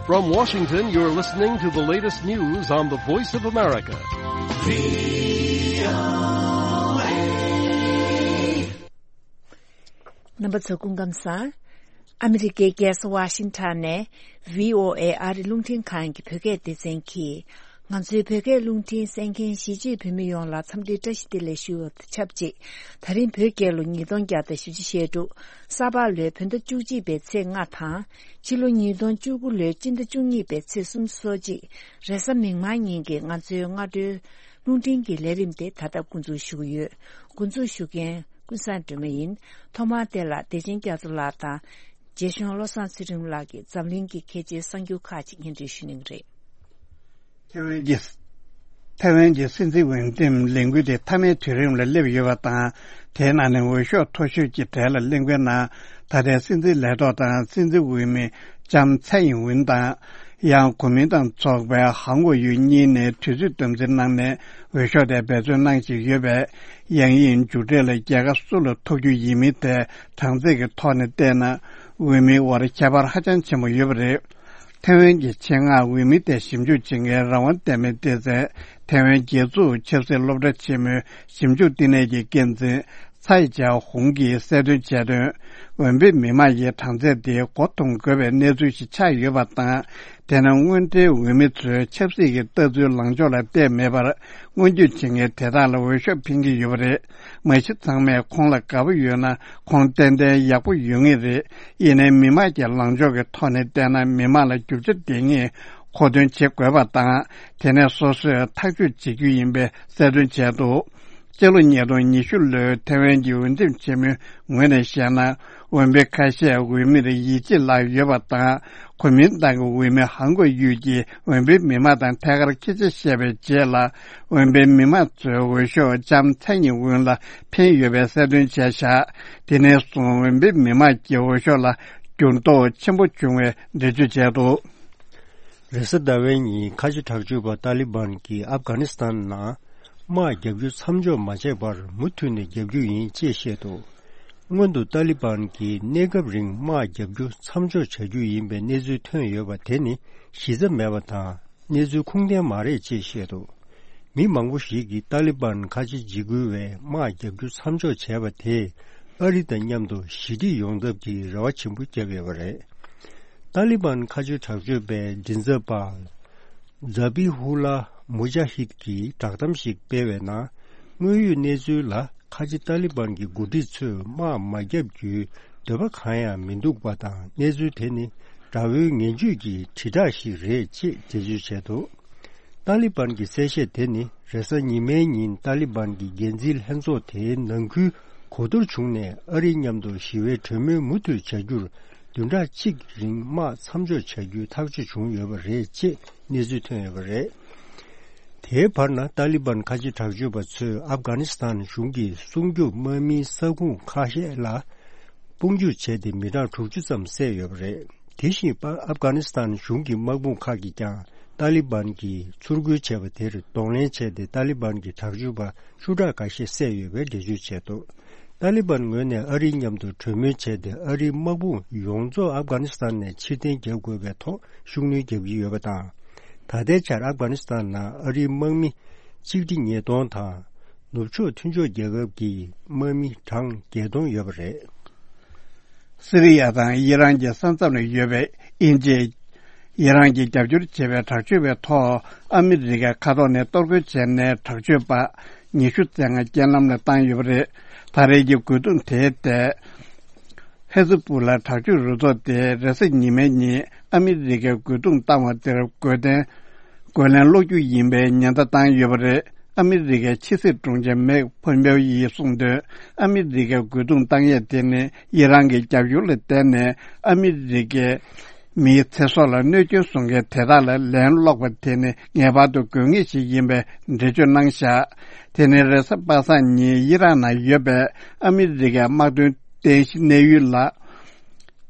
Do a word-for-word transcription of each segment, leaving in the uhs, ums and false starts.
From Washington, you're listening to the latest news on the Voice of America. རྣམ་པ་ཚོ་སྐུ་ཁམས་བཟང་། ཨ་མི་རི་ཀའི་རྒྱལ་ས་ཝ་ཤིང་ཊོན་ནས་བྷི་ཨོ་ཨེ་ཨ་རི་རླུང་འཕྲིན་ཁང་གི་བོད་སྐད་སྡེ་ཚན་གྱིས། ང་ཚོའི་བོད་སྐད་རླུང་འཕྲིན་གསན་མཁན་གཞིས་བྱེས་བོད་མི་ཡོངས་ལ་འཚམས་འདྲིའི་བཀྲ་ཤིས་བདེ་ལེགས་ཞུ་བ་དང་ཆབས་ཅིག་ད་རིང་བོད་རྒྱལ་ལོ་ཉིས་སྟོང་བརྒྱ་དང་བཞི་བཅུ་ཞེ་དྲུག་ས་ཕག་ལོའི་བོད་ཟླ་བཅུ་གཅིག་པའི་ཚེས་ལྔ་དང་། ཕྱི་ལོ་ཉིས་སྟོང་བཅུ་དགུ་ལོའི་སྤྱི་ཟླ་བཅུ་གཉིས་པའི་ཚེས་སོ་གཅིག་རེས་གཟའ་མིག་དམར་ཉིན་གྱི་ང་ཚོའི་སྔ་དྲོའི་རླུང་འཕྲིན་གྱི་ལས་རིམ་དེ་ད་ལྟ་འགོ་འཛུགས་ཞུ་གི་ཡོད། འགོ་འཛུགས་ཞུ་མཁན་ཀུན་བཟང་སྒྲོལ་མ་ཡིན། ཐོག་མར་དེ་ལ་བདེ་ཆེན་རྒྱ་མཚོ་ལགས་དང་། རྗེ་གཞུང་བློ་བཟང་ཚུལ་ཁྲིམས་ལགས་ཀྱིས་འཛམ་གླིང་གི་གལ་ཆེའི་གསར་འགྱུར་ཁག་ཅིག་སྙན་སྒྲོན་ཞུ་གནང་གི་རེད། ཐེ་ཝན་གྱི་ཐེ་ཝན་གྱི་སྲིད་འཛིན་འོས་འདེམས་ལས་འགུལ་དེ་མཐའ་མའི་དུས་རིམ་ལ་སླེབས་ཡོད་པ་དང་། དེའི་ནང་ནས་འོས་ཤོག་མཐོ་ཤོས་ཀྱི་གྲས་ལ་སླེབས་མཁན་ནང་ད་ལྟའི་སྲིད་འཛིན་ལས་ཐོག་དང་སྲིད་འཛིན་འོས་མི་ལྕམ་ཚའེ་ཡིན་ཝུན་དང་། ཡང་གོ་མིན་ཏང་ཚོགས་པའི་ཧང་གོ་ཡུས་གཉིས་ནས་དུས་ཚོད་དམ་འཛིན་གནང་ནས་འོས་ཤོག་དེ་འབད་བརྩོན་གནང་བཞིན་ཡོད་པས། ཡང་དབྱིངས་མཇུག་འབྲས་ལ་རྒྱལ་ཁ་སུ་ལ་ཐོབ་རྒྱུ་ཡིན་མིན་ཐད་གྲངས་ཚད་ཀྱི་ཐོག་ནས་བལྟས་ན། འོས་མིའི་དབར་ཁྱད་པར་ཧ་ཅང་ཆེན་པོ་ཡོད་པ་རེད། ཐེ་ཝན་གྱི་ཆེད་མངགས་འོས་མི་དེ་ཞིབ་འཇུག་བྱེད་མཁན་རང་དབང་ལྟ་མིན་སྡེ་ཚན་ཐེ་ཝན་རྒྱལ་འཛུགས་ཆབ་སྲིད་སློབ་གྲྭ་ཆེན་མོའི་ཞིབ་འཇུག་བསྟི་གནས་ཀྱི་འགན་འཛིན་ཚའེ་ཅའོ་ཧུང་གིས་གསལ་སྟོན་བྱས་དོན། འོས་འབབ་མི་མང་གི་གྲངས་ཚད་དེ་མགོ་འཐོམ་དགོས་པའི་གནས་ཚུལ་ཞིག་ཆགས་ཡོད་པ་དང་། དེ་ནི་དངོས་འབྲེལ་འོས་མི་ཚོའི་ཆབ་སྲིད་ཀྱི་ལྟ་ཚུལ་ལངས་ཕྱོགས་ལ་བལྟས་མེད་པར། སྔོན་སྐྱོད་བྱེད་མཁན་དེ་དག་ལ་འོས་ཤོག་འཕེན་གྱི་ཡོད་པ་རེད། མ་གཞི་ཚང་མས་ཁོང་ལ་དགའ་པོ་ཡོད་ན་ཁོང་ཏན་ཏན་ཡག་པོ་ཡོད་ངེས་རེད། ཡིན་ནའི་མི་མང་གི་ལངས་ཕྱོགས་ཀྱི་ཐོག་ནས་བལྟས་ན་མི་མང་ལ་རྒྱུ་ཆ་ལྡན་ངེས་མཁོ་འདོན་བྱེད་དགོས་པ་དང་། དེ་ནས་སོ་སོས་ཐག་གཅོད་བྱེད་རྒྱུ་ཡིན་པའི་གསལ་སྟོན་བྱས་འདུག་སྤྱི་ལོ་ཉིས་སྟོང་ཉི་ཤུ་ལོའི་ཐེ་ཝན་གྱི་འོས་འདེམས་ཆེན་མོའི་ངོས་ནས་བཤད་ན། འོས་འཕེན་ཁ་ཤས་འོས་མིར་ཡིད་ཆེས་བརླག་ཡོད་པ་དང་། གོ་མིན་ཏང་གི་འོས་མི་ཧང་གོ་ཡུས་ཀྱིས་འོས་འཕེན་མི་མང་དང་ཐད་ཀར་སྐད་ཆ་བཤད་པའི་རྗེས་ལ། འོས་འཕེན་མི་མང་ཚོས་འོས་ཤོག་ལྕམ་ཚའེ་ཡིན་ཝུན་ལ་འཕེན་ཡོད་པའི་གསལ་སྟོན་བྱས་བཞག་དེ་ནས་བཟུང་འོས་འཕེན་མི་མང་གི་འོས་ཤོག་ལ་འགྱུར་ལྡོག་ཆེན་པོ་བྱུང་བའི་འགྲེལ་བརྗོད་བྱས་འདུག་རེས་གཟའ་ཟླ་བའི་ཉིན་ཁ་ཆེ་དྲག་སྤྱོད་པ་ཏཱ་ལི་བན་གྱིས་ཨབ་གྷ་ནི་སི་ཐན་ནང་དམག་རྒྱག་རྒྱུ་མཚམས་འཇོག་མ་བྱས་པར་མུ་མཐུད་ནས་རྒྱག་རྒྱུ་ཡིན་ཅེས་བཤད་འདུག་སྔོན་དུ་ཏཱ་ལི་བན་གྱིས་གནས་སྐབས་རིང་དམག་རྒྱག་རྒྱུ་མཚམས་འཇོག་བྱ་རྒྱུ་ཡིན་པའི་གནས་ཚུལ་ཐོན་ཡོད་པ་དེ་ནི་གཞི་རྩ་མེད་པ་དང་གནས་ཚུལ་ཁུངས་ལྡན་མ་རེད་ཅེས་བཤད་འདུག་མི་མང་པོ་ཞིག་གིས་ཏཱ་ལི་བན་ཁ་ཆེ་འཇིགས་སྐུལ་བས་དམག་རྒྱག་རྒྱུ་མཚམས་འཇོག་བྱས་པ་དེས་ཨ་རི་དང་མཉམ་དུ་ཞི་འགྲིག་ཡོང་ཐབས་ཀྱི་རེ་བ་ཆེན་པོ་བརྒྱབ་ཡོད་པ་རེད། ཏཱ་ལི་བན་ཁ་ཆེ་དྲག་སྤྱོད་པའི་མགྲིན་ཚབ་པ། ཛ་བྷི་ཧུ་ལ་མུ་ཇཱ་ཧིད་ཀྱིས་བསྒྲགས་གཏམ་ཞིག་སྤེལ་བའི་ནང་། དངོས་ཡོད་གནས་ཚུལ་ལ་ཁ་ཆེ་ཏཱ་ལི་བན་གྱི་འགོ་ཁྲིད་ཚོས་དམག་མ་བརྒྱབ་རྒྱུའི་འདོད་པ་གང་ཡང་མི་འདུག་པ་དང་། གནས་ཚུལ་དེ་ནི་དགྲ་བོའི་ངན་ཇུས་ཀྱི་དྲིལ་བསྒྲགས་ཤིག་རེད་ཅེས་འགྲེལ་བརྗོད་བྱས་འདུག་ཏཱ་ལི་བན་གྱི་གསལ་བཤད་དེ་ནི་རེས་གཟའ་ཉི་མའི་ཉིན་ཏཱ་ལི་བན་གྱི་འགན་འཛིན་ལྷན་ཚོགས་དེའི་ནང་ཁུལ་གོ་བསྡུར་བྱུང་ནས། ཨ་རིའི་མཉམ་དུ་ཞི་བའི་གྲོས་མོལ་མུ་མཐུད་བྱ་རྒྱུར་བདུན་ཕྲག་གཅིག་རིང་དམག་མཚམས་འཇོག་བྱ་རྒྱུའི་ཐག་གཅོད་བྱུང་ཡོད་པ་རེད་ཅེས་གནས་ཚུལ་ཐོན་ཡོད་པ་རེད། དེའི་བར་ན་ཏཱ་ལི་བན་ཁ་ཆེ་དྲག་སྤྱོད་པ་ཚོས་ཨབ་གྷ་ནི་སི་ཐན་གཞུང་གི་སྲུང་སྐྱོབ་དམག་མིའི་ས་ཁུངས་ཁ་ཤས་ལ་དཔུང་འཇུག་བྱས་ཏེ་མི་གྲངས་དྲུག་ཅུ་ཙམ་བསད་ཡོད་པ་རེད། དེ་བཞིན་ཨབ་གྷ་ནི་སི་ཐན་གཞུང་གི་དམག་དཔུང་ཁག་གིས་ཀྱང་ཏཱ་ལི་བན་གྱིས་ཚུར་རྒོལ་བྱས་པ་དེར་གདོང་ལེན་བྱས་ཏེ། ཏཱ་ལི་བན་གྱི་དྲག་སྤྱོད་པ་ཤུ་དྲག་འགའ་ཤས་བསད་ཡོད་པའི་འགྲེལ་བརྗོད་བྱས་འདུག་ཏཱ་ལི་བན་ངོས་ནས་ཨ་རིའི་མཉམ་དུ་གྲོས་མོལ་བྱས་ཏེ། ཨ་རིའི་དམག་དཔུང་ཡོངས་རྫོགས་ཨབ་གྷ་ནི་སི་ཐན་ནས་ཕྱིར་འཐེན་བརྒྱབ་དགོས་པའི་ཐོག་ཤུགས་སྣོན་བརྒྱབ་ཀྱི་ཡོད་པ་དང་། ད་ལྟའི་ཆར་ཨབ་གྷ་ནི་སི་ཐན་ནང་ཨ་རིའི་དམག་མི་གཅིག་ཁྲི་ཉིས་སྟོང་དང་། ནུབ་ཕྱོགས་མཐུན་ཕྱོགས་རྒྱལ་ཁབ་ཀྱི་དམག་མི་གྲངས་བརྒྱད་སྟོང་ཡོད་པ་རེད། སི་རི་ཡ་དང་ཡི་རང་གི་ས་མཚམས་ལ་ཡོད་པའི་དབྱིན་ཇི། ཡི་རང་གིས་རྒྱབ་སྐྱོར་བྱེད་པའི་དྲག་སྤྱོད་པའི་ཐོག་ཨ་མི་རི་ཀའི་མཁའ་ཐོག་ནས་གཏོར་རྒོལ་བྱས་ནས། དྲག་སྤྱོད་པ་ཉི་ཤུ་རྩ་ལྔ་རྐྱེན་ལམ་ལ་བཏང་ཡོད་པ་རེད། ད་རེས་ཀྱི་རྒོལ་རྡུང་དེའི་ཐད། ཧེ་ཛི་པུ་ལ་དྲག་སྤྱོད་རུ་ཚོགས་དེས་རེས་གཟའ་ཉི་མའི་ཉིན་ཨ་མི་རི་ཀའི་རྒོལ་རྡུང་བཏང་བ་དེར་རྒོལ་རྡུང་། རྒོལ་ལན་སློག་རྒྱུ་ཡིན་པའི་ཉེན་བརྡ་བཏང་ཡོད་པ་རེད། ཨ་མི་རི་ཀའི་ཕྱི་སྲིད་དྲུང་ཆེ་མེག་ཕོམ་པེའོ་ཡིས་གསུངས་དོན། ཨ་མི་རི་ཀའི་རྒོལ་རྡུང་བཏང་ཡས་དེ་ནི་ཡི་རང་གི་རྒྱབ་སྐྱོར་ལ་བརྟེན་ནས། ཨ་མི་རི་ཀའི་མིའི་ཚེ་སྲོག་ལ་གནོད་སྐྱོན་བཟོ་མཁན་དེ་དག་ལ་ལན་སློག་པ་དེ་ནི་ངེས་པར་དུ་དགོས་ངེས་ཤིག་ཡིན་པའི་འགྲེལ་བརྗོད་གནང་བཞག་དེ་ནི་རེས་གཟའ་པ་སངས་ཉིན་ཡི་རང་ནང་ཡོད་པའི་ཨ་མི་རི་ཀའི་དམག་དོན་རྟེན་གཞི་གནས་ཡུལ་ལ།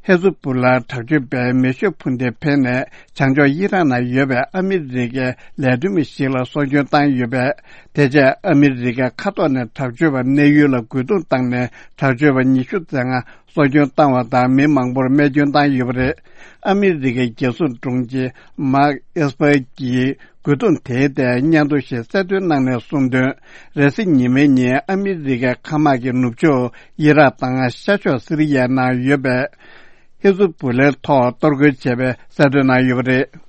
ཧེ་ཛུ་པུ་ལ་དྲག་སྤྱོད་པས་མེ་ཤུགས་འཕུར་མདེལ་འཕེན་ནས། བྱང་ཕྱོགས་ཡི་རང་ནང་ཡོད་པའི་ཨ་མི་རི་ཀའི་ལས་དོན་མི་ཞིག་ལ་སྲོག་སྐྱོན་བཏང་ཡོད་པས། དེ་རྗེས་ཨ་མི་རི་ཀའི་མཁའ་ཐོག་ནས་དྲག་སྤྱོད་པ་གནས་ཡུལ་ལ་རྒོལ་རྡུང་བཏང་ནས། དྲག་སྤྱོད་པ་ཉི་ཤུ་རྩ་ལྔ་ གསོ་སྐྱོང་བཏང་བ་དང་། མི་མང་པོར་རྨས་སྐྱོན་བཏང་ཡོད་པ་རེད། ཨ་མི་རི་ཀའི་རྒྱལ་སྲུང་དྲུང་ཆེ་མཱག་ཨེས་པར་གྱིས་རྒོལ་རྡུང་དེའི་ཐད་སྙན་ཐོ་ཞིག་གསལ་སྟོན་གནང་ནས་གསུངས་དོན། རེས་གཟའ་ཉི་མའི་ཉིན་ཨ་མི་རི་ཀའི་མཁའ་དམག་གིས་ནུབ་ཕྱོགས་ཨི་རག་དང་ཤར་ཕྱོགས་སི་རི་ཡའི་ནང་ཡོད་པའི་ཧི་ཛུ་བུ་ལའི་ཐོག་གཏོར་རྒོལ་བྱས་པའི་གསལ་སྟོན་གནང་ཡོད་པ་རེད།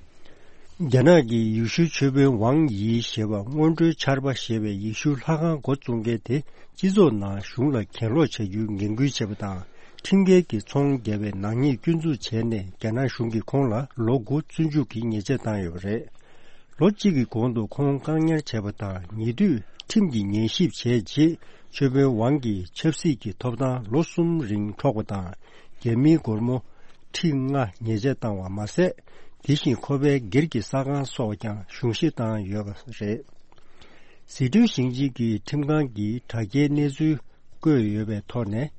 རྒྱ་ནག་གིས་ཡེ་ཤུ་ཆོས་དཔོན་ཝང་ཡི་ཞེས་པ་སྔོན་འགྲོའི་ཆར་པ་ཞེས་པའི་ཡེ་ཤུ་ལྷ་ཁང་འགོ་བཙུགས་མཁན་དེ་སྤྱི་ཚོགས་ནང་གཞུང་ལ་གྱེན་ལོག་བྱ་རྒྱུའི་ངན་སྐུལ་བྱས་པ་དང་། ཁྲིམས་འགལ་གྱི་ཚོང་བརྒྱབ་པའི་ནག་ཉེས་སྐྱོན་འཛུགས་བྱས་ནས། རྒྱ་ནག་གཞུང་གིས་ཁོང་ལ་ལོ་དགུ་བཙོན་འཇུག་གི་ཉེས་ཆད་བཏང་ཡོད་པ་རེད། ལོ་གཅིག་གི་གོང་དུ་ཁོང་བཀག་ཉར་བྱས་པ་དང་། ཉེ་དུས་ཁྲིམས་ཀྱི་ཉན་ཞིབ་བྱས་རྗེས། ཆོས་དཔོན་ཝང་གིས་ཆབ་སྲིད་ཀྱི་ཐོབ་ཐང་ལོ་གསུམ་རིང་འཕྲོག་པ་དང་། རྒྱ་མིའི་སྒོར་མོ་ཁྲི་ལྔ་ཉེས་ཆད་བཏང་བ་མ་ཟད། དེ་བཞིན་ཁོ་པའི་སྒེར་གྱི་ས་ཁང་སོགས་ཀྱང་གཞུང་བཞེས་བཏང་ཡོད་པ་རེད། ཟི་ཁྲོན་ཞིང་ཆེན་གྱི་ཁྲིམས་ཁང་གིས་དྲ་རྒྱའི་གནས་ཚུལ་བཀོད་ཡོད་པའི་ཐོག་ནས།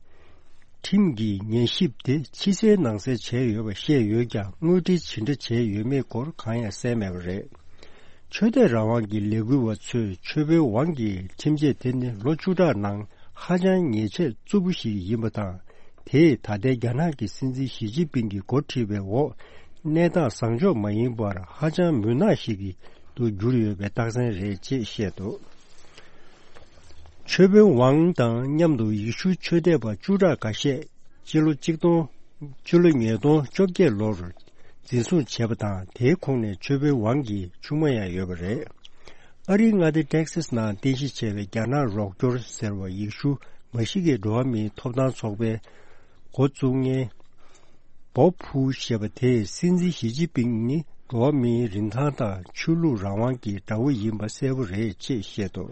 ཁྲིམས་ཀྱི་ཉན་ཞིབ་དེ་ཕྱི་གསལ་ནང་གསལ་བྱས་ཡོད་པ་བཤད་ཡོད་ཀྱང་། དངོས་འབྲེལ་ཇི་འདྲ་བྱས་ཡོད་མེད་སྐོར་གང་ཡང་གསལ་མེད་པ་རེད། ཆོས་དད་རང་དབང་གི་ལས་འགུལ་བ་ཚོས་ཆོས་དཔོན་ཝང་གི་ཁྲིམས་ཆད་དེ་ནི་ལོ་བཅུ་ཕྲག་ནང་ཧ་ཅང་ཉེས་ཆད་རྩུབ་པོ་ཞིག་ཡིན་པ་དང་། དེས་ད་ལྟའི་རྒྱ་ནག་གི་སྲིད་འཛིན་ཞི་ཅིན་ཕིང་གིས་འགོ་ཁྲིད་པའི་འོག་གནས་སྟངས་བཟང་ཕྱོགས་མ་ཡིན་པར་ཧ་ཅང་མུན་ནག་ཞིག་ཏུ་གྱུར་ཡོད་པའི་རྟགས་མཚན་རེད་ཅེས་བཤད་འདུག་ཆོས་དཔོན་ཝང་དང་མཉམ་དུ་ཡེ་ཤུ་ཆོས་དད་པ་བཅུ་ཕྲག་འགའ་ཤས་སྤྱི་ལོ་གཅིག་སྟོང་། སྤྱི་ལོ་ཉིས་སྟོང་བཅོ་བརྒྱད་ལོར་འཛིན་བཟུང་བྱས་པ་དང་། དེའི་ཁོངས་ནས་ཆོས་དཔོན་ཝང་གི་ཆུང་མ་ཡང་ཡོད་པ་རེད། ཨ་རིའི་མངའ་སྡེ་ཏེག་སཱས་ནང་རྟེན་གཞི་བྱས་པའི་རྒྱ་ནག་རོགས་སྐྱོར་ཟེར་བ། ཡེ་ཤུ་མ་ཤི་ཀའི་འགྲོ་བ་མིའི་ཐོབ་ཐང་ཚོགས་པའི་འགོ་བཙུགས་མཁན་པོ་ཕུའུ་ཞེས་པ་དེས། སྲིད་འཛིན་ཞི་ཅིན་ཕིང་ནི་འགྲོ་བ་མིའི་རིན་ཐང་དང་ཆོས་ལུགས་རང་དབང་གི་དགྲ་བོ་ཡིན་པ་གསལ་པོ་རེད་ཅེས་བཤད་འདུག་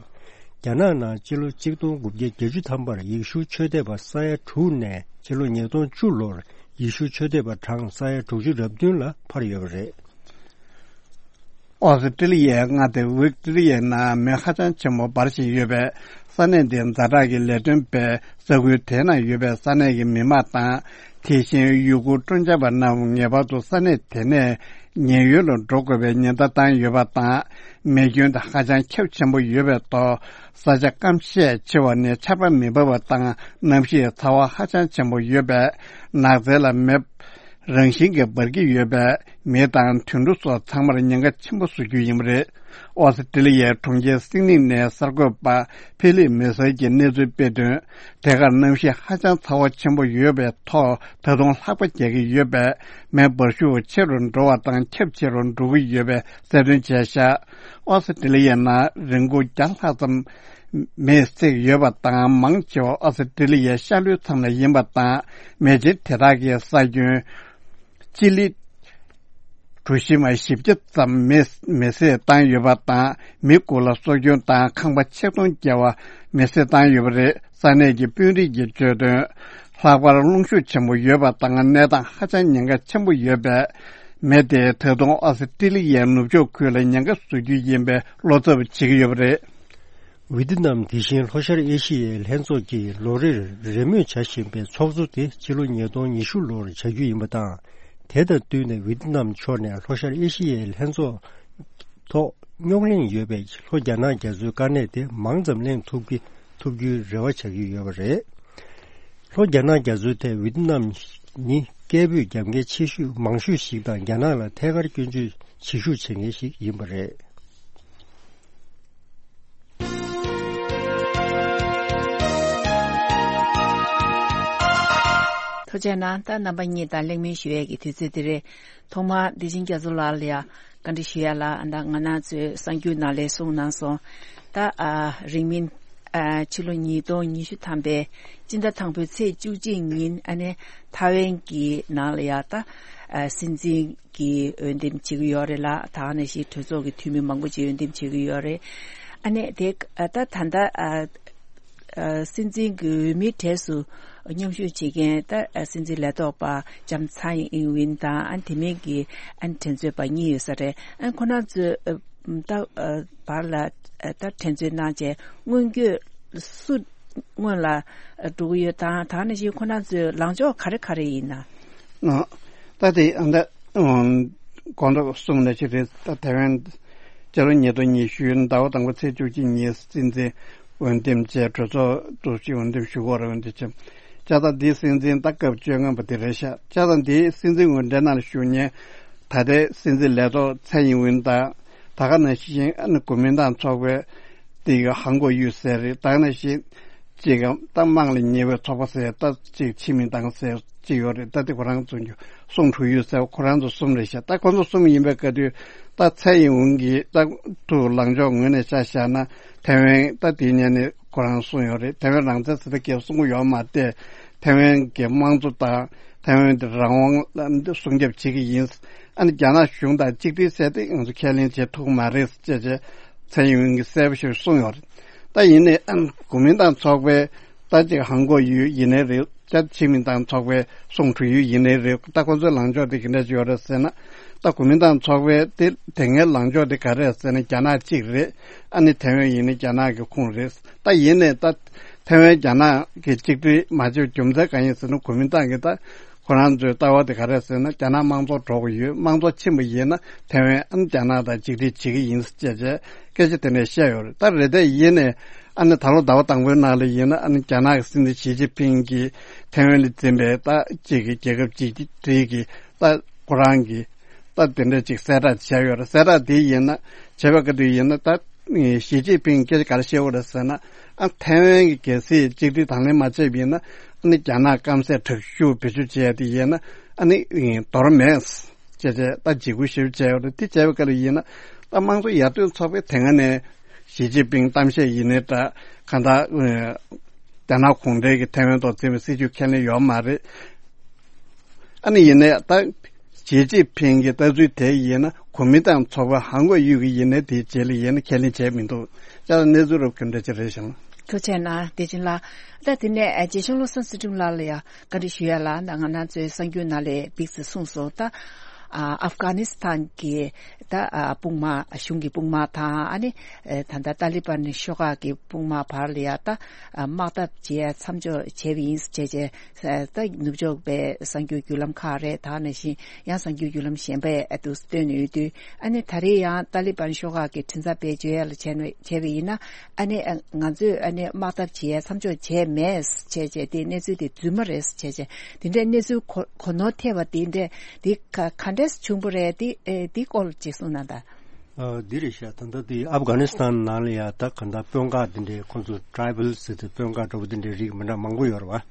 རྒྱ་ནག་ནང་སྤྱི་ལོ་གཅིག་སྟོང་དགུ་བརྒྱ་བརྒྱད་ཅུ་ཐམ་པར་ཡེ་ཤུ་ཆོས་དད་པ་ས་ཡ་དྲུག་ནས་སྤྱི་ལོ་ཉིས་སྟོང་བཅུ་ལོར་ཡེ་ཤུ་ཆོས་དད་པ་གྲངས་ས་ཡ་དྲུག་ཅུ་རེ་བདུན་ལ་འཕར་ཡོད་པ་རེད། ཨོ་སི་ཀྲི་ལི་ཡའི་མངའ་སྡེ་ཝིག་ཏོ་རི་ཡའི་ནང་མེ་ཧ་ཅང་ཆེན་པོ་འབར་བཞིན་ཡོད་པས། ས་གནས་འདིའི་ཛ་དྲག་གི་ལས་དོན་པས་ས་ཁུལ་དེའི་ནང་ཡོད་པའི་ས་གནས་ཀྱི་མི་མང་དང་། དེ་བཞིན་ཡུ་གུར་སྤྲོ་འཆམ་པ་རྣམས་ངེས་པར་དུ་ས་གནས་དེ་ནས་ཉེན་གཡུལ་ལ་འགྲོ་དགོས་པའི་ཉེན་བརྡ་བཏང་ཡོད་པ་དང་། མེ་སྐྱོན་དེ་ཧ་ཅང་ཁྱབ་ཆེན་པོ་ཡོད་པའི་ཐོག་ས་ཆ་སྐམ་ཤས་ཆེ་བ་ནས་ཆར་པ་མི་འབབ་པ་དང་། གནམ་གཤིས་ཚ་བ་ཧ་ཅང་ཆེན་པོ་ཡོད་པས། ནགས་ཚལ་ལ་མེ་རང་བཞིན་གྱིས་འབར་གྱི་ཡོད་པས། མི་དང་དུད་འགྲོ་སོགས་ཚང་མར་ཉེན་ཁ་ཆེན་པོ་བཟོ་རྒྱུ་ཡིན་པ་རེད། ཨོ་སི་ཀྲི་ལི་ཡའི་གྲོང་ཁྱེར་སིད་ནི་ནས་གསར་འགོད་པ་ཕི་ལིབ་མེ་སར་གྱིས་གནས་ཚུལ་སྤེལ་དོན། དེ་གར་གནམ་གཤིས་ཧ་ཅང་ཚ་བ་ཆེན་པོ་ཡོད་པའི་ཐོག་ད་དུང་ལྷགས་པ་རྒྱག་གི་ཡོད་པས། མེ་འབར་ཤུགས་ཆེ་རུ་འགྲོ་བ་དང་ཁྱབ་ཆེ་རུ་འགྲོ་གི་ཡོད་པའི་གསལ་སྟོན་བྱས་བཞག་ཨོ་སི་ཀྲི་ལི་ཡའི་ནང་རིན་གོང་བརྒྱ་ལྷག་ཙམ་མེས་བསྲེགས་ཡོད་པ་དང་། མང་ཆེ་བ་ཨོ་སི་ཀྲི་ལི་ཡའི་ཤར་ལྷོའི་མཚམས་ལ་ཡིན་པ་དང་། མེ་མཆེད་དེ་དག་གིས་ས་ཁྱོན་སྤྱི་ལེ་གྲུ་བཞི་མ་བཞི་བརྒྱ་ཙམ་མེ་མེ་བསྲེགས་བཏང་ཡོད་པ་དང་། མི་དགུ་ལ་སྲོག་སྐྱོན་དང་ཁང་པ་ཆིག་སྟོང་བརྒལ་བ་མེ་བསྲེགས་བཏང་ཡོད་པ་རེད། ས་གནས་ཀྱི་དཔོན་རིགས་ཀྱིས་བརྗོད་དོན། ལྷག་པར་རླུང་ཤུགས་ཆེན་པོ་ཡོད་པ་དང་། གནས་སྟངས་ཧ་ཅང་ཉེན་ཁ་ཆེན་པོ་ཡོད་པས། མེ་དེས་ད་དུང་ཨོ་སི་ཀྲི་ལི་ཡའི་ནུབ་ཕྱོགས་ཁུལ་ལ་ཉེན་ཁ་བཟོ་རྒྱུ་ཡིན་པའི་བློ་འཚབ་བྱེད་ཀྱི་ཡོད་པ་རེད། ཝི་ཏི་ནམ་དེ་བཞིན་ལྷོ་ཤར་ཨེ་ཤི་ཡའི་ལྷན་ཚོགས་ཀྱིས་ལོ་རེར་རེས་མོས་བྱ་བཞིན་པའི་ཚོགས་གཙོ་དེ་ཕྱི་ལོ་ཉིས་སྟོང་ཉི་ཤུ་ལོར་བྱ་རྒྱུ་ཡིན་པ་དང་། དེ་དང་བསྟུན་ནས་ཝི་ཏི་ནམ་ཕྱོགས་ནས་ལྷོ་ཤར་ཨེ་ཤི་ཡའི་ལྷན་ཚོགས་ཐོག་རྙོག་གླེང་ཡོད་པའི་ལྷོ་རྒྱ་ནག་རྒྱ་མཚོའི་དཀའ་གནད་དེ་མང་ཙམ་གླེང་ཐུབ་ཀྱི་ཐུབ་རྒྱུའི་རེ་བ་བྱ་གི་ཡོད་པ་རེད། ལྷོ་རྒྱ་ནག་རྒྱ་མཚོའི་ཐད་ཝི་ཏི་ནམ་ནི་སྐད་འབོད་རྒྱབ་མཁན་ཆེ་ཤོས་མང་ཤོས་ཤིག་དང་། རྒྱ་ནག་ལ་ཐད་ཀར་སྐྱོན་བརྗོད་བྱེད་ཤུགས་བྱེད་མཁན་ཞིག་ཡིན་པ་རེད། ཐུགས་རྗེ་གནང་། ད་རྣམ་པ་གཉིས་དང་གླེང་མོལ་ཞུ་ཡས་ཀྱི་དུས་ཚོད་འདི་རེད། ཐོག་མར་བདེ་ཆེན་རྒྱ་མཚོ་ལགས་ལ་ཡང་བཀའ་འདྲི་ཞུ་ཡ་ལ། ད་ང་རང་ཚོའི་གསར་འགྱུར་ནང་ལ་གསུངས་གནང་སོང་། ད་ཨ་རིང་མིན་ཨ་ཕྱི་ལོ་ཉིས་སྟོང་ཉི་ཤུ་ཐམ་པའི་སྤྱི་ཟླ་དང་པོའི་ཚེས་བཅུ་གཅིག་ཉིན་ཨ་ནི་ཐའེ་ཝན་གྱི་ནང་ལ་ཡང་ད་ཨ་སྲིད་འཛིན་གྱི་འོས་འདེམས་བྱེད་ཀྱི་ཡོད་རེད་ལ། ད་ག་ནང་བཞིན་གྲོས་ཚོགས་ཀྱི་འཐུས་མི་མང་པོ་ཅིག་འོས་འདེམས་བྱེད་ཀྱི་ཡོད་རེད། ཨ་ནི་དེ་ཨ་ད་ད་ལྟ་ཨ་ཨ་སྲིད་འཛིན་གྱི་འོས་མིའི་གྲས་སུ་མཉམ་ཞུགས་བྱེད་མཁན་ད་ཨ་སྲིད་འཛིན་ལས་ཐོག་པ་ལྕམ་ཚའེ་ཨིན་ཝིན་དང་། ཨ་དེ་མིན་གྱི་ཨ་ནི་འགྲན་རྩོད་པ་གཉིས་ཡོད་ས་རེད། ཨ་ཁོ་རང་ཚོས་ཨ་ད་ཨ་བར་ལ་ཨ་ད་འགྲན་རྩོད་གནང་བྱས་སྔོན་སྐྱོད་སུ་སྔོན་ལ་ཨ་འགྲོ་གི་ཡོད་དང་། ད་ག་ནང་བཞིན་ཁོ་རང་ཚོའི་ལངས་ཕྱོགས་ག་རེ་ག་རེ་ཡིན་ན། ཨ་ད་དེ་ཨ་ད་ཨ་གོང་དུ་གསུངས་ནང་བཞིན་རེད། ད་ཐའེ་ཝན་སྤྱི་ལོ་ཉིས་སྟོང་ཉི་ཤུ་ཟླ་བ་དང་པོ་ཚེས་བཅུ་གཅིག་ཉིན་སྲིད་འཛིན་འོས་འདེམས་བྱས། གྲོས་ཚོགས་འདུ་ཞིག་འོས་འདེམས་ཞུ་དགོས་རེད། འོས་འདེམས་བྱས། བྱས་ཙང་འདིའི་སྲིད་འཛིན་ད་སྐབས་བཅོ་ལྔ་པ་དེ་རེད་ཤག་བྱས་ཙང་འདིའི་སྲིད་འཛིན་འོས་འབྲེལ་ནང་ལ་ཞུགས་མཁན་ད་ལྟའི་སྲིད་འཛིན་ལས་ཐོག་ཚའེ་ཡིན་ཝིན་དང་། ད་ག་ནང་བཞིན་ཨ་ནི་གོ་མིན་ཏང་ཚོགས་པའི་དེ་ག་ཧང་གོ་ཡུས་ཟེར་རེད། ད་ག་ནང་བཞིན་ཅིག་གམ་ད་དམངས་ལ་ཉེ་བའི་ཚོགས་པ་ཟེར་ད་ཅིག་ཆི་མིན་ཏང་ཟེར་ཅིག་ཡོད་རེད། ད་དེ་ཁོ་རང་ཚོ་གི་སུང་ཁྲུ་ཡུས་ཟེར་ཁོ་རང་ཚོ་གསུམ་རེད་ཤག་ད་ཁོ་ཚོ་གསུམ་ཡིན་པའི་སྐབས་དུས་ད་ཚའེ་ཡིན་ཝིན་གྱིས་ད་ཐུགས་ལངས་ཕྱོགས་ངོས་ནས་ཆ་བཞག་ན་ཐའེ་ཝན་ད་དེ་ཉིད་ནས་ཁོ་རང་གསུངས་ཡོད་རེད། ཐའེ་ཝན་རང་བཙན་ཟེར་ད་སྐད་གསུང་གི་ཡོད་མ་རེད། ཐའེ་ཝན་གྱི་དམངས་གཙོ་དང་ཐའེ་ཝན་དེ་རང་དབང་ལ་སྲུང་སྐྱོབ་བྱེད་ཀྱི་ཡིན། ཨ་ནི་རྒྱ་ནག་གཞུང་དང་གཅིག་སྒྲིལ་ཟེར་དེ་ང་ཚོ་ཁས་ལེན་བྱེད་ཐུབ་ཀྱི་མ་རེད་ཅེས་བྱས་ཚའེ་ཡིན་ཝིན་གྱིས་གསལ་པོ་ཞིག་གསུངས་ཡོད་རེད། ད་ཡིན་ནའི་ཨ་ནི་གོ་མིན་ཏང་ཚོགས་པའི་ད་ཅིག་ཧང་གོ་ཡུས་ཡིན་ནའི་རེད། ཅ་ཆི་མིན་ཏང་ཚོགས་པའི་སུང་ཁྲུ་ཡུས་ཡིན་ནའི་རེད། ད་ཁོ་ཚོའི་ལངས་ཕྱོགས་དེ་ག་འདྲ་ཅིག་ཡོད་རེད་ཟེར་ན། ད་གོ་མིན་ཏང་ཚོགས་པའི་དེ་དེ་སྔའི་ལངས་ཕྱོགས་དེ་ག་རེད་ཟེར་ན་རྒྱ་ནག་གཅིག་རེད། ཨ་ནི་ཐའེ་ཝན་ཡིན་ན་རྒྱ་ནག་གི་ཁོངས་རེད། ད་ཡིན་ནའི་ད་ཐའེ་ཝན་རྒྱ་ནག་གི་གཅིག་སྒྲིལ་མ་བྱེད་རྒྱུ་མཚན་གང་ཡིན་ཟེར་ན་གོ་མིན་ཏང་གི་ད་ཁོ་རང་ཚོའི་ལྟ་བ་དེ་ག་རེད་ཟེར་ན་རྒྱ་ནག་དམངས་གཙོ་འགྲོ་གི་ཡོད། དམངས་གཙོ་ཕྱིན་པ་ཡིན་ན་ཐའེ་ཝན་ཨ་ནི་རྒྱ་ནག་དང་གཅིག་སྒྲིལ་བྱེད་ཀྱི་ཡིན་ཟེར་བྱས་བྱས་སྐད་ཆ་དེ་འདྲ་བཤད་ཡོད་རེད། ད་རེད་དེ་ཡིན་ནའི་ཨ་ནི་ད་ལོ་ཟླ་བ་དང་པོའི་ནང་ལ་ཡིན་ན་ཨ་ནི་རྒྱ་ནག་གི་སྲིད་འཛིན་ཞི་ཅིན་ཕིང་གིས་ཐའེ་ཝན་ལ་འཛིན་པའི་ད་གཅིག་གི་རྒྱལ་ཁབ་གཅིག་སྒྲིལ་གྱི་ད་ཁོ་རང་གི་ད་དེ་འདྲ་ཅིག་གསལ་བསྒྲགས་བྱས་ཡོད་རེད། གསལ་བསྒྲགས་དེ་ཡིན་ན་བྱས་པ་ག་དུས་ཡིན་ན་ད་ཞི་ཅིན་ཕིང་སྐད་ཆ་ག་རེ་བཤད་ཡོད་རེད་ཟེར་ན་ཨ་ཐའེ་ཝན་གྱི་གལ་སྲིད་གཅིག་སྒྲིལ་དང་ལེན་མ་བྱས་པ་ཡིན་ན་ཨ་ནི་རྒྱ་ནག་སྐམ་སས་དྲག་ཤུགས་བེད་སྤྱོད་བྱས་ཏེ་ཡིན་ན་ཨ་ནི་འདོར་མེད་ཅེས་བྱས་ད་འཇིགས་སྐུལ་ཞེ་པོ་བྱས་ཡོད་རེད། དེ་བྱས་པ་ག་ལ་ཡིན་ན་ད་དམངས་གཙོ་ཡར་ཐོན་ཚོགས་པས་དེ་སྔ་ནས་ཞི་ཅིན་ཕིང་གཏམ་བཤད་ཡིན་ནའི་འདྲ་གང་ལྟར་རྒྱ་ནག་གུང་ཁྲན་གྱི་ཐའེ་ཝན་ཐོག་འཛིན་པའི་སྲིད་ཇུས་ཁས་ལེན་ཡོད་མ་རེད། ཨ་ནི་ཡིན་ནའི་ད་ཞི་ཅིན་ཕིང་གི་ལྟ་ཚུལ་དེ་ཡིན་ན་གོ་མིན་ཏང་ཚོགས་པ་ཧང་གོ་ཡུས་ཀྱི་ཡིན་ནའི་དེའི་རྗེས་ལ་ཡིན་ན་ཁས་ལེན་བྱས་མི་འདུག་ཅག་གནས་ཚུལ་རབ་ག་འདྲ་ཅིག་རེད་ཤག་ཐུགས་རྗེ་གནང་། བདེ་ཆེན་ལགས། ད་དེ་ནས་ཨ་རྗེ་ཤང་བློ་བཟང་ཚུལ་ཁྲིམས་ལགས་ལ་ཡང་བཀའ་འདྲི་ཞུ་ཡ་ལ་ད་ང་རང་ཚོའི་གསར་འགྱུར་ནང་ལ་ཡང་ཕྱོགས་སུ་གསུངས་སོང་། ད་ཨ་ཨབ་གྷ་ནི་སི་ཐན་གྱི་ད་ཨ་དཔུང་དམག་གཞུང་གི་དཔུང་དམག་དང་ཨ་ནི་ཨ་ད་ལྟ་ཏཱ་ལི་བན་ཤོག་ཁག་གི་དཔུང་དམག་བར་ལ་ཡང་ད་ཨ་དམག་འཐབ་བྱེད་ཡ་མཚམས་འཇོག་བྱས་པ་ཡིན་ཟེར་བྱས་བྱས་ད་ནུབ་ཕྱོགས་པའི་གསར་འགྱུར་བརྒྱུད་ལམ་ཁག་རེད། ད་ནང་བཞིན་ཡང་གསར་འགྱུར་བརྒྱུད་ལམ་གཞན་པས་ཨ་དུ་བཏོན་ཡོད་དུས་ཨ་ནི་ད་རེས་ཡང་ཏཱ་ལི་བན་ཤོག་ཁག་གི་མགྲིན་ཚབ་པས་བརྗོད་ཡ་ལ་བྱས་ན་བྱས་པ་ཡིན་ན་ཨ་ནི་ཨ་ང་ཚོས་ཨ་ནི་དམག་འཐབ་བྱེད་ཡ་མཚམས་འཇོག་བྱས་མེད་བྱས་བྱས་དེ་གནས་ཚུལ་དེ་རྫུན་མ་རེད་བྱས་བྱས་དེ་འདྲའི་གནས་ཚུལ་གོ་གོ་ནོར་ཐེབས་པ་དེ་འདྲས་དེ་ག་ག་འདྲས་བྱུང་བ་རེད། དེ་ཨེ་དེ་སྐོར་ཅིག་གསུངས་གནང་དང་། ཨ་འདི་རེད་ཤག་ད་ལྟ་དེ་ཨབ་གྷ་ནི་སི་ཐན་ནང་ལ་ཡ་ད་ག་ད་དཔོན་ཁག་དེ་འདྲའི་ཁོང་ཚོ་ཊ་རའི་བལ་ཟེར་ཏེ་དཔོན་ཁག་འདྲ་པོ་དེ་འདྲའི་རིགས་མི་འདྲ་མང་པོ་ཡོད་རེད་བ།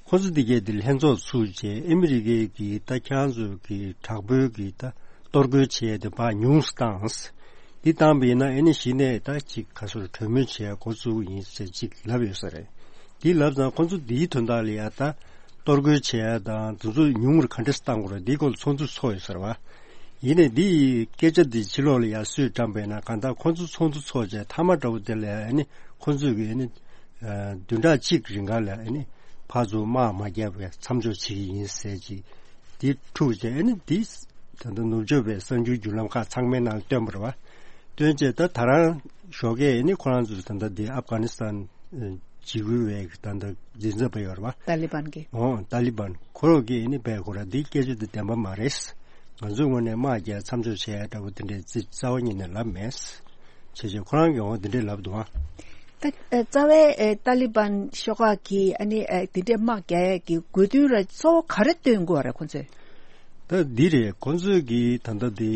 ཁོང་ཚོ་དེ་གས་དེ་ལྷན་ཚོགས་ཚུགས་བྱས་ཨ་མི་རི་ཀའི་གི་ད་ཁྱེད་རང་ཚོ་གི་དྲག་པོའི་གི་ད་གཏོར་རྒོལ་བྱས་ཏེ་ཕར་ཉུང་སུ་བཏང་། འདི་བཏང་པ་ཡིན་ན་ཨ་ནི་གཞི་ནས་ད་ཅིག་ག་ཚོད་གྲོས་མོལ་བྱས་འགོ་བཙུགས་ཡིན་ཟེར་ཅིག་ལབ་ཡོད་ས་རེད། འདི་ལབ་ཙང་ཁོང་ཚོ་འདིའི་དོན་དག་ལ་ཡ་ད་གཏོར་རྒོལ་བྱས་ཡ་དང་དེ་ཚོ་ཉུང་རུ་ག་འདྲས་བཏང་དགོས་རེད། འདིའི་སྐོར་ལ་ཚོགས་འདུ་ཚོགས་ཡོད་ས་རེད་བ། ཡིན་ནའི་འདི་ཡི་སྐད་ཆ་འདི་ཕྱི་ལོགས་ལ་ཡར་སུས་བཀྲམ་པས་ན་གང་ལྟར་ཁོང་ཚོ་ཚོགས་འདུ་ཚོགས་བྱས་མཐའ་མ་འདྲ་བོ་དེ་ལ་ཨ་ནི་ཁོང་ཚོས་ཀྱི་ཨ་ནི་ཨ་བདུན་ཕྲག་གཅིག་རིང་ག་ལ་ཨ་ནི་ཕར་ཚུར་དམག་མ་བརྒྱབ་པའི་མཚམས་འཇོག་བྱེད་ཀྱི་ཡིན་ཟེར་ཅིག་འདི་འཁྲུག་བྱས་ཨ་ནི་འདི་ད་ལྟ་ནུབ་ཕྱོགས་པའི་གསར་འགྱུར་བརྒྱུད་ལམ་ཁག་ཚང་མའི་ནང་ལ་བཏོན་པ་རེད་བ། བཏོན་བྱས་ད་ད་རང་ཞོགས་ཀས་ཨ་ནི་ཁོ་རང་ཚོས་ད་ལྟ་འདི་ཨབ་གྷ་ནི་སི་ཐན་འཇིགས་སྐུལ་བའི་ད་ལྟ་མགྲིན་ཚབ་པ་ཡོད་རེད་བ། ཏཱ་ལི་བན་གྱི། ཨོ་ཏཱ་ལི་བན་ཁོ་རང་གིས་ཨ་ནི་བས་ཁོ་རང་འདི་སྐད་ཆ་འདི་བདེན་པ་མ་རེད། ང་ཚོའི་ངོས་ནས་དམག་རྒྱག་མཚམས་འཇོག་བྱས་ཡ་འདྲ་བོ་དེ་འདྲའི་རྩི་རྩ་བ་ཉིད་ནས་ལབ་མེད། བྱས་བྱས་ཁོ་རང་གིས་འོ་འདི་འདྲས་ལབ་འདུག་ཨ། ད་ཨ་རྩ་བའི་ཨ་ཏཱ་ལི་བན་ཤོག་ཁག་གིས་ཨ་ནི་ཨ་དེ་འདྲས་དམག་རྒྱག་ཡ་གི་དགོས་འདུན་ར་གཙོ་བོ་ག་རེ་བཏོན་དགོས་རེད་ཁོ་ཚོས། ད་འདི་རེད། ཁོ་ཚོས་ཀྱི་ད་ལྟ་དེ་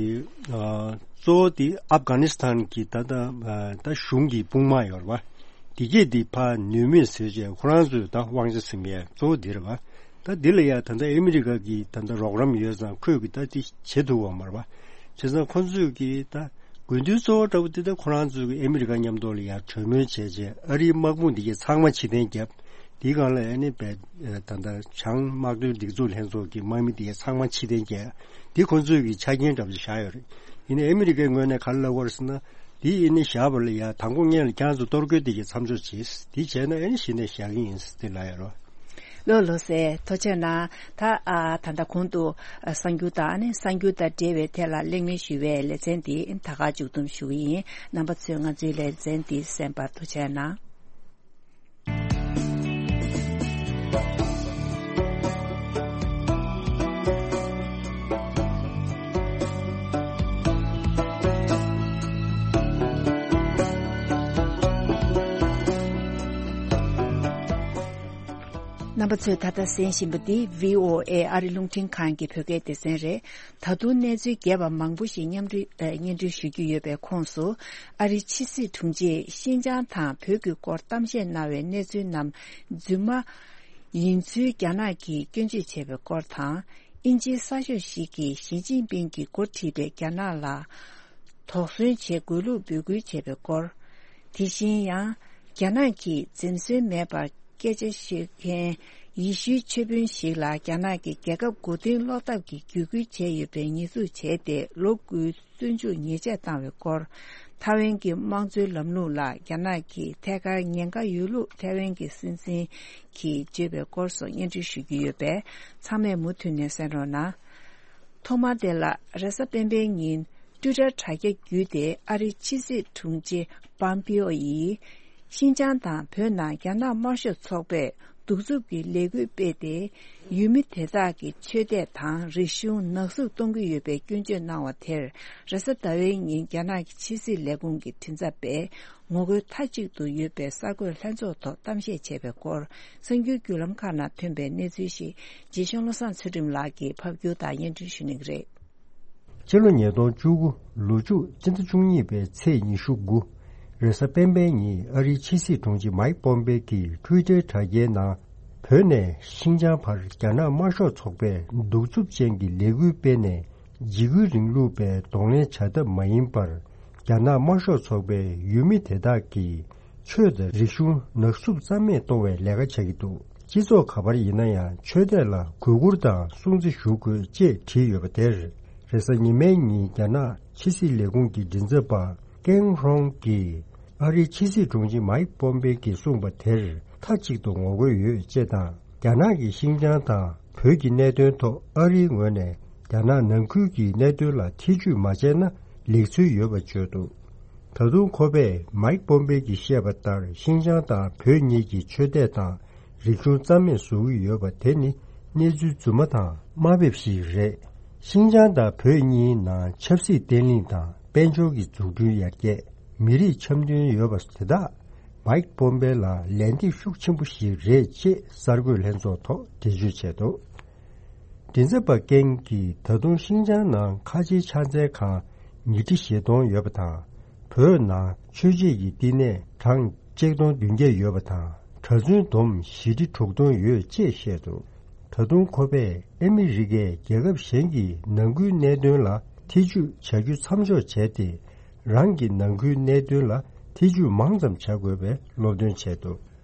ཨ་གཙོ་བོ་དེ་ཨབ་གྷ་ནི་སི་ཐན་གྱི་ད་ལྟ་ཨ་ད་གཞུང་གི་དཔུང་དམག་ཡོད་རེད་བ། དེ་གས་དེ་ཕར་ནུས་མེད་བཟོས་བྱས་ཁོ་རང་ཚོས་ད་དབང་ཆ་ཟིན་ཡས་གཙོ་བོ་འདི་རེད་བ། ད་འདི་ལ་ཡ་ད་ལྟ་ཨ་མི་རི་ཀ་གི་ད་ལྟ་རོགས་རམ་ཡོད་ཙང་ཁོས་ཀྱི་ད་དེ་བྱེད་ཐུབ་པ་མ་རེད་བ། བྱས་ཙང་ཁོ་ཚོས་ཀྱི་ད་དགོས་འདུན་གཙོ་བོ་འདྲ་བོ་དེ་ད་ཁོ་རང་ཚོས་ཀྱི་ཨ་མི་རི་ཀ་མཉམ་དུ་ལ་ཡ་གྲོས་མོལ་བྱས་བྱས་ཨ་རིའི་དམག་དཔུང་འདི་གས་ཚང་མ་ཕྱིར་འཐེན་བརྒྱབ། དེའི་སྒང་ལ་ཨ་ནི་བས་ད་ལྟ་བྱང་དམག་དོན་སྒྲིག་འཛུགས་ལྷན་ཚོགས་ཀྱི་དམག་མི་དེ་ཚང་མ་ཕྱིར་འཐེན་བྱས། དེ་ཁོང་ཚོས་ཀྱི་ཆ་རྐྱེན་འདྲ་པོ་ཞིག་བཞག་ཡོད་རེད། ཡིན་ནའི་ཨ་མི་རི་ཀའི་ངོས་ནས་ག་རེ་ལབ་དགོས་རེད་ཟེར་ན། དེ་ཨ་ནི་བཞག་པ་ལ་ཡ་དང་པོ་སྔོན་ལ་ཁྱེད་རང་ཚོ་གཏོར་རྒོལ་དེ་གའི་མཚམས་འཇོག་བྱེད། དེ་བྱས་ན་ཨ་ནི་གཞི་ནས་བཞག་གི་ཡིན་ཟེར་དེ་ལབ་ཡོད་རེད། ལགས་ལགས་སེ་ཐུགས་རྗེ་གནང་། ད་ཨ་ད་ལྟ་གོང་དུ་ཨ་གསར་འགྱུར་དང་ཨ་ནི་གསར་འགྱུར་དང་འབྲེལ་བའི་ཐད་ལ་གླེང་མོལ་ཞུས་པའི་ལེ་ཚན་འདི་ད་ག་མཇུག་བསྡོམས་ཞུ་གི་ཡིན། རྣམ་པ་ཚོས་ང་ཚོའི་ལེ་ཚན་འདི་གསན་པར་ཐུགས་རྗེ་གནང་། རྣམ་ པ་ཚོས་ད་ལྟ་གསན་བཞིན་པ་འདི་བྷི་ཨོ་ཨེ་ཨ་རི་རླུང་འཕྲིན་ཁང་གི་བོད་སྐད་སྡེ་ཚན་རེད། ད་དུང་གནས་ཚུལ་རྒྱས་པ་མང་པོ་ཞིག་མཉམ་འབྲེལ་ཨ། སྙན་སྒྲོན་ཞུ་རྒྱུ་ཡོད་པའི་ཁོངས་སུ། ཨ་རིའི་ཕྱི་སྲིད་དྲུང་ཆེས་ཤིན་ཅང་དང་བོད་ཀྱི་སྐོར་གཏམ་བཤད་གནང་བའི་གནས་ཚུལ་རྣམས་རྫུན་མ་ཡིན་ཚུལ་རྒྱ་ནག་གིས་སྐྱོན་བརྗོད་བྱས་པའི་སྐོར་དང་། དབྱིན་ཇིའི་གསར་ཤོག་ཞིག་གིས་ཞི་ཅིན་ཕིང་གིས་འགོ་ཁྲིད་པའི་རྒྱ་ནག་ལ་དོགས་ཟོན་བྱེད་དགོས་ལུགས་འབོད་སྐུལ་བྱས་པའི་སྐོར། དེ་བཞིན་ཡང་། རྒྱ་ནག་གིས་འཛེམ་ཟོན་མེད་པར་སྐད་ཆ་བཤད་མཁན་ཡེ་ཤུའི་ཆོས་དཔོན་ཞིག་ལ་རྒྱ་ནག་གིས་རྒྱལ་ཁབ་མགོ་རྟིང་སློག་ཐབས་ཀྱི་བརྒྱུད་སྐུལ་བྱས་ཡོད་པའི་ཉེས་འཛུགས་བྱས་ཏེ་ལོ་དགུའི་བཙོན་འཇུག་ཉེས་ཆད་བཏང་བའི་སྐོར། ཐའེ་ཝན་གྱི་དམངས་གཙོའི་ལམ་ལུགས་ལ་རྒྱ་ནག་གིས་ཐད་ཀར་ཉེན་ཁ་ཡོད་ལུགས་ཐའེ་ཝན་གྱི་སྲིད་འཛིན་གྱིས་བརྗོད་པའི་སྐོར་སོགས་སྙན་སྒྲོན་ཞུ་རྒྱུ་ཡོད་པས་ཚང་མས་མུ་མཐུད་ནས་གསན་རོགས་གནང་། ཐོག་མར་དེ་ལ་རེས་གཟའ་སྤེན་པའི་ཉིན་ཊུའི་ཊར་དྲ་རྒྱ་བརྒྱུད་དེ་ཨ་རིའི་ཕྱི་སྲིད་དྲུང་ཆེ་པམ་པིའོ་ཡིས། ཤིན་ཅང་དང་བོད་ནང་རྒྱ་ནག་དམར་ཤོག་ཚོགས་པས་གདུག་རྩུབ་ཀྱི་ལས་འགུལ་སྤེལ་ཏེ། ཡུལ་མི་དེ་དག་གི་ཆོས་དད་དང་རིག་གཞུང་ནག་བསུབ་གཏོང་གི་ཡོད་པའི་སྐྱོན་བརྗོད་གནང་བ་དེར། རེས་གཟའ་ཟླ་བའི་ཉིན་རྒྱ་ནག་གི་ཕྱི་སྲིད་ལས་ཁུངས་ཀྱི་མགྲིན་ཚབ་པས། ངོ་རྒོལ་མཐའ་གཅིག་ཏུ་ཡོད་པའི་གསར་འགོད་ལྷན་ཚོགས་ཐོག་གཏམ་བཤད་བྱས་པའི་སྐོར། གསར་འགྱུར་བརྒྱུད་ལམ་ཁག་ནང་ཐོན་པའི་གནས་ཚུལ་ཞིག་རྗེ་གཞུང་བློ་བཟང་ཚུལ་ཁྲིམས་ལགས་ཀྱིས་ཕབ་སྒྱུར་དང་སྙན་སྒྲོན་ཞུ་གནང་གི་རེད། ཕྱི་ལོ་ཉིས་སྟོང་བཅུ་དགུ་ལོ་མཇུག་སྤྱི་ཟླ་བཅུ་གཉིས་པའི་ཚེས་ཉི་ཤུ་དགུ། རེས་གཟའ་སྤེན་པའི་ཉིན་ཨ་རིའི་ཕྱི་སྲིད་དྲུང་ཆེ་མཱིག་པོམ་པེ་གྱིས་ཊུའི་ཊར་དྲ་རྒྱའི་ནང་བོད་ནས་ཤིན་ཅང་བར་རྒྱ་ནག་དམར་ཤོག་ཚོགས་པས་གདུག་རྩུབ་ཅན་གྱི་ལས་འགུལ་སྤེལ་ནས། འཇིགས་སྐུལ་རིང་ལུགས་པའི་གདོང་ལེན་བྱ་ཐབས་མ་ཡིན་པར། རྒྱ་ནག་དམར་ཤོག་ཚོགས་པའི་ཡུལ་མི་དེ་དག་གིས་ཆོས་དང་རིག་གཞུང་ནག་བསུབ་རྩ་མེད་གཏོང་བའི་ལས་ཀ་བྱ་གི་འདུག་སྤྱི་ཚོགས་ག་པར་ཡིན་ན་ཡང་ཆོས་དད་ལ་གུས་བཀུར་དང་སྲུང་བརྩི་ཞུ་དགོས་ཅེས་བྲིས་ཡོད་པ་དེར། རེས་གཟའ་ཉི་མའི་ཉིན་རྒྱ་ནག་ཕྱི་སྲིད་ལས་ཁུངས་ཀྱི་མགྲིན་ཚབ་པ་ཀེང་ཧྲོང་གིས་ཨ་རིའི་ཕྱི་སྲིད་དྲུང་ཆེ་མཱིག་པོམ་པེ་གྱིས་གསུངས་པ་དེར་མཐའ་གཅིག་ཏུ་ངོ་རྒོལ་ཡོད་ཅེས་དང་། རྒྱ་ནག་གིས་ཤིན་ཅང་དང་བོད་ཀྱི་གནད་དོན་ཐོག་ཨ་རིའི་ངོས་ནས་རྒྱ་ནག་ནང་ཁུལ་གྱི་གནད་དོན་ལ་ཐེ་ཇུས་མ་བྱས་ན་ལེགས་ཚུལ་ཡོད་པ་བརྗོད་འདུག་ད་དུང་ཁོ་པས་མཱིག་པོམ་པེ་གྱིས་བཤད་པ་ལྟར་ཤིན་ཅང་དང་བོད་གཉིས་ཀྱི་ཆོས་དད་དང་རིག་གཞུང་རྩ་མེད་བཟོ་གི་ཡོད་པ་དེ་ནི་གནས་ཚུལ་རྫུན་མ་དང་དམའ་འབེབས་ཤིག་རེད། ཤིན་ཅང་དང་བོད་གཉིས་ནང་ཆབ་སྲིད་བརྟན་ལྷིང་དང་དཔལ་འབྱོར་གྱི་འཛུགས་སྐྲུན་ཡར་རྒྱས། མི་རིགས་འཆམ་མཐུན་ཡོད་པ་དེ་དག་མཱིག་པོམ་པེ་ལ་ལན་འདེབས་ཤུགས་ཆེན་པོ་ཞིག་རེད་ཅེས་གསར་འགོད་ལྷན་ཚོགས་ཐོག་འགྲེལ་བརྗོད་བྱས་འདུག་མགྲིན་ཚབ་པ་ཀེང་གིས་ད་དུང་ཤིན་ཅང་ནང་ཁ་ཆེའི་ཕྱག་འཚལ་ཁང་ཉིས་ཁྲི་བཞི་སྟོང་ཡོད་པ་དང་། བོད་ནང་ཆོས་བྱེད་ཀྱི་བསྟི་གནས་གྲངས་གཅིག་སྟོང་བདུན་བརྒྱ་ཡོད་པ་དང་། གྲྭ་བཙུན་བསྡོམས་བཞི་ཁྲི་དྲུག་སྟོང་ཡོད་ཅེས་བཤད་འདུག་ད་དུང་ཁོ་པས་ཨ་མི་རི་ཀས་རྒྱལ་ཁབ་གཞན་གྱི་ནང་ཁུལ་གནད་དོན་ལ་ཐེ་ཇུས་བྱ་རྒྱུ་མཚམས་འཇོག་བྱས་ཏེ། རང་གི་ནང་ཁུལ་གནད་དོན་ལ་ཐེ་ཇུས་མང་ཙམ་བྱ་དགོས་པའི་སློབ་སྟོན་བྱས་འདུག་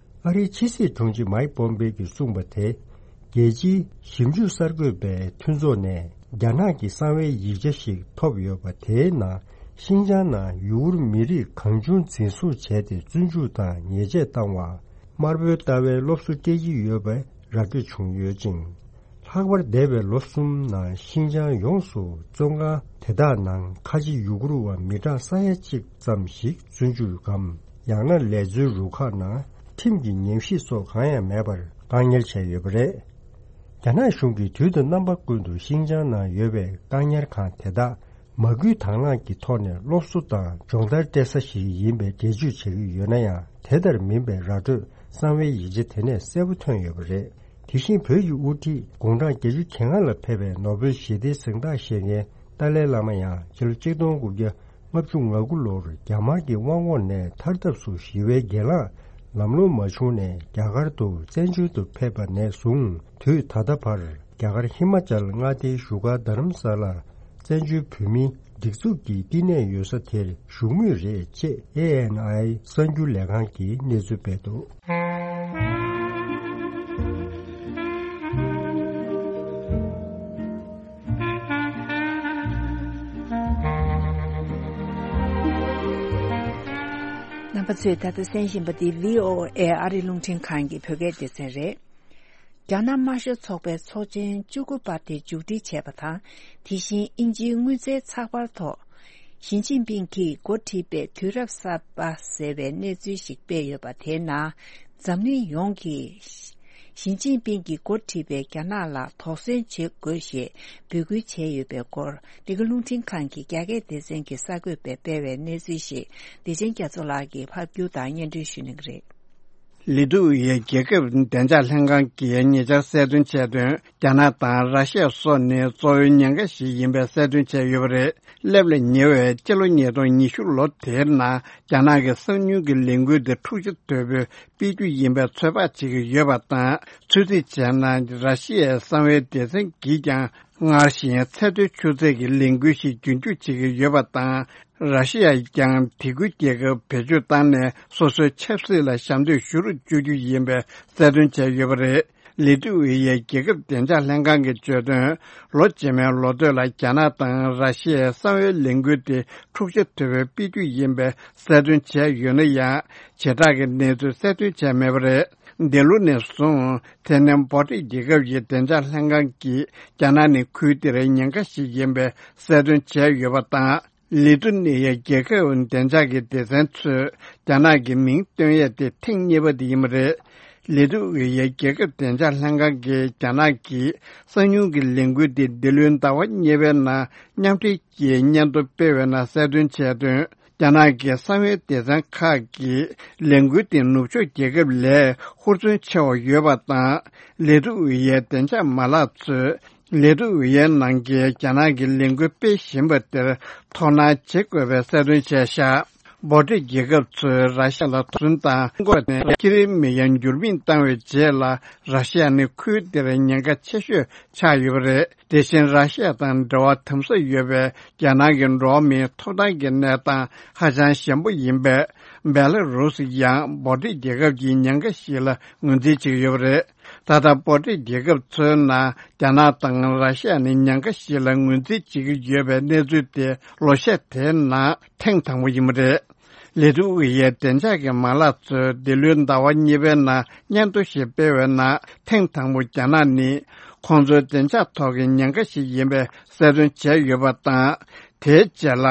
ཨ་རིའི་ཕྱི་སྲིད་དྲུང་ཆེ་མཱིག་པོམ་པེ་གྱིས་གསུངས་པ་དེ། རྒྱལ་སྤྱིའི་ཞིབ་འཇུག་གསར་འགོད་པའི་མཐུན་ཚོགས་ནས་རྒྱ་ནག་གི་གསང་བའི་ཡིག་ཆ་ཞིག་ཐོབ་ཡོད་པ། དེའི་ནང་ཤིན་ཅང་ནང་ཡུ་གུར་མི་རིགས་གང་བྱུང་འཛིན་བཟུང་བྱས་ཏེ་བཙོན་འཇུག་དང་ཉེས་ཆད་བཏང་བ། དམར་པོའི་ལྟ་བའི་སློབ་གསོ་སྤྲད་ཀྱི་ཡོད་པའི་ར་སྤྲོད་བྱུང་ཡོད་ཅིང་། ལྷག་པར་འདས་པའི་ལོ་གསུམ་ནང་ཤིན་ཅང་ཡོངས་སུ་བཙོན་ཁང་དེ་དག་ནང་ཁ་ཆེ་ཡུ་གུར་བ་མི་གྲངས་ས་ཡ་གཅིག་ཙམ་ཞིག་བཙོན་འཇུག་གམ། ཡང་ན་ལས་བཟོའི་རུ་ཁག་ནང་ཁྲིམས་ཀྱི་ཉམས་ཞིབ་སོགས་གང་ཡང་མེད་པར་བཀག་ཉར་བྱས་ཡོད་པ་རེད། རྒྱ་ནག་གཞུང་གིས་དུས་དང་རྣམ་པ་ཀུན་ཏུ་ཤིན་ཅང་ནང་ཡོད་པའི་བཀག་ཉར་ཁང་དེ་དག་མ་སྐུལ་དང་བླངས་ཀྱི་ཐོག་ནས་སློབ་གསོ་དང་སྦྱོང་བརྡར་སྤྲད་ས་ཞིག་ཡིན་པའི་འགྲེལ་བརྗོད་བྱེད་ཀྱི་ཡོད་ན་ཡང་། དེ་ལྟར་མིན་པའི་ར་སྤྲོད་གསང་བའི་ཡིག་ཆ་དེ་ནས་གསལ་པོ་ཐོན་ཡོད་པ་རེད། དེ་བཞིན་བོད་ཀྱི་དབུ་ཁྲིད་དགུང་གྲངས་བརྒྱད་ཅུ་གྱ་ལྔ་ལ་ཕེབས་པའི་ནོ་བེལ་ཞི་བདེའི་གཟེངས་རྟགས་བཞེས་མཁན་ཏཱ་ལའི་བླ་མ་ཡང་ཕྱི་ལོ་ཆིག་སྟོང་དགུ་བརྒྱ་ལྔ་བཅུ་ང་དགུ་ལོར་རྒྱ་དམར་གྱི་དབང་འོག་ནས་ཐར་ཐབས་སུ་ཞི་བའི་སྒེར་ལངས་ལམ་ལྷོང་མ་བྱུང་ནས་རྒྱ་གར་དུ་བཙན་བྱོལ་དུ་ཕེབས་པ་ནས་བཟུང་དུས་ད་ལྟ་བར་རྒྱ་གར་ཧི་མ་ཅལ་མངའ་སྡེའི་བཞུགས་སྒར་རྡ་རམ་ས་ལར་བཙན་བྱོལ་བོད་མིའི་སྒྲིག་འཛུགས་ཀྱི་བསྟི་གནས་ཡོད་ས་དེར་བཞུགས་མུས་རེད་ཅེས་ཨེ་ཨེན་ཨའི་གསར་འགྱུར་ལས་ཁང་གིས་གནས་ཚུལ་སྤེལ་འདུག་རྣམ་པ་ཚོས་ད་ལྟ་གསན་བཞིན་པ་འདི་བྷི་ཨོ་ཨེ་ཨ་རི་རླུང་འཕྲིན་ཁང་གི་བོད་སྐད་སྡེ་ཚན་རེད། རྒྱ་ནག་དམར་ཤོག་ཚོགས་པའི་ཚོགས་ཆེན་བཅུ་དགུ་པ་དེ་མཇུག་སྒྲིལ་བྱས་པ་དང་། དེ་བཞིན་དབྱིན་ཇིའི་དངུལ་རྩའི་ཚགས་པར་ཐོག་ཞི་ཅིན་ཕིང་གིས་འགོ་ཁྲིད་པའི་དུས་རབས་གསར་པ་ཟེར་བའི་གནས་ཚུལ་ཞིག་སྤེལ་ཡོད་པ་དེའི་ནང་། འཛམ་གླིང་ཡོངས་ཀྱིས་ཞི་ཅིན་ཕིང་གིས་འགོ་ཁྲིད་པའི་རྒྱ་ནག་ལ་དོགས་ཟོན་བྱེད་དགོས་ཞེས་འབོད་སྐུལ་བྱས་ཡོད་པའི་སྐོར། འདི་ག་རླུང་འཕྲིན་ཁང་གི་རྒྱ་སྐད་སྡེ་ཚན་གྱི་གསར་འགོད་པས་སྤེལ་བའི་གནས་ཚུལ་ཞིག་བདེ་ཆེན་རྒྱ་མཚོ་ལགས་ཀྱིས་ཕབ་སྒྱུར་དང་སྙན་སྒྲོན་ཞུ་གནང་གི་རེད། ལི་ཐུ་ཝེ་ཡའི་རྒྱལ་ཁབ་བདེ་འཇགས་ལྷན་ཁང་གིས་ཉེ་ཆར་གསལ་སྟོན་བྱས་དོན། རྒྱ་ནག་དང་ར་ཤི་ཡ་སོགས་ནི་གཙོ་བོའི་ཉེན་ཁ་ཞིག་ཡིན་པའི་གསལ་སྟོན་བྱས་ཡོད་པ་རེད། སླེབས་ལ་ཉེ་བའི་སྤྱི་ལོ་ཉིས་སྟོང་ཉི་ཤུ་ལོ་དེའི་ནང་རྒྱ་ནག་གི་གསང་ཉུལ་གྱི་ལས་འགུལ་དེ་འཁྲུག་ཆ་དོད་པོས་སྤེལ་རྒྱུ་ཡིན་པའི་ཚོད་དཔག་བྱེད་ཀྱི་ཡོད་པ་དང་། ཚོད་རྩིས་བྱས་ན་ར་ཤི་ཡའི་གསང་བའི་སྡེ་ཚན་གྱིས་ཀྱང་སྔར་བཞིན་ཚད་མཐོའི་ཆུ་ཚད་ཀྱི་ལས་འགུལ་ཞིག་རྒྱུན་འཁྱོངས་བྱེད་ཀྱི་ཡོད་པ་དང་། ར་ཤི་ཡས་ཀྱང་དེ་ཁུལ་རྒྱལ་ཁབ་བེད་སྤྱོད་བཏང་ནས་སོ་སོའི་ཆབ་སྲིད་ལ་ཞབས་འདེགས་ཞུ་རུ་བཅུག་རྒྱུ་ཡིན་པའི་གསལ་སྟོན་བྱས་ཡོད་པ་རེད། ལི་ཏུ་ཝེ་ཡའི་རྒྱལ་ཁབ་བདེ་འཇགས་ལྷན་ཁང་གིས་བརྗོད་དོན། ལོ་རྗེས་མའི་ལོ་སྟོད་ལ་རྒྱ་ནག་དང་ར་ཤི་ཡའི་གསང་བའི་ལས་འགུལ་དེ་འཁྲུག་ཆ་དོད་པོས་སྤེལ་རྒྱུ་ཡིན་པའི་གསལ་སྟོན་བྱས་ཡོད་ན་ཡང་། བྱེ་བྲག་གི་གནས་ཚུལ་གསལ་སྟོན་བྱས་མེད་པ་རེད། འདི་ལོ་ནས་བཟུང་དེ་ནས་འབོ་ཊི་རྒྱལ་ཁབ་ཀྱི་བདེ་འཇགས་ལྷན་ཁང་གིས་རྒྱ་ནག་ནི་ཁུལ་དེར་ཉེན་ཁ་ཞིག་ཡིན་པའི་གསལ་སྟོན་བྱས་ཡོད་པ་དང་། ལི་ཐུ་ནི་ཡའི་རྒྱལ་ཁབ་བདེ་འཇགས་ཀྱི་སྡེ་ཚན་ཚོས་རྒྱ་ནག་གི་མིང་བཏོན་ཡས་དེ་ཐེངས་གཉིས་པ་དེ་ཡིན་པ་རེད། ལི་ཐུ་ཝེ་ཡའི་རྒྱལ་ཁབ་བདེ་འཇགས་ལྷན་ཁང་གིས་རྒྱ་ནག་གིས་གསང་ཉུལ་གྱི་ལས་འགུལ་དེ་འདི་ལོའི་ཟླ་བ་གཉིས་པའི་ནང་མཉམ་འབྲེལ་གྱིས་སྙན་ཐོ་སྤེལ་བའི་ནང་གསལ་སྟོན་བྱས་དོན། རྒྱ་ནག་གི་གསང་བའི་སྡེ་ཚན་ཁག་གིས་ལས་འགུལ་དེ་ནུབ་ཕྱོགས་རྒྱལ་ཁབ་ལས་ཧུར་བརྩོན་ཆེ་བ་ཡོད་པ་དང་། ལི་ཐུ་ཝེ་ཡའི་བདེ་འཇགས་མ་ལག་ཚོས། ལི་ཐུ་ཝེ་ཡའི་ནང་གི་རྒྱ་ནག་གི་ལས་འགུལ་སྤེལ་བཞིན་པ་དེར་དོ་སྣང་བྱེད་དགོས་པའི་གསལ་སྟོན་བྱས་ཤག་འབོ་ཊི་རྒྱལ་ཁབ་ཚོས་ར་ཤ་ལ་དོགས་ཟོན་དང་འགོག་ནས་ཁྱི་རིལ་མི་ཡར་འགྱུར་མིང་བཏང་བའི་རྗེས་ལ། ར་ཤ་ནི་ཁུལ་དེར་ཉེན་ཁ་ཆེ་ཤོས་ཆགས་ཡོད་པ་རེད། དེ་བཞིན་ར་ཤ་དང་འབྲེལ་བ་དམ་ཟབ་ཡོད་པའི་རྒྱ་ནག་གི་འགྲོ་བ་མིའི་ཐོབ་ཐང་གི་གནས་སྟངས་ཧ་ཅང་ཞན་པོ་ཡིན་པས། བེ་ལ་རུ་སི་ཡང་འབོ་ཊི་རྒྱལ་ཁབ་ཀྱི་ཉེན་ཁ་ཞིག་ལ་ངོས་འཛིན་བྱེད་ཀྱི་ཡོད་པ་རེད། ད་ལྟ་འབོ་ཊི་རྒྱལ་ཁབ་ཚོའི་ནང་རྒྱ་ནག་དང་ར་ཤ་ནི་ཉེན་ཁ་ཞིག་ལ་ངོས་འཛིན་བྱེད་ཀྱི་ཡོད་པའི་གནས་ཚུལ་དེ་ལོ་ཤས་དེའི་ནང་ཐེངས་དང་པོ་ཡིན་པ་རེད། ལི་ཐུ་ཝེ་ཡའི་བདེ་འཇགས་ཀྱི་མ་ལག་ཚོས་འདི་ལོའི་ཟླ་བ་གཉིས་པའི་ནང་སྙན་ཐོ་ཞིག་སྤེལ་བའི་ནང་ཐེངས་དང་པོ་རྒྱ་ནག་ནི་ཁོང་ཚོའི་བདེ་འཇགས་ཐོག་གི་ཉེན་ཁ་ཞིག་ཡིན་པའི་གསལ་སྟོན་བྱས་ཡོད་པ་དང་། དེའི་རྗེས་ལ་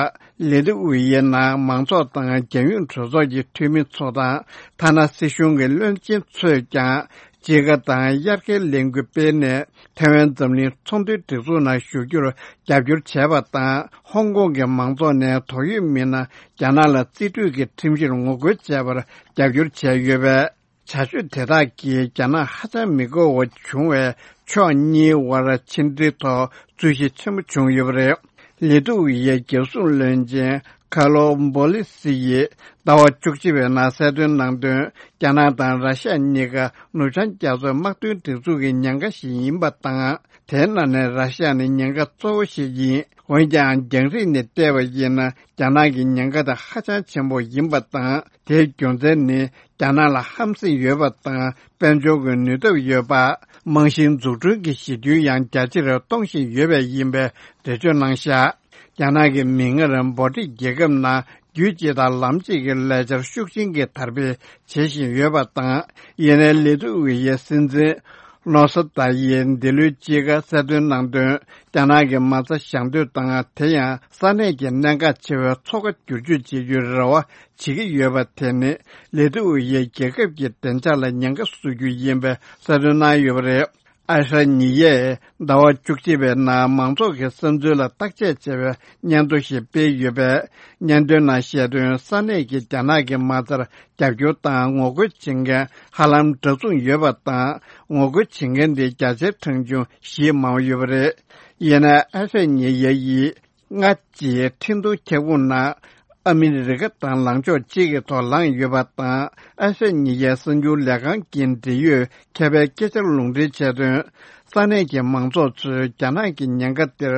ལི་ཐུ་ཝེ་ཡའི་ནང་མང་ཚོགས་དང་རྒྱལ་ཡོངས་གྲོས་ཚོགས་ཀྱི་འཐུས་མི་ཚོ་དང་། ཐ་ན་སྲིད་གཞུང་གི་བློན་ཆེན་ཚོས་ཀྱང་དཔྱིད་ཀ་དང་དབྱར་ཁའི་ལས་འགུལ་སྤེལ་ནས་ཐའེ་ཝན་འཛམ་གླིང་ཚོང་དོན་སྒྲིག་འཛུགས་ནང་ཞུགས་རྒྱུར་རྒྱབ་སྐྱོར་བྱས་པ་དང་། ཧོང་ཀོང་གི་མང་ཚོགས་ནས་དོགས་ཡོད་མི་སྣ་རྒྱ་ནག་ལ་རྩིས་སྤྲོད་ཀྱི་ཁྲིམས་གཞིར་ངོ་རྒོལ་བྱས་པར་རྒྱབ་སྐྱོར་བྱས་ཡོད་པས། བྱ་སྤྱོད་དེ་དག་གིས་རྒྱ་ནག་ཧ་ཅང་མི་དགའ་བ་བྱུང་བས། ཕྱོགས་གཉིས་དབར་ཕྱི་འབྲེལ་ཐོག་རྩོད་གཞི་ཆེན་པོ་བྱུང་ཡོད་པ་རེད། ལི་ཏུ་ཝེ་ཡའི་རྒྱལ་སྲུང་བློན་ཆེན་ཁ་ལོ་འབོ་ལི་སི་ཡིས་ཟླ་བ་བཅུ་གཅིག་པའི་ནང་གསལ་སྟོན་གནང་དོན། རྒྱ་ནག་དང་ར་ཤ་གཉིས་ཀ་ནུབ་བྱང་རྒྱ་མཚོའི་དམག་དོན་སྒྲིག་འཛུགས་ཀྱི་ཉེན་ཁ་ཞིག་ཡིན་པ་དང་། དེའི་ནང་ནས་ར་ཤ་ནི་ཉེན་ཁ་གཙོ་བོ་ཞིག་ཡིན། འོན་ཀྱང་། རྒྱང་རིང་ནས་བལྟས་པ་ཡིན་ན། རྒྱ་ནག་གི་ཉེན་ཁ་དེ་ཧ་ཅང་ཆེན་པོ་ཡིན་པ་དང་། དེའི་རྒྱུ་མཚན་ནི། རྒྱ་ནག་ལ་ཧམ་སེམས་ཡོད་པ་དང་། དཔལ་འབྱོར་གྱི་ནུས་སྟོབས་ཡོད་པ། རྨང་གཞིའི་འཛུགས་སྐྲུན་གྱི་གཞི་རྒྱུན་ཡང་རྒྱ་ཆེར་གཏོང་བཞིན་ཡོད་པས་ཡིན་པའི་འགྲེལ་བརྗོད་གནང་བཞག་རྒྱ་ནག་གིས་མིག་སྔར་འབོ་ཊི་རྒྱལ་ཁབ་ནང་རྒྱུད་གཅིག་དང་ལམ་གཅིག་གི་ལས་འཆར་ཤུགས་ཆེན་གྱིས་དར་སྤེལ་བྱེད་བཞིན་ཡོད་པ་དང་། ཡིན་ནའི་ལི་ཏུ་ཝེ་ཡའི་སྲིད་འཛིན་ནོ་སོ་ཏཱ་ཡིས་འདི་ལོའི་དཔྱིད་ཀ་གསལ་སྟོན་གནང་དོན། རྒྱ་ནག་གི་མ་རྩ་བཞག་འདོད་དང་། དེ་ཡང་ས་གནས་ཀྱི་གནད་འགག་ཆེ་བའི་མཚོ་ཁ་བསྒྱུར་བཅོས་བྱེད་རྒྱུའི་རེ་བ་བྱེད་ཀྱི་ཡོད་པ་དེ་ནི། ལི་ཏུ་ཝེ་ཡའི་རྒྱལ་ཁབ་ཀྱི་བདེ་འཇགས་ལ་ཉེན་ཁ་བཟོ་རྒྱུ་ཡིན་པའི་གསལ་སྟོན་གནང་ཡོད་པ་རེད། ཨ་ཧྲ་ཉི་ཡས་ཟླ་བ་བཅུ་གཅིག་པའི་ནང་མང་ཚོགས་ཀྱི་བསམ་ཚུལ་ལ་བརྟག་དཔྱད་བྱས་པའི་སྙན་ཐོ་ཞིག་སྤེལ་ཡོད་པས། སྙན་ཐོའི་ནང་བཤད་དོན། ས་གནས་ཀྱི་རྒྱ་ནག་གི་མ་རྩར་རྒྱབ་སྐྱོར་དང་ངོ་རྒོལ་བྱེད་མཁན་ཧ་ལམ་འདྲ་མཚུངས་ཡོད་པ་དང་། ངོ་རྒོལ་བྱེད་མཁན་དེ་བརྒྱ་ཆའི་གྲངས་ཆུང་བཞི་མང་བ་ཡོད་པ་རེད། ཡིན་ནའི་ཨ་ཧྲ་ཉི་ཡ་ཡིས། སྔ་ཕྱིའི་ཁྲིན་ཏུའུ་ཁྱབ་ཁོངས་ནང་ཨ་མི་རི་ཀ་དང་ལངས་ཕྱོགས་གཅིག་གི་ཐོག་ལངས་ཡོད་པ་དང་། ཨ་ཧྲ་ཉི་ཡའི་གསར་འགྱུར་ལས་ཁང་གི་འབྲེལ་ཡོད་མཁས་པའི་སྐད་ཆར་ལུང་འདྲེན་བྱས་དོན། ས་གནས་ཀྱི་མང་ཚོགས་ཚོས་རྒྱ་ནག་གི་ཉེན་ཁ་དེར་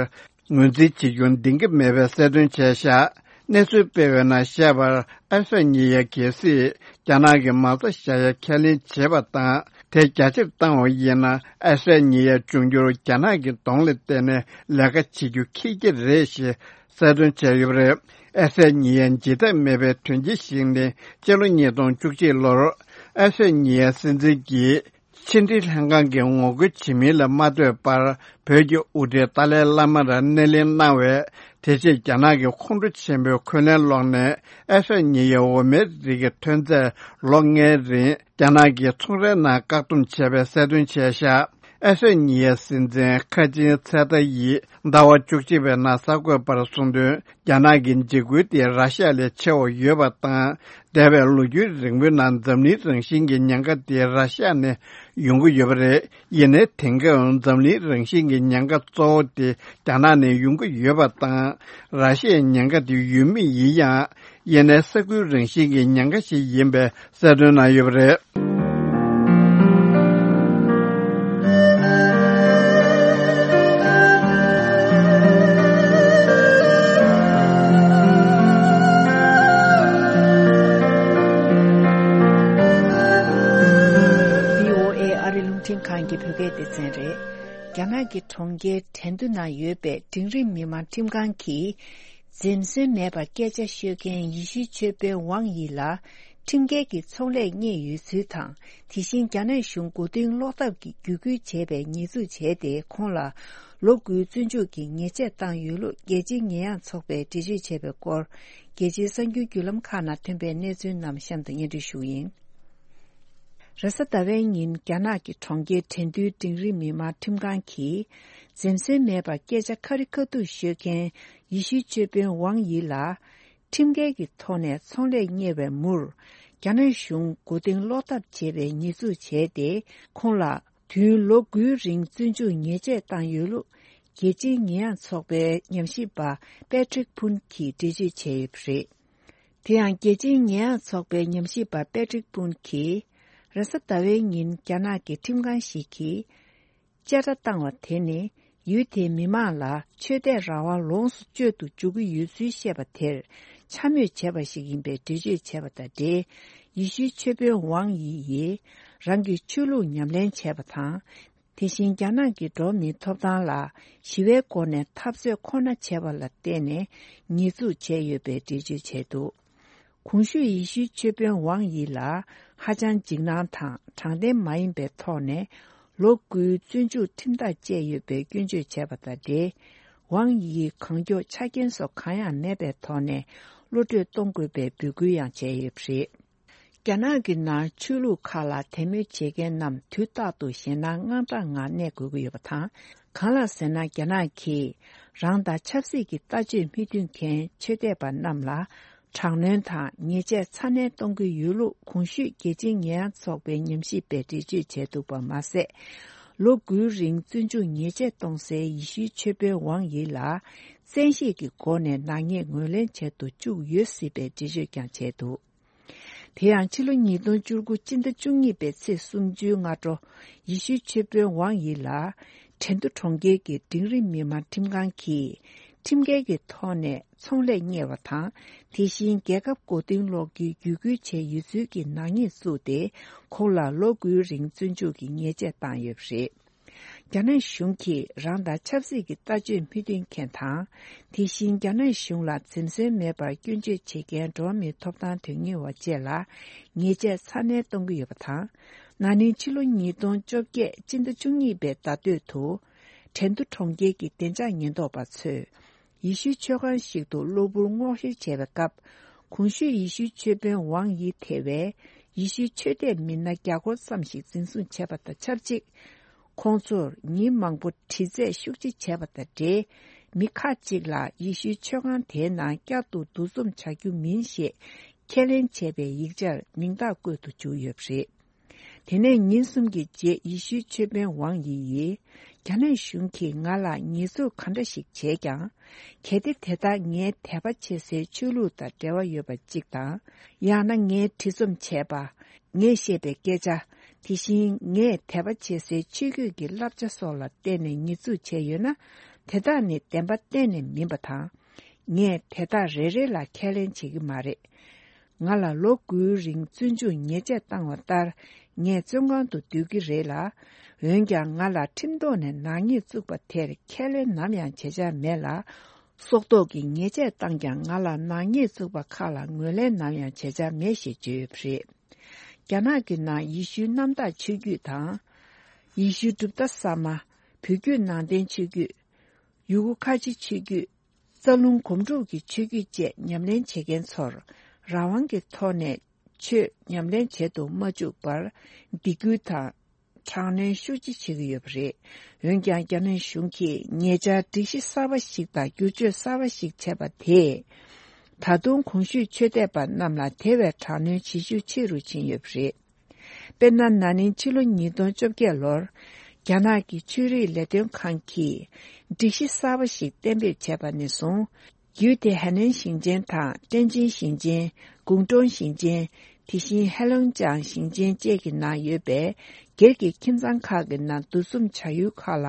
ངོས་འཛིན་བྱེད་རྒྱུ་འདང་གི་མེད་པའི་གསལ་སྟོན་བྱས་བཞག་གནས་ཚུལ་སྤེལ་བའི་ནང་བཤད་པར། ཨ་ཧྲ་ཉི་ཡ་གལ་སྲིད་རྒྱ་ནག་གི་མ་རྩ་བཞག་ཡ་ཁས་ལེན་བྱས་པ་དང་། དེ་རྒྱ་ཆེར་བཏང་བ་ཡིན་ན། ཨ་ཧྲ་ཉི་ཡ་འབྱུང་འགྱུར་རྒྱ་ནག་གི་གདོང་ལ་བལྟས་ནས་ལས་ཀ་བྱེད་རྒྱུ་ཁེལ་གྱི་རེད་ཞེས་གསལ་སྟོན་བྱས་ཡོད་པ་རེད། ཨ་ཧྲ་ཉི་ཡའི་བརྗེད་ཐབས་མེད་པའི་དོན་རྐྱེན་ཞིག་ནི། སྤྱི་ལོ་ཉིས་སྟོང་བཅུ་གཅིག་ལོར་ཨ་ཧྲ་ཉི་ཡའི་སྲིད་འཛིན་གྱིས་ཕྱི་འབྲེལ་ལྷན་ཁང་གི་ངོ་རྒོལ་བྱེད་མིན་ལ་མ་ལྟོས་པར། བོད་ཀྱི་དབུ་ཁྲིད་ཏཱ་ལའི་བླ་མར་སྣེ་ལེན་གནང་བས། དེ་རྗེས་རྒྱ་ནག་གི་ཁོང་ཁྲོ་ཆེན་པོའི་འཁོན་ལན་སློག་ནས། ཨ་ཧྲ་ཉི་ཡའི་འོ་མའི་རིགས་ཀྱི་ཐོན་རྫས་ལོ་ལྔའི་རིང་རྒྱ་ནག་གི་ཚོང་རའི་ནང་བཀག་སྡོམ་བྱས་པའི་གསལ་སྟོན་བྱས་བཞག་ཨེ་སོད་ཉི་ཡའི་སྲིད་འཛིན་ཁ་ཆེན་ཚེ་ཏཱ་ཡིས་ཟླ་བ་བཅུ་གཅིག་པའི་ནང་གསར་འགོད་པར་གསུངས་དོན། རྒྱ་ནག་གི་འཇིགས་སྐུལ་དེ་ར་ཤི་ཡ་ལས་ཆེ་བ་ཡོད་པ་དང་། འདས་པའི་ལོ་རྒྱུས་རིང་པོའི་ནང་འཛམ་གླིང་རང་བཞིན་གྱི་ཉེན་ཁ་དེ་ར་ཤི་ཡ་ནས་ཡོང་གི་ཡོད་པ་རེད། ཡིན་ནའི་དེང་སྐབས་འཛམ་གླིང་རང་བཞིན་གྱི་ཉེན་ཁ་གཙོ་བོ་དེ་རྒྱ་ནག་ནས་ཡོང་གི་ཡོད་པ་དང་། ར་ཤི་ཡའི་ཉེན་ཁ་དེ་ཡོད་མུས་ཡིན་ཡང་། ཡིན་ནའི་ས་ཁུལ་རང་བཞིན་གྱི་ཉེན་ཁ་ཞིག་ཡིན་པའི་གསལ་སྟོན་གནང་ཡོད་པ་རེད། བྷི་ཨོ་ཨེ་ཨ་རི་རླུང་འཕྲིན་ཁང་གི་བོད་སྐད་སྡེ་ཚན་རེད། རྒྱ་ནག་གི་གྲོང་ཁྱེར་ཁྲེང་ཏུའུ་ནང་ཡོད་པའི་འབྲིང་རིམ་མི་དམངས་ཁྲིམས་ཁང་གིས། འཛེམ་ཟོན་མེད་པར་སྐད་ཆ་ཤོད་མཁན་ཡེ་ཤུའི་ཆོས་དཔོན་ཝང་ཡི་ལ་ཁྲིམས་འགལ་གྱི་ཚོང་ལས་གཉེར་ཡོད་ཚུལ་དང་། དེ་བཞིན་རྒྱ་ནག་གཞུང་མགོ་རྟིང་སློག་ཐབས་ཀྱི་བརྒྱུད་སྐུལ་བྱས་པའི་ཉེས་འཛུགས་བྱས་ཏེ། ཁོང་ལ་ལོ་དགུའི་བཙོན་འཇུག་གི་ཉེས་ཆད་བཏང་ཡོད་ལུགས་རྒྱལ་སྤྱིའི་ཉེས་ཡངས་ཚོགས་པས་འགྲེལ་བརྗོད་བྱས་པའི་སྐོར། རྒྱལ་སྤྱིའི་གསར་འགྱུར་བརྒྱུད་ལམ་ཁག་ནང་ཐོན་པའི་གནས་ཚུལ་རྣམས་གཤམ་དུ་སྙན་སྒྲོན་ཞུ་གི་ཡིན། རེས་གཟའ་ཟླ་བའི་ཉིན་རྒྱ་ནག་གི་གྲོང་ཁྱེར་ཁྲེང་ཏུའུ་འབྲིང་རིམ་མི་དམངས་ཁྲིམས་ཁང་གིས། འཛེམ་ཟོན་མེད་པར་སྐད་ཆ་ཁ་རི་ཁ་ཐུག་ཤོད་མཁན་ཡེ་ཤུའི་ཆོས་དཔོན་ཝང་ཡི་ལ། ཁྲིམས་འགལ་གྱི་ཐོག་ནས་ཚོང་ལས་གཉེར་བའི་མུར། རྒྱ་ནག་གཞུང་མགོ་རྟིང་སློག་ཐབས་བྱས་པའི་ཉེས་འཛུགས་བྱས་ཏེ། ཁོང་ལ་དུས་ཡུན་ལོ་དགུའི་རིང་བཙོན་འཇུག་ཉེས་ཆད་བཏང་ཡོད་ལུགས། རྒྱལ་སྤྱིའི་ཉེས་ཡངས་ཚོགས་པའི་ཉམས་ཞིབ་པ་པེ་ཁྲིག་ཕུན་གྱིས་འགྲེལ་བརྗོད་བྱས་ཡོད་པ་རེད། དེ་ཡང་རྒྱལ་སྤྱིའི་ཉེས་ཡངས་ཚོགས་པའི་ཉམས་ཞིབ་པ་པེ་ཁྲིག་ཕུན་གྱིས། རེས་གཟའ་ཟླ་བའི་ཉིན་རྒྱ་ནག་གི་ཁྲིམས་ཁང་ཞིག་གིས། བཅད་ཁྲ་བཏང་བ་དེ་ནི། ཡུལ་དེའི་མི་མང་ལ་ཆོས་དད་རང་དབང་ལོངས་སུ་སྤྱོད་དུ་འཇུག་གི་ཡོད་ཚུལ་བཤད་པ་དེར། འཕྱ་སྨོད་བྱས་པ་ཞིག་ཡིན་པའི་འགྲེལ་བརྗོད་བྱས་པ་དང་འབྲེལ། ཡེ་ཤུའི་ཆོས་དཔོན་ཝང་ཡི་ཡིས། རང་གི་ཆོས་ལུགས་ཉམས་ལེན་བྱས་པ་དང་། དེ་བཞིན་རྒྱ་ནག་གི་འགྲོ་བ་མིའི་ཐོབ་ཐང་ལ་ཞི་བའི་སྒོ་ནས་འཐབ་རྩོད་ཁོ་ན་བྱས་པ་ལ་བརྟེན་ནས་ཉེས་འཛུགས་བྱས་ཡོད་པའི་འགྲེལ་བརྗོད་བྱས་འདུག། གོང་ཞུས་ཡེ་ཤུའི་ཆོས་དཔོན་ཝང་ཡི་ལ་ཧ་ཅང་འཇིགས་སྣང་དང་དྲང་བདེན་མ་ཡིན་པའི་ཐོག་ནས་ལོ་དགུའི་བཙོན་འཇུག་ཁྲིམས་ཐག་བཅད་ཡོད་པའི་སྐྱོན་བརྗོད་བྱས་པ་དང་འབྲེལ། ཝང་ཡིའི་གང་མགྱོགས་ཆ་རྐྱེན་སོགས་གང་ཡང་མེད་པའི་ཐོག་ནས་གློད་གྲོལ་གཏོང་དགོས་པའི་འབོད་སྐུལ་ཡང་བྱས་ཡོད་པ་རེད། རྒྱ་ནག་གི་ནང་ཆོས་ལུགས་ཁག་ལ་དད་མོས་བྱེད་མཁན་རྣམས་དུས་རྟག་ཏུ་ཞེད་སྣང་དངངས་སྐྲག་ངང་གནས་དགོས་ཀྱི་ཡོད་པ་དང་། གང་ལགས་ཟེར་ན། རྒྱ་ནག་གིས་རང་དང་ཆབ་སྲིད་ཀྱི་ལྟ་སྤྱོད་མི་མཐུན་མཁན་ཆོས་དད་པ་རྣམས་ལ་དྲག་གནོན་དང་ཉེས་ཆད་ཚ་ནན་གཏོང་གི་ཡོད་ལུགས་གོང་ཞུས་རྒྱལ་སྤྱིའི་ཉེས་ཡངས་ཚོགས་པའི་ཉམས་ཞིབ་པས་འགྲེལ་བརྗོད་བྱས་འདུག་པ་མ་ཟད། ལོ་དགུའི་རིང་བཙོན་འཇུག་ཉེས་ཆད་གཏོང་སའི་ཡེ་ཤུའི་ཆོས་དཔོན་ཝང་ཡི་ལ་བཙན་ཤེད་ཀྱི་སྒོ་ནས་ནག་ཉེས་ངོས་ལེན་བྱེད་དུ་བཅུག་ཡོད་སྲིད་པའི་འགྲེལ་བརྗོད་ཀྱང་བྱས་འདུག། དེ་ཡང་ཕྱི་ལོ་ཉིས་སྟོང་བཅུ་དགུ་སྤྱི་ཟླ་བཅུ་གཉིས་པའི་ཚེས་སུམ་ཅུའི་སྔ་དྲོ། ཡེ་ཤུའི་ཆོས་དཔོན་ཝང་ཡི་ལ། ཁྲེང་ཏུའུ་གྲོང་ཁྱེར་གྱི་འབྲིང་རིམ་མི་དམངས་ཁྲིམས་ཁང་གིས། ཁྲིམས་འགལ་གྱི་ཐོག་ནས་ཚོང་ལས་གཉེར་བ་དང་། དེ་བཞིན་རྒྱལ་ཁབ་མགོ་རྟིང་སློག་རྒྱུའི་བརྒྱུད་སྐུལ་བྱས་ཡོད་ཚུལ་གྱི་ནག་ཉེས་བཙུགས་ཏེ། ཁོང་ལ་ལོ་དགུའི་རིང་བཙོན་འཇུག་གི་ཉེས་ཆད་བཏང་ཡོད་པ་རེད། རྒྱ་ནག་གཞུང་གིས་རང་དང་ཆབ་སྲིད་ཀྱི་ལྟ་སྤྱོད་མི་མཐུན་མཁན་དང་། དེ་བཞིན་རྒྱ་ནག་གཞུང་ལ་འཛེམ་ཟོན་མེད་པར་སྐྱོན་བརྗོད་བྱེད་མཁན་འགྲོ་བ་མིའི་ཐོབ་ཐང་དོན་གཉེར་བ་བཅས་ལ་ཉེས་ཆད་ཚ་ནན་གཏོང་གི་ཡོད་པ་དང་། ན་ནིང་ཕྱི་ལོ་ཉིས་སྟོང་བཅོ་བརྒྱད་སྤྱི་ཟླ་བཅུ་གཉིས་པའི་ཟླ་སྟོད་དུ། ཁྲེང་ཏུའུ་གྲོང་ཁྱེར་གྱི་བདེ་འཇགས་ཉེན་རྟོག་པ་ཚོས། ཡེ་ཤུའི་ཆོས་ཁང་ཞིག་ཏུ་གློ་བུར་སྔོག་བཤེར་བྱས་པའི་སྐབས། གོང་ཞུས་ཡེ་ཤུའི་ཆོས་དཔོན་ཝང་ཡི་ཐེ་བའི་ཡེ་ཤུའི་ཆོས་དད་མི་སྣ་བརྒྱ་སྐོར་ཙམ་ཞིག་འཛིན་བཟུང་བྱས་པ་དང་ཆབས་ཅིག། ཁོང་ཚོར་ཉིན་མང་པོ་དྲི་རྩད་ཤུགས་ཆེ་བྱས་པ་དང་འབྲེལ། མི་ཁག་ཅིག་ལ་ཡེ་ཤུའི་ཆོས་ཁང་དེའི་ནང་བསྐྱར་དུ་འདུ་འཛོམས་བྱ་རྒྱུ་མིན་ཞེས་ཁས་ལེན་བྱས་པའི་ཡིག་ཆར་མིང་རྟགས་བཀོད་དུ་བཅུག་ཡོད་པ་རེད། དེ་ནས་ཉིན་གསུམ་གྱི་རྗེས་ཡེ་ཤུའི་ཆོས་དཔོན་ཝང་ཡི་ཡིས། རྒྱ་ནག་གཞུང་གིས་ང་ལ་ཉེས་འཛུགས་ག་འདྲ་ཞིག་བྱས་ཀྱང་། གལ་ཏེ་དེ་དག་ངའི་དད་པ་བྱེད་སའི་ཆོས་ལུགས་དང་འབྲེལ་བ་ཡོད་པ་གཅིག་དང་། ཡང་ན་ངའི་བྲིས་རྩོམ་བྱས་པ། ངས་བཤད་པའི་སྐད་ཆ། དེ་བཞིན་ངས་དད་པ་བྱེད་སའི་ཆོས་བརྒྱུད་ཀྱི་བསླབ་བྱ་སོགས་ལ་བརྟེན་ནས་ཉེས་འཛུགས་བྱས་ཡོད་ན། དེ་དག་ནི་བདེན་པ་གཏན་ནས་མིན་པ་དང་། ངས་དེ་དག་རེ་རེ་ལ་ཁས་ལེན་བྱེད་ཀྱི་མ་རེད། ང་ལ་ལོ་དགུའི་རིང་བཙོན་འཇུག་ཉེས་ཆད་བཏང་བ་ལྟར། ངས་བཙོན་ཁང་དུ་སྡོད་ཀྱི་རེད་ལ། འོན་ཀྱང་། ང་ལ་ཁྲིམས་ཐོག་ནས་ནག་ཉེས་བཙུགས་པ་དེར་ཁས་ལེན་ནམ་ཡང་བྱེད་འཆར་མེད་ལ། སྲོག་ཐོག་གི་ཉེས་ཆད་བཏང་ཀྱང་། ང་ལ་ནག་ཉེས་བཙུགས་པ་ཁག་ལ་ངོས་ལེན་ནམ་ཡང་བྱེད་འཆར་མེད་ཞེས་བརྗོད་ཡོད་པ་རེད། རྒྱ་ནག་གི་ནང་ཡེ་ཤུའི་གནམ་བདག་ཆོས་བརྒྱུད་དང་། ཡེ་ཤུའི་གྲུབ་མཐའ་གསར་མ། བོད་བརྒྱུད་ནང་བསྟན་ཆོས་བརྒྱུད། ཡུ་གུར་ཁ་ཆེ་ཆོས་བརྒྱུད། རྩ་རླུང་སྒོམ་སྒྲུབ་ཀྱི་ཆོས་བརྒྱུད་བཅས་ཉམས་ལེན་བྱེད་མཁན་ཚོར་རང་དབང་གི་ཐོག་ནས་ཆོས་ཉམས་ལེན་བྱེད་དུ་མ་བཅུག་པར་སྡིགས་སྐུལ་དང་ དྲག་གནོན་ཤུགས་ཆེ་བྱེད་ཀྱི་ཡོད་པ་རེད། འོན་ཀྱང་། རྒྱ་ནག་གཞུང་གིས་ཉེ་ཆར་སྒྲིག་གཞི་གསར་པ་ཞིག་དང་བསྒྱུར་བཅོས་གསར་པ་ཞིག་བྱས་པ་དེས། ད་དུང་གོང་ཞུས་ཆོས་དད་པ་རྣམས་ལ་དེ་བས་དྲག་གནོན་བྱེད་ཤུགས་ཆེ་རུ་ཕྱིན་ཡོད་པ་རེད། དཔེར་ན། ན་ནིང་ཕྱི་ལོ་ཉིས་སྟོང་བཅོ་བརྒྱད་ལོར། རྒྱ་ནག་གི་ཆོས་རིག་ལས་དོན་ཁང་གིས་སྒྲིག་གཞི་གསར་པ་ཞིག་གཏན་འབེབས་བྱས་པ་ནས་བཟུང་། རྒྱུད་དེ། ཧའེ་ནན་ཞིང་ཆེན་དང་། ཀྲེན་ཅིན་ཞིང་ཆེན། ཀུང་ཀྲུང་ཞིང་ཆེན། དེ་བཞིན། ཧེ་ལུང་ཅང་ཞིང་ཆེན་བཅས་ཀྱི་ནང་ཡོད་པའི་སྒེར་གྱི་ཁྱིམ་ཚང་ཁག་གི་ནང་འདུ་འཛོམས་བྱ་ཡུལ་ཁག་ལ་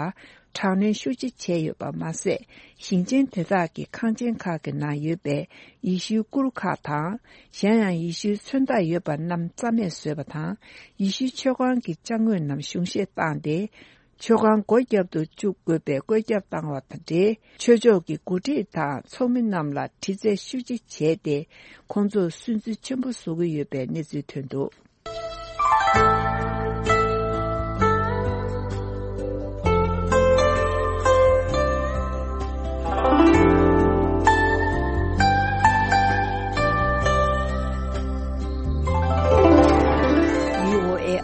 དྲག་གནོན་ཤུགས་ཆེ་བྱས་ཡོད་པ་མ་ཟད། ཞིང་ཆེན་དེ་དག་གི་ཁང་ཆེན་ཁག་གི་ནང་ཡོད་པའི་ཡེ་ཤུའི་གུར་ཁག་དང་། གཞན་ཡང་། ཡེ་ཤུའི་མཚོན་རྟགས་ཡོད་པ་རྣམས་རྩ་མེད་བཟོས་པ་དང་། ཡེ་ཤུའི་མཆོད་ཁང་གི་ཅ་དངོས་རྣམས་གཞུང་བཞེས་བཏང་སྟེ། མཆོད་ཁང་སྒོ་བརྒྱབ་ཏུ་བཅུག་དགོས་པའི་བཀོད་ཁྱབ་བཏང་བ་དང་འབྲེལ། ཆོས་ཕྱོགས་ཀྱི་འགོ་ཁྲིད་དང་ཚོགས་མི་རྣམས་ལ་དྲི་རྩད་ཤུགས་ཆེ་བྱས་ཏེ། ཁོང་ཚོར་སུན་གཙེར་ཆེན་པོ་བཟོ་གི་ཡོད་པའི་གནས་ཚུལ་ཐོན་འདུག།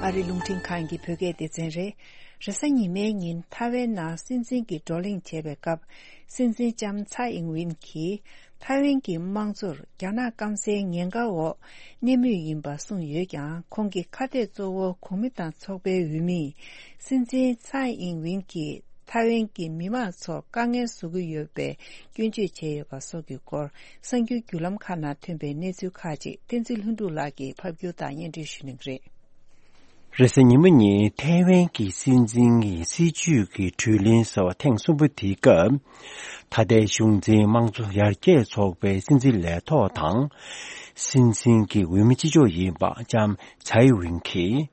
ཨ་རི་རླུང་འཕྲིན་ཁང་གི་བོད་སྐད་སྡེ་ཚན་རེད། རེས་གཟའ་ཉི་མའི་ཉིན་ཐའེ་ཝན་ནང་སྲིད་འཛིན་གྱི་བགྲོ་གླེང་བྱས་པའི་སྐབས། སྲིད་འཛིན་ལྕམ་ཚའེ་ཨིང་ཝིན་གྱིས་ཐའེ་ཝན་གྱི་དམངས་གཙོར་རྒྱ་ནག་སྐམ་སའི་ཉེན་ཁ་འོག་གནས་མུས་ཡིན་པ་གསུངས་ཡོད་ཀྱང་། ཁོང་གི་ཁ་གཏད་གཙོ་བོ་གོང་མི་དང་ཚོགས་པའི་འོས་མིས་སྲིད་འཛིན་ཚའེ་ཨིང་ཝིན་གྱིས་ཐའེ་ཝན་གྱི་མི་དམངས་ཚོར་དཀའ་ངལ་བཟོ་གི་ཡོད་པའི་སྐྱོན་བརྗོད་བྱས་ཡོད་པ་སོགས་ཀྱི་སྐོར། གསར་འགྱུར་བརྒྱུད་ལམ་ཁག་ནང་ཐོན་པའི་གནས་ཚུལ་ཁག་ཅིག་བསྟན་འཛིན་ལྷུན་གྲུབ་ལགས་ཀྱིས་ཕབ་སྒྱུར་དང་སྙན་སྒྲོན་ཞུ་གནང་གི་རེད། རེས་གཟའ་ཉི་མ་ཉིན་ཐའེ་ཝན་གྱི་སྲིད་འཛིན་གྱི་སྲིད་བྱུས་ཀྱི་གྲོས་གླེང་ཟེར་བ་ཐེངས་གསུམ་པ་དེའི་སྐབས། ད་ལྟའི་གཞུང་འཛིན་དམངས་གཙོ་ཡར་རྒྱས་ཚོགས་པའི་སྲིད་འཛིན་ལས་ཐོག་དང་། སྲིད་འཛིན་གྱི་འོས་མི་གཅིག་ལྕོགས་ཡིན་པ་ལྕམ་ཚའེ་ཝིན་གྱིས།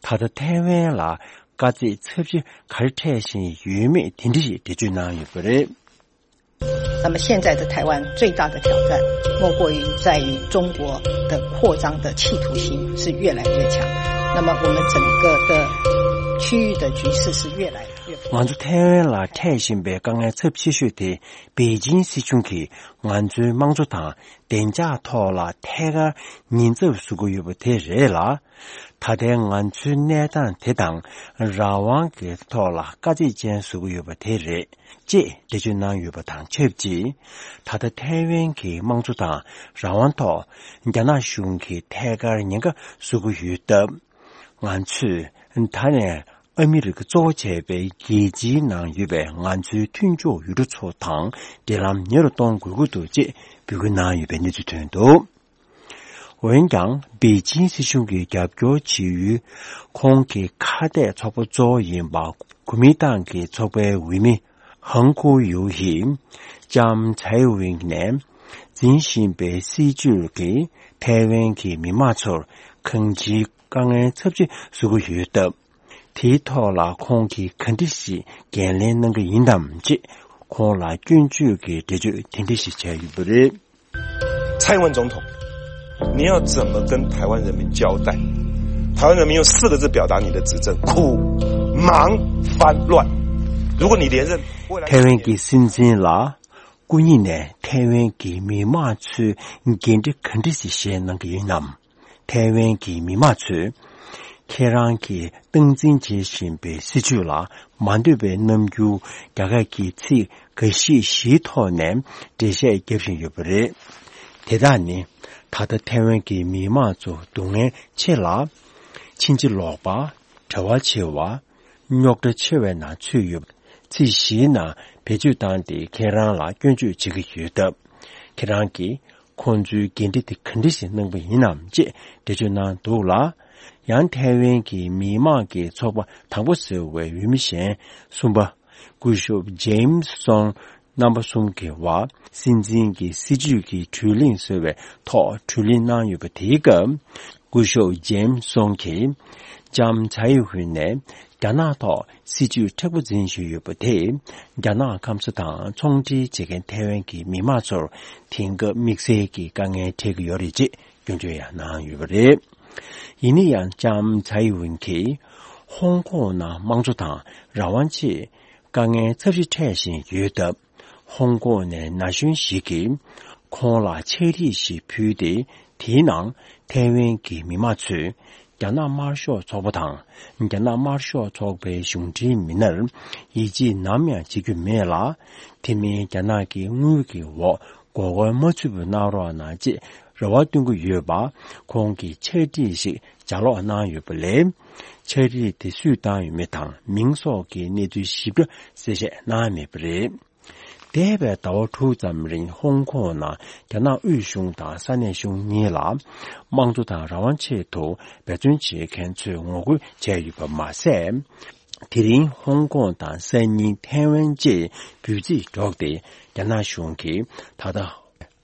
ད་ལྟ་ཐའེ་ཝན་ལ་དཀའ་ཚེགས་ཚབས་ཆེ་ག་རེ་འཕྲད་བཞིན་ཡོད་མེད་དེ་འདྲ་ཞིག་འགྲེལ་བརྗོད་གནང་ཡོད་པ་རེད། 那么现在的台湾最大的挑战，莫过于在于中国的扩张的企图心是越来越强。那么我们整个的区域的局势是越来越不 ང་ཚོ་ཐའེ་ཝན་ལ་འཕྲད་བཞིན་པའི་དཀའ་ངལ་ཚབས་ཆེ་ཤོས་དེ། པེ་ཅིང་སྲིད་གཞུང་གིས་ང་ཚོའི་དམངས་གཙོ་དང་བདེ་འཇགས་ཐོག་ལ་ཐད་ཀར་ཉེན་ཚབས་བཟོ་གི་ཡོད་པ་དེ་རེད་ལ། ད་ལྟའི་ང་ཚོའི་གནས་སྟངས་དེ་དང་རང་དབང་གི་ཐོག་ལ་དཀའ་ཚེགས་ཅན་བཟོ་གི་ཡོད་པ་དེ་རེད། ཅེས་འགྲེལ་བརྗོད་གནང་ཡོད་པ་དང་ཆབས་ཅིག། ད་ལྟ་ཐའེ་ཝན་གྱི་དམངས་གཙོ་དང་རང་དབང་ཐོག་རྒྱ་ནག་གཞུང་གིས་ཐད་ཀར་ཉེན་ཁ་བཟོ་གི་ཡོད་སྟབས། ང་ཚོས་ད་ནས་ཨ་མི་རི་ཀ་གཙོ་བོ་བྱས་པའི་རྒྱལ་སྤྱིའི་ནང་ཡོད་པའི་ང་ཚོའི་མཐུན་ཕྱོགས་ཡུལ་གྲུ་ཚོ་དང་འབྲེལ་ལམ་ཉེ་རུ་གཏོང་དགོས་ཀྱི་འདུག་ཅེས་འབོད་སྐུལ་གནང་ཡོད་པའི་གནས་ཚུལ་ཐོན་འདུག། འོན་ཀྱང་། པེ་ཅིང་སྲིད་གཞུང་གིས་རྒྱབ་སྐྱོར་བྱེད་ཡུལ་ཁོང་གི་ཁ་གཏད་ཚོགས་པ་གཙོ་བོ་ཡིན་པ། གོ་མིན་ཏང་གི་ཚོགས་པའི་འོས་མི་ཧང་ཀུའུ་ཡུའུ་ཡིས་ལྕམ་ཚའེ་ཝིན་ནས་འཛིན་བཞིན་པའི་སྲིད་བྱུས་ཀྱིས་ཐའེ་ཝན་གྱི་མི་དམངས་ཚོར་གང་ཅིའི་དཀའ་ངལ་ཚབས་ཆེ་བཟོ་གི་ཡོད་སྟབས། དེའི་ཐོག་ལ་ཁོང་གིས་ག་འདྲ་ཞིག་འགན་ལེན་གནང་གི་ཡིན་ནམ་ཅེས་ཁོང་ལ་སྐྱོན་བརྗོད་ཀྱི་འགྲེལ་བརྗོད་དེ་འདྲ་ཞིག་བྱས་ཡོད་པ་རེད། 蔡英文总统，你要怎么跟台湾人民交代？台湾人民用四个字表达你的执政：苦、忙、翻、乱。如果你连任，未来 ཐའེ་ཝན་གྱི་སྲིད་འཛིན་ལ་སྐུ་ཉིད་ནས་ཐའེ་ཝན་གྱི་མི་དམངས་ཚོའི་འགན་འཁྲི་ག་འདྲ་ཞིག་བཞེས་གནང་གི་ཡིན་ནམ། ཐའེ་ཝན་གྱི་མི་དམངས་ཚོས་ཁྱེད་རང་གིས་སྟངས་འཛིན་བྱེད་བཞིན་པའི་སྲིད་བྱུས་ལ་མ་འདོད་པའི་རྣམ་འགྱུར་རྒྱ་སྐད་ཀྱི་ཚིག་འགའ་ཤས་ཤིག་ཐོག་ནས་འགྲེལ་བཤད་རྒྱབ་བཞིན་ཡོད་པ་རེད། དེ་དག་ནི་ད་ལྟ་ཐའེ་ཝན་གྱི་མི་དམངས་ཚོ་སྡུག་བསྔལ་ཆེ་ལ། ཕྱིན་ཅི་ལོག་པ། བྲེལ་བ་ཆེ་བ། རྙོག་དྲ་ཆེ་བའི་ནང་ཚུད་ཡོད། ཚིག་བཞིའི་ནང་བེད་སྤྱོད་བཏང་སྟེ་ཁྱེད་རང་ལ་སྐྱོན་བརྗོད་བྱེད་ཀྱི་ཡོད་སྟབས། ཁྱེད་རང་གིས་ཁོང་ཚོའི་འགན་འཁྲི་དེ་ག་འདྲ་ཞིག་གནང་པ་ཡིན་ནམ་ཅེས་འགྲེལ་བརྗོད་གནང་འདུག་ལ། ཡང་ཐའེ་ཝན་གྱི་མི་དམངས་ཀྱི་ཚོགས་པ་དང་པོ་ཟེར་བའི་འོས་མི་གཞན་གསུམ་པ། སྐུ་ཞབས་ཇེམ་སི་སོང་རྣམ་པ་གསུམ་གྱི་བར་སྲིད་འཛིན་གྱི་སྲིད་བྱུས་ཀྱི་གྲོས་གླེང་ཟེར་བའི་ཐོག་གྲོས་གླེང་གནང་ཡོད་པ་དེའི་སྐབས། སྐུ་ཞབས་ཇེམ་སི་སོང་གིས་ལྕམ་ཚའེ་ཝིན་ནས་རྒྱ་ནག་ཐོག་སྲིད་བྱུས་མཁྲེགས་པོ་འཛིན་བཞིན་ཡོད་པ་དེས་རྒྱ་ནག་སྐམ་ས་དང་ཚོང་འབྲེལ་བྱེད་མཁན་ཐའེ་ཝན་གྱི་མི་དམངས་ཚོར་དེང་སྐབས་དམིགས་བསལ་གྱི་དཀའ་ངལ་འཕྲད་ཀྱི་ཡོད་རེད་ཅེས་སྐྱོན་བརྗོད་ཡང་གནང་ཡོད་པ་རེད། ཡིན་ན་ཡང་ལྕམ་ཚའེ་ཝིན་གྱིས་ཧོང་ཀོང་ནང་དམངས་གཙོ་དང་རང་དབང་ཆེད་དཀའ་ངལ་ཚབས་ཆེ་འཕྲད་བཞིན་ཡོད་སྟབས། ཧོང་ཀོང་ནས་ན་གཞོན་ཞིག་གིས་ཁོང་ལ་ཕྱག་བྲིས་ཤིག་ཕུལ་ཏེ། དེའི་ནང་ཐའེ་ཝན་གྱི་མི་དམངས་ཚོས་ རྒྱ་ནག་དམར་ཤོག་ཚོགས་པ་དང་། རྒྱ་ནག་དམར་ཤོག་ཚོགས་པའི་གཞུང་འབྲེལ་མི་སྣར་ཡིད་ཆེས་ནམ་ཡང་བྱེད་རྒྱུ་མེད་ལ། དེ་མིན་རྒྱ་ནག་གི་དངུལ་གྱི་འོག་མགོ་སྐོར་མ་ཚུད་པ་གནང་རོགས་གནང་ཅེས་རེ་བ་བཏོན་གྱི་ཡོད་པ། ཁོང་གིས་ཕྱག་བྲིས་ཤིག་ལྗགས་ཀློག་གནང་ཡོད་པ་ལས། ཕྱག་བྲིས་དེ་སུས་བཏང་ཡོད་མེད་དང་མིང་སོགས་ཀྱི་གནས་ཚུལ་ཞིབ་ཕྲ་གསལ་བཤད་གནང་མེད་པ་རེད། འདས་པའི་ཟླ་བ་དྲུག་ཙམ་རིང་ཧོང་ཀོང་ནང་རྒྱ་ནག་དབུས་གཞུང་དང་ས་གནས་གཞུང་གཉིས་ལ་དམངས་གཙོ་དང་རང་དབང་ཆེད་དུ་འབད་བརྩོན་བྱེད་མཁན་ཚོས་ངོ་རྒོལ་བྱས་ཡོད་པ་མ་ཟད། དེ་རིང་ཧོང་ཀོང་དང་སང་ཉིན་ཐའེ་ཝན་བཅས་འབོད་ཚིག་སྒྲོག་སྟེ། རྒྱ་ནག་གཞུང་གིས་ད་ལྟ་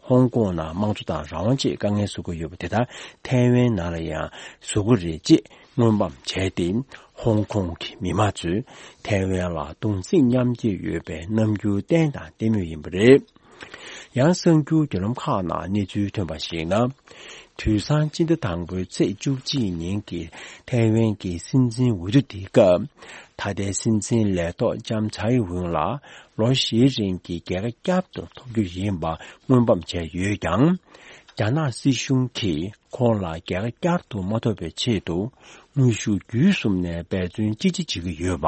ཧོང་ཀོང་ནང་དམངས་གཙོ་དང་རང་དབང་ཆེད་དཀའ་ངལ་བཟོ་གི་ཡོད་པ་དེ་དག་ཐའེ་ཝན་ནང་ལ་ཡང་བཟོ་གི་རེད་ཅེས་སྔོན་འབབ་བྱས་ཏེ། ཧོང་ཀོང་གི་མི་མང་ཚོས་ཐའེ་ཝན་ལ་གདུང་སེམས་མཉམ་སྐྱེད་ཡོད་པའི་རྣམ་འགྱུར་བསྟན་དང་བསྟན་མུས་ཡིན་པ་རེད། ཡང་གསར་འགྱུར་བརྒྱུད་ལམ་ཁག་ནང་གནས་ཚུལ་ཐོན་པར་གཞིགས་ན། དུས་སང་སྤྱི་ཟླ་དང་པོའི་ཚེས་བཅུ་གཅིག་ཉིན་གྱི་ཐའེ་ཝན་གྱི་སྲིད་འཛིན་འོས་བསྡུ་དེའི་སྐབས། ད་ལྟའི་སྲིད་འཛིན་ལས་ཐོག་ལྕམ་ཚའེ་ཝུན་ལ་ལོ་བཞིའི་རིང་གི་རྒྱལ་ཁ་བསྐྱར་དུ་ཐོབ་རྒྱུ་ཡིན་པ་སྔོན་འབབ་བྱས་ཡོད་ཀྱང་། རྒྱ་ནག་སྲིད་གཞུང་གིས་ཁོང་ལ་རྒྱལ་ཁ་བསྐྱར་དུ་མ་ཐོབ་པའི་ཆེད་དུ། དངོས་ཤུགས་བརྒྱུད་གསུམ་ནས་འབད་བརྩོན་ཅི་ཆེ་བྱེད་ཀྱི་ཡོད་པ་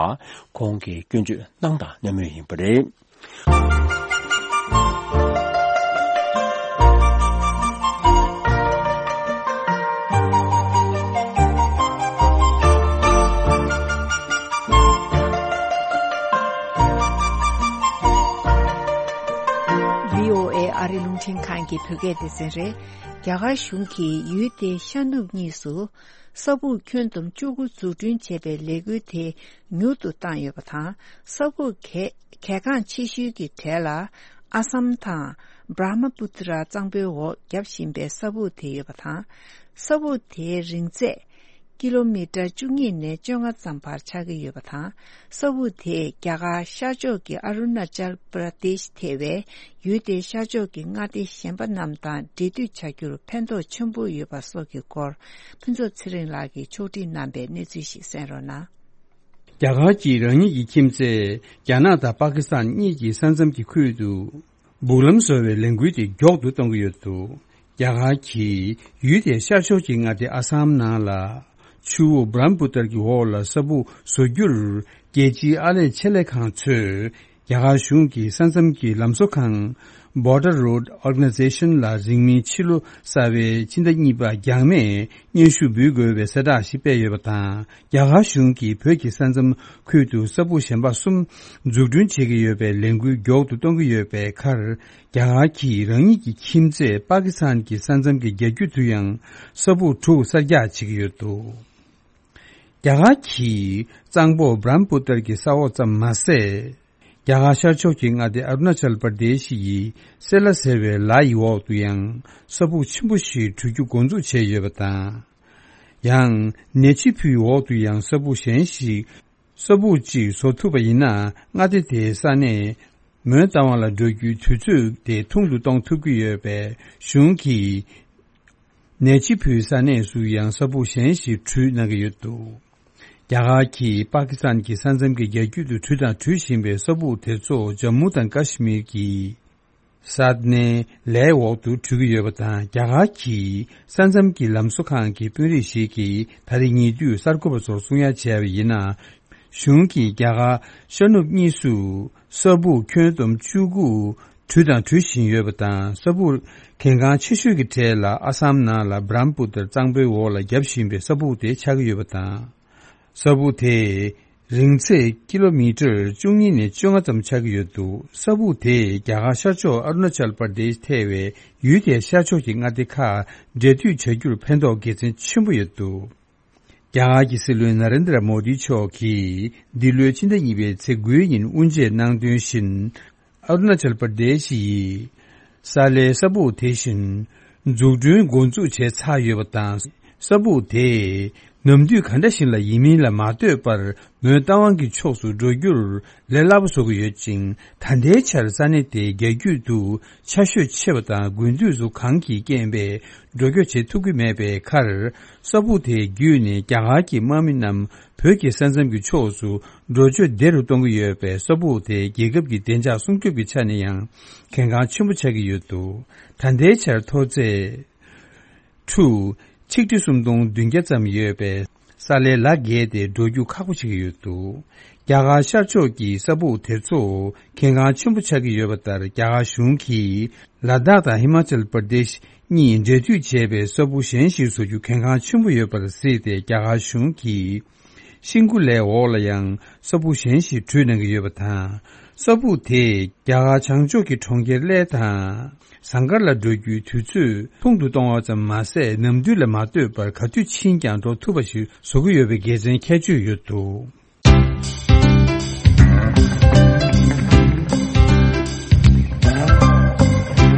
ཁོང་གིས་སྐྱོན་བརྗོད་གནང་དང་གནང་མུས་ཡིན་པ་རེད། བྷི་ཨོ་ཨེ་ཨ་རི་རླུང་འཕྲིན་ཁང་གི་བོད་སྐད་སྡེ་ཚན་རེད། རྒྱ་གར་གཞུང་གིས་ཡུལ་དེའི་ཤར་ནུབ་གཉིས་སུ་ས་སྦུག་ཁྱོན་བསྡོམས་བཅུ་དགུ་འཛུགས་སྐྲུན་བྱེད་པའི་ལས་འགུལ་དེ་མྱུར་དུ་བཏང་ཡོད་པ་དང་། ས་སྦུག་གལ་གལ་འགངས་ཆེ་ཤོས་ཀྱི་གྲས་ལ་ཨ་སམ་དང་བྷྲ་མ་པུ་ཏྲ་གཙང་པོའི་འོག་བརྒྱབ་བཞིན་པའི་ས་སྦུག་དེ་ཡོད་པ་དང་། ས་སྦུག་དེའི་རིང་ཚད་ཀི་ལོ་མི་ཊར་བཅུ་གཉིས་ནས་བཅོ་ལྔ་ཙམ་བར་ཆགས་ཀྱི་ཡོད་པ་དང་། ས་སྦུག་དེས་རྒྱ་གར་ཤར་ཕྱོགས་ཀྱི་ཨ་རུ་ན་ཅལ་པྲ་དེཤ་ཐེ་བའི་ཡུལ་དེའི་ཤར་ཕྱོགས་ཀྱི་མངའ་སྡེ་གཞན་པ་རྣམས་དང་འབྲེལ་མཐུད་བྱ་རྒྱུར་ཕན་ཐོགས་ཆེན་པོ་ཡོད་པ་སོགས་ཀྱི་སྐོར། ཕུན་ཚོགས་ཚེ་རིང་ལགས་ཀྱིས་ཕྱོགས་སྒྲིག་གནང་པའི་གནས་ཚུལ་ཞིག་གསན་རོགས་གནང་། རྒྱ་གར་གྱིས་རང་ཉིད་ཀྱི་ཁྱིམ་མཚེས་རྒྱ་ནག་དང་པ་ཀི་སི་ཐན་གཉིས་ཀྱི་ས་མཚམས་ཀྱི་ཁུལ་དུ་སྦུག་ལམ་བཟོ་བའི་ལས་འགུལ་དེ་མགྱོགས་སུ་གཏོང་གི་ཡོད་འདུག་རྒྱ་གར་གྱིས་ཡུལ་དེའི་ཤར་ཕྱོགས་ཀྱི་མངའ་སྡེ་ཨ་སམ་ནང་ལ་ཆུ་བོ་བྷ་རམ་པུ་ཏར་གྱི་འོག་ལ་ས་སྦུག་བཟོ་རྒྱུར་རྒྱལ་སྤྱིའི་ཨར་ལས་ཆེད་ལས་ཁང་ཚོས་རྒྱ་གར་གཞུང་གི་ས་མཚམས་ཀྱི་ལམ་བཟོ་ཁང་Border Road Organization ལ་རིང་མིན་ཕྱི་ལོ་གསར་པའི་ཕྱི་ཟླ་གཉིས་པ་འགྱངས་མེད་སྙན་ཞུ་འབུལ་དགོས་པའི་གསལ་བསྒྲགས་ཤིག་སྤེལ་ཡོད་པ་དང་། རྒྱ་གར་གཞུང་གིས་བོད་ཀྱི་ས་མཚམས་ཁུལ་དུ་ས་སྦུག་གཞན་པ་གསུམ་འཛུགས་སྐྲུན་བྱེད་ཀྱི་ཡོད་པའི་ལས་འགུལ་མགྱོགས་སུ་གཏོང་གི་ཡོད་པའི་ཁར། རྒྱ་གར་གྱིས་རང་ཉིད་ཀྱི་ཁྱིམ་མཚེས་པ་ཀི་སི་ཐན་གྱི་ས་མཚམས་ཀྱི་རྒྱ་རྒྱུད་དུ་ཡང་ས་སྦུག་དྲུག་གསར་རྒྱག་བྱེད་ཀྱི་ཡོད་འདུག་རྒྱ་གར་གྱིས་གཙང་པོ་བྷ་རམ་པུ་ཏར་གྱི་ས་འོག་ཙམ་མ་ཟད། རྒྱ་གར་ཤར་ཕྱོགས་ཀྱི་མངའ་སྡེ་ཨ་རུ་ན་ཅལ་པར་དེ་ཤི་ཡི་སེ་ལ་ཟེར་བའི་ལ་ཡི་འོག་ཏུ་ཡང་ས་སྦུག་ཆེན་པོ་ཞིག་གྲུ་རྒྱུ་འགོ་འཛུགས་བྱས་ཡོད་པ་དང་། ཡང་ནེ་ཆི་ཕུའི་འོག་ཏུ་ཡང་ས་སྦུག་གཞན་ཞིག་ས་སྦུག་ཅིག་བཟོ་ཐུབ་པ་ཡིན་ན་མངའ་སྡེ་དེའི་ས་གནས་མོན་རྟ་དབང་ལ་འགྲོ་རྒྱུའི་དུས་ཚོད་དེ་ཐུང་དུ་གཏོང་ཐུབ་ཀྱི་ཡོད་པས་གཞུང་གིས་ནེ་ཆི་ཕུའི་ས་གནས་སུ་ཡང་ས་སྦུག་གཞན་ཞིག་གྲུ་གནང་གི་ཡོད་འདུག་རྒྱ་གར་གྱིས་པ་ཀི་སི་ཐན་གྱི་ས་མཚམས་ཀྱི་རྒྱ་རྒྱུད་དུ་གྲུ་དང་གྲུ་བཞིན་པའི་ས་སྦུག་དེ་ཚོ་ཇམ་མུ་དང་ཀ་ཤི་མིར་གྱི་ས་གནས་ལའི་འོག་ཏུ་གྲུ་གི་ཡོད་པ་དང་། རྒྱ་གར་གྱི་ས་མཚམས་ཀྱི་ལམ་བཟོ་ཁང་གི་དཔོན་རིགས་ཤིག་གིས་ད་རེས་ཉེ་དུས་གསར་འགོད་པ་ཚོར་གསུང་ཡ་བྱས་པ་ཡིན་ན། གཞུང་གིས་རྒྱ་གར་ཤར་ནུབ་གཉིས་སུ་ས་སྦུག་ཁྱོན་བསྡོམས་བཅུ་དགུ་གྲུ་དང་གྲུ་བཞིན་ཡོད་པ་དང་། ས་སྦུག་གལ་འགངས་ཆེ་ཤོས་ཀྱི་གྲས་ལ་ཨ་སམ་ནང་ལ་བྷ་རམ་པུ་ཏར་གཙང་པོའི་འོག་ལ་བརྒྱབ་བཞིན་པའི་ས་སྦུག་དེ་ཆགས་ཀྱི་ཡོད་པ་དང་། ས་སྦུག་དེ་རིང་ཚད་ཀི་ལོ་མི་ཊར་བཅུ་གཉིས་ནས་བཅོ་ལྔ་ཙམ་ཆགས་ཀྱི་ཡོད་འདུག་ས་སྦུག་དེས་རྒྱ་གར་ཤར་ཕྱོགས་ཨ་རུ་ན་ཅལ་པར་དེཤ་ཐེ་བའི་ཡུལ་དེའི་ཤར་ཕྱོགས་ཀྱི་མངའ་སྡེ་ཁག་འབྲེལ་མཐུད་བྱ་རྒྱུར་ཕན་ཐོགས་དགེ་མཚན་ཆེན་པོ་ཡོད་འདུག་རྒྱ་གར་གྱི་སྲིད་བློན་ན་རེན་དྲ་མོ་དི་མཆོག་གིས་འདི་ལོའི་ཕྱི་ཟླ་གཉིས་པའི་ཚེས་དགུའི་ཉིན་དབུ་འབྱེད་གནང་དོན་བཞིན། ཨ་རུ་ན་ཅལ་པར་དེཤ་ཡི་ས་ལའི་ས་སྦུག་དེ་བཞིན་འཛུགས་སྐྲུན་འགོ་འཛུགས་བྱས་ཚར་ཡོད་པ་དང་། ས་སྦུག་དེས་ནམ་དུས་ག་འདྲ་ཞིག་ལ་ཡིན་མིན་ལ་མ་ལྟོས་པར་མོན་རྟ་དབང་གི་ཕྱོགས་སུ་འགྲོ་རྒྱུར་ལས་སླ་པོ་བཟོ་གི་ཡོད་ཅིང་། ད་ལྟའི་ཆར་ས་གནས་དེའི་རྒྱ་རྒྱུད་དུ་ཆར་ཞོད་ཆེ་བ་དང་དགུན་དུས་སུ་གངས་ཀྱིས་རྐྱེན་པས་འགྲོ་སྐྱོད་བྱེད་ཐུབ་ཀྱི་མེད་པའི་ཁར། ས་སྦུག་དེ་བརྒྱུད་ནས་རྒྱ་གར་གྱི་དམག་མི་རྣམས་བོད་ཀྱི་ས་མཚམས་ཀྱི་ཕྱོགས་སུ་འགྲོ་སྐྱོད་བདེ་རུ་གཏོང་གི་ཡོད་པས། ས་སྦུག་དེ་རྒྱལ་ཁབ་ཀྱི་བདེ་འཇགས་སྲུང་སྐྱོབ་ཀྱི་ཆ་ནས་ཡང་གལ་འགངས་ཆེན་པོ་ཆགས་ཀྱི་ཡོད་འདུག་ད་ལྟའི་ཆར་མཐོ་ཚད་ཁྲུ་ ཆིག་ཁྲི་སུམ་སྟོང་བདུན་བརྒྱ་ཙམ་ཡོད་པའི་ས་ལའི་ལ་བརྒལ་ཏེ་འགྲོ་རྒྱུ་ཁག་པོ་ཆགས་ཀྱི་ཡོད་འདུག་རྒྱ་གར་ཤར་ཕྱོགས་ཀྱི་ས་སྦུག་དེ་ཚོ་གལ་འགངས་ཆེན་པོ་ཆགས་ཀྱི་ཡོད་པ་ལྟར། རྒྱ་གར་གཞུང་གིས་ལ་དྭགས་དང་ཧི་མ་ཅལ་པར་དེཤ་གཉིས་འབྲེལ་མཐུད་བྱས་པའི་ས་སྦུག་གཞན་ཞིག་བཟོ་རྒྱུ་གལ་འགངས་ཆེན་པོ་ཡོད་པར་གཟིགས་ཏེ། རྒྱ་གར་གཞུང་གིས་ཤིང་ཁུ་ལའི་འོག་ལ་ཡང་ས་སྦུག་གཞན་ཞིག་བྲུས་གནང་གི་ཡོད་པ་དང་། ས་སྦུག་དེས་རྒྱ་གར་བྱང་ཕྱོགས་ཀྱི་གྲོང་ཁྱེར་གླེ་དང་ཟངས་དཀར་ལ་འགྲོ་རྒྱུའི་དུས་ཚོད་ཐུང་དུ་གཏོང་བ་ཙམ་མ་ཟད། ནམ་དུས་ལ་མ་ལྟོས་པར་ག་དུས་ཕྱིན་ཀྱང་འགྲོ་ཐུབ་པ་ཞིག་བཟོ་གི་ཡོད་པའི་དགེ་མཚན་ཁྱད་ཆོས་ཡོད་འདུག་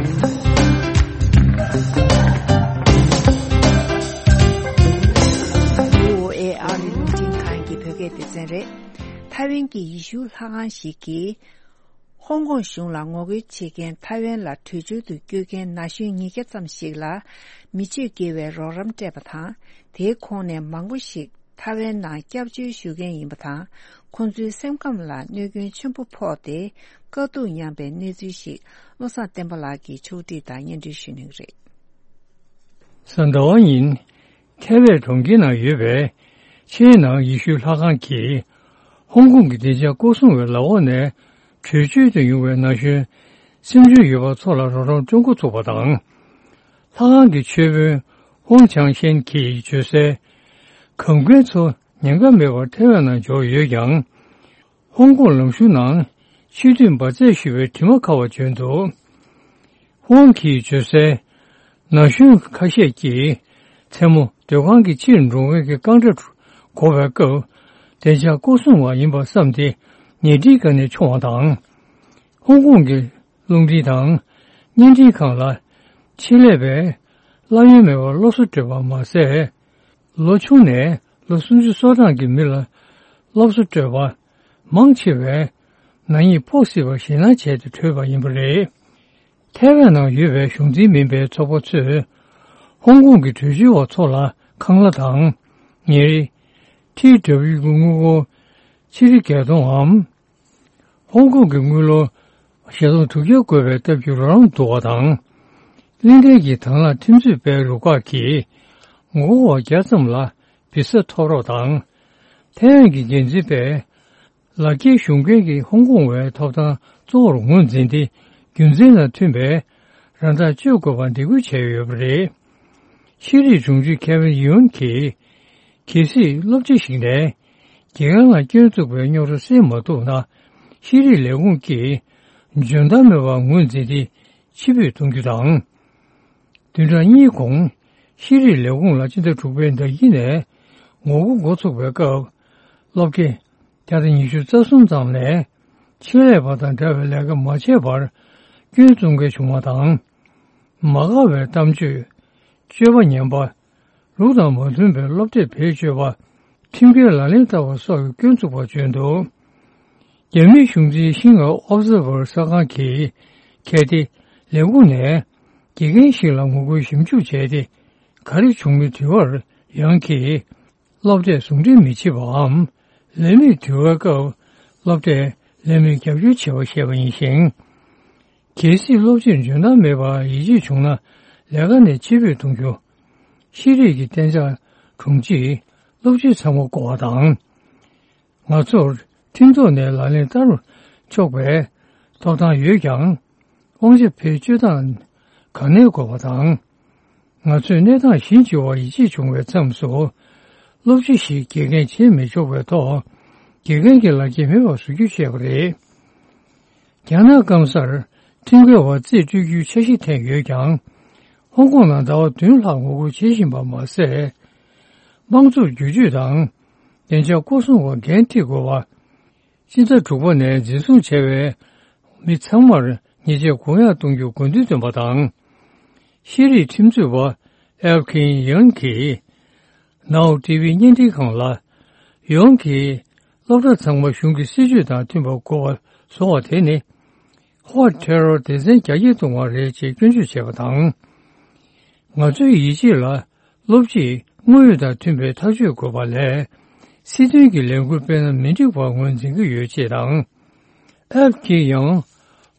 ཨ་རི་རླུང་འཕྲིན་ཁང་གི་བོད་སྐད་སྡེ་ཚན་རེད། ཐའེ་ཝན་གྱི་ཡེ་ཤུ་ལྷ་ཁང་ཞིག་གིས་ཧོང་ཀོང་གཞུང་ལ་ངོ་རྒོལ་བྱེད་མཁན་ཐའེ་ཝན་ལ་བྲོས་བྱོལ་དུ་བསྐྱོད་མཁན་ན་གཞོན་ཉིས་བརྒྱ་ཙམ་ཞིག་ལ་མི་སྤྱོད་དགེ་བའི་རོགས་རམ་སྤྲད་པ་དང་། དེའི་ཁོངས་ནས་མང་པོ་ཞིག་ཐའེ་ཝན་ནང་སྐྱབས་བཅོལ་ཞུ་མཁན་ཡིན་པ་དང་། ཁོང་ཚོའི་སེམས་ཁམས་ལ་གནོད་སྐྱོན་ཆེན་པོ་ཕོག་སྟེ་དཀའ་སྡུག་མྱངས་པའི་གནས་ཚུལ་ཞིག་བློ་བཟང་བསྟན་པ་ལགས་ཀྱིས་ཕྱོགས་སྒྲིག་དང་སྙན་སྒྲོན་ཞུ་གནང་གི་རེད། གཟའ་ཟླ་བ་ཉིན། ཐའེ་ཝན་གྲོང་ཁྱེར་ནང་ཡོད་པའི་ཆེས་ནང་ཡེ་ཤུ་ལྷ་ཁང་གིས་ཧོང་ཀོང་གི་བདེ་འཇགས་སྐོར་སྲུང་བའི་ལག་འོག་ནས་བྲོས་བྱོལ་དུ་ཡོང་བའི་ན་གཞོན་སེམས་ཤུགས་ཡོད་པ་ཚོ་ལ་རོགས་རམ་སྤྲོད་འགོ་ཚུགས་པ་དང་། ལྷ་ཁང་གི་ཆོས་དཔོན་ཧོང་ཆང་ཤན་གྱིས་བརྗོད་གསལ། གམ་མཁན་ཚོ་ཉེན་ཁ་མེད་པར་ཐའེ་ཝན་ནང་འབྱོར་ཡོད་ཀྱང་། ཧོང་ཀོང་ལམ་གཞུང་ནང་ཕྱི་སྡོད་འབར་རྫས་ཞུ་བའི་དྲི་མ་ཁ་བ་བྱོན་འདུག་ཧོང་གིས་བརྗོད་གསལ། ན་གཞོན་ཁ་ཤས་ཀྱིས་མཚན་མོ་སྡོད་ཁང་གི་ཕྱིར་འགྲོ་མཁན་གྱི་རྐང་སྒྲ་གོ་བའི་སྐབས། བདེ་འཇགས་སྐོར་སྲུང་བ་ཡིན་པ་བསམ་སྟེ་ཉལ་ཁྲིའི་སྒང་ནས་མཆོངས་པ་དང་། ཧོང་ཀོང་གི་རླུང་འཕྲིན་དང་བརྙན་འཕྲིན་ཁང་ལ་ཆེད་ལས་པས་གླ་ཡོན་མེད་པར་སློབ་གསོ་སྤྲོད་པ་མ་ཟད། ལོ་ཆུང་ནས་ལོ་སུམ་ཅུ་སོ་གྲངས་ཀྱི་མི་ལ་སློབ་གསོ་སྤྲོད་པ། མང་ཆེ་བས་ནག་ཉེས་ཕོག་སྲིད་པར་ཞེད་སྣང་བྱས་ཏེ་བྲོས་པ་ཡིན་པ་རེད། ཐའེ་ཝན་ནང་ཡོད་པའི་གཞུང་འཛིན་མིན་པའི་ཚོགས་པ་ཚོས་ཧོང་ཀོང་གི་བྲོས་བྱོལ་བ་ཚོ་ལ་ཁང་གླ་དང་ཉེར་ཁྲི་འདྲ་བོའི་དངུལ་སྒོར་ཆིག་ཁྲི་བརྒྱད་སྟོང་འམ། ཧོང་ཀོང་གི་དངུལ་ལོར་བཞི་སྟོང་དྲུག་བརྒྱ་བགོ་བའི་སྟབས་ཀྱིས་རོགས་རམ་བསྡུ་བ་དང་། གླིང་ཕྲན་གྱི་དྭང་བླངས་ཁྲིམས་རྩོད་པའི་རུ་ཁག་གིས་ངོ་རྒོལ་བ་བརྒྱ་ཙམ་ལ་བི་ས་ཐོབ་རོགས་དང་། ཐའེ་ཝན་གྱི་འགན་འཛིན་པས་ལག་འཁྱེར་ཞུ་མཁན་གྱི་ཧོང་ཀོང་བའི་ཐོབ་ཐང་གཙོ་བོར་ངོས་འཛིན་ཏེ། རྒྱུ་མཚན་དང་མཐུན་པའི་རང་ཐག་གཅོད་དགོས་པར་འདེད་སྐུལ་བྱས་ཡོད་པ་རེད། ཤེས་རིག་དྲུང་ཆེ་ཁེ་ཝིན་ཡོན་གྱིས། གལ་སྲིད་སློབ་གྲྭ་ཞིག་ནས་དགེ་རྒན་ལ་སྐྱོན་བཙུགས་པའི་རྙོག་དྲ་སེལ་མ་ཐུབ་ན། ཤེས་རིག་ལས་ཁུངས་ཀྱིས་འཇོན་ཐང་མེད་པར་ངོས་འཛིན་ཏེ་ཕྱིར་འབུད་གཏོང་རྒྱུ་དང་། བདུན་ཕྲག་གཉིས་གོང་ཤེས་རིག་ལས་ཁུངས་ལ་སྤྱི་ཟླ་དྲུག་པའི་ཟླ་དཀྱིལ་ནས་ངོ་རྒོལ་འགོ་ཚུགས་པའི་སྐབས། སློབ་དགེ་བརྒྱ་དང་ཉི་ཤུ་རྩ་གསུམ་ཙམ་ནས་ཆེད་ལས་པ་དང་འདྲ་བའི་ལས་ཀ་མ་བྱས་པར་སྐྱོན་བཙུགས་མཁན་བྱུང་བ་དང་། མ་དགའ་བའི་གཏམ་བརྗོད། སྤྱོད་པ་ངན་པ། ལུགས་དང་མ་མཐུན་པའི་སློབ་གྲྭས་བེད་སྤྱོད་པ། ཁྲིམས་འགལ་ལག་ལེན་བསྟར་བ་སོགས་ཀྱི་སྐྱོན་བཙུགས་པ་བྱོན་འདུག་རྒྱ་མིའི་གཞུང་འཛིན་ཤིན་ཧྭ་ཨོབ་ཛར་ཝར་གསར་ཁང་གིས་གལ་ཏེ་ལས་ཁུངས་ནས་དགེ་རྒན་ཞིག་ལ་ངོ་རྒོལ་ཞིབ་འཇུག་བྱས་ཏེ། ག་རེ་བྱུང་མིན་དྲི་བར་ཡང་གིས། སློབ་གྲྭས་ཟུང་འབྲེལ་མི་བྱེད་པའམ། ལས་མིར་དུས་བབ་སྐབས་སློབ་གྲྭས་ལས་མིར་རྒྱབ་སྐྱོར་བྱེད་པ་ཞེས་པ་ཡིན་ཞིང་། གལ་སྲིད་སློབ་སྤྱིར་འཇོན་ཐང་མེད་པར་ཡིད་ཆེས་བྱུང་ན་ལས་ཀ་ནས་ཕྱིར་འབུད་གཏོང་རྒྱུ། ཤེས་རིག་གི་གཏན་འཇགས་དྲུང་ཆེས་སློབ་སྤྱི་ཚང་མ་བསྐོ་བ་དང་། ང་ཚོར་ཁྲིམས་ཐོག་ནས་ལག་ལེན་བསྟར་ཆོག་པའི་ཐོབ་ཐང་ཡོད་ཀྱང་། དབང་ཆ་བེད་སྤྱོད་སྟངས་ག་ནས་དགོས་པ་དང་། ང་ཚོས་གནས་སྟངས་གཞི་འགྱུར་བ་ཡིད་ཆེས་བྱུང་བའི་མཚམས་སུ། སློབ་སྤྱི་ཞིག་དགེ་རྒན་བྱེད་མི་ཆོག་པའི་ཐོག་དགེ་རྒན་གྱི་ལག་འཁྱེར་མེད་པར་བཟོ་རྒྱུ་བཤད་པ་རེད། རྒྱ་ནག་སྐམ་སར་ཁྲིམས་འགལ་བ་རྩིས་སྤྲོད་རྒྱུའི་འཆར་གཞི་འཐེན་ཡོད་ཀྱང་། ཧོང་ཀོང་ནང་ཟླ་བ་བདུན་ལྷག་ངོ་རྒོལ་བྱེད་བཞིན་པ་མ་ཟད། དམངས་གཙོར་བསྒྱུར་བཅོས་དང་། བདེ་འཇགས་སྐོར་སྲུང་བ་འགན་འཁྲི་དགོས་པ། སྤྱི་ཟླ་དྲུག་པ་ནས་འཛིན་བཟུང་བྱས་པའི་མི་ཚང་མར་ཉེས་ཆད་དགོངས་ཡངས་གཏོང་རྒྱུར་དགོས་འདུན་བཏོན་པ་དང་། ཤེས་རིག་ཁྲིམས་རྩོད་པ་ཨེལ་ཁིན་ཡང་གིས་ནའོ་ཊི་ཝི་བརྙན་འཕྲིན་ཁང་ལ། ཡང་གིས་སློབ་གྲྭ་ཚང་མ་གཞུང་གི་སྲིད་ཇུས་དང་མཐུན་པར་དགོས་པ་བཟོ་བ་དེ་ནི། ཧྭ་ཊེ་རོར་སྡེ་ཚན་རྒྱ་སྐྱེད་གཏོང་བ་རེད་ཅེས་སྐྱོན་བརྗོད་བྱས་པ་དང་། ང་ཚོའི་ཡིད་ཆེས་ལ། སློབ་སྤྱིས་དངོས་ཡོད་དང་མཐུན་པའི་ཐག་གཅོད་དགོས་པ་ལས། སྲིད་དོན་གྱི་ལས་འགུལ་སྤེལ་ན་མི་འགྲིག་པར་ངོས་འཛིན་གྱི་ཡོད་ཅེས་དང་། ཨེལ་ཁིན་ཡང་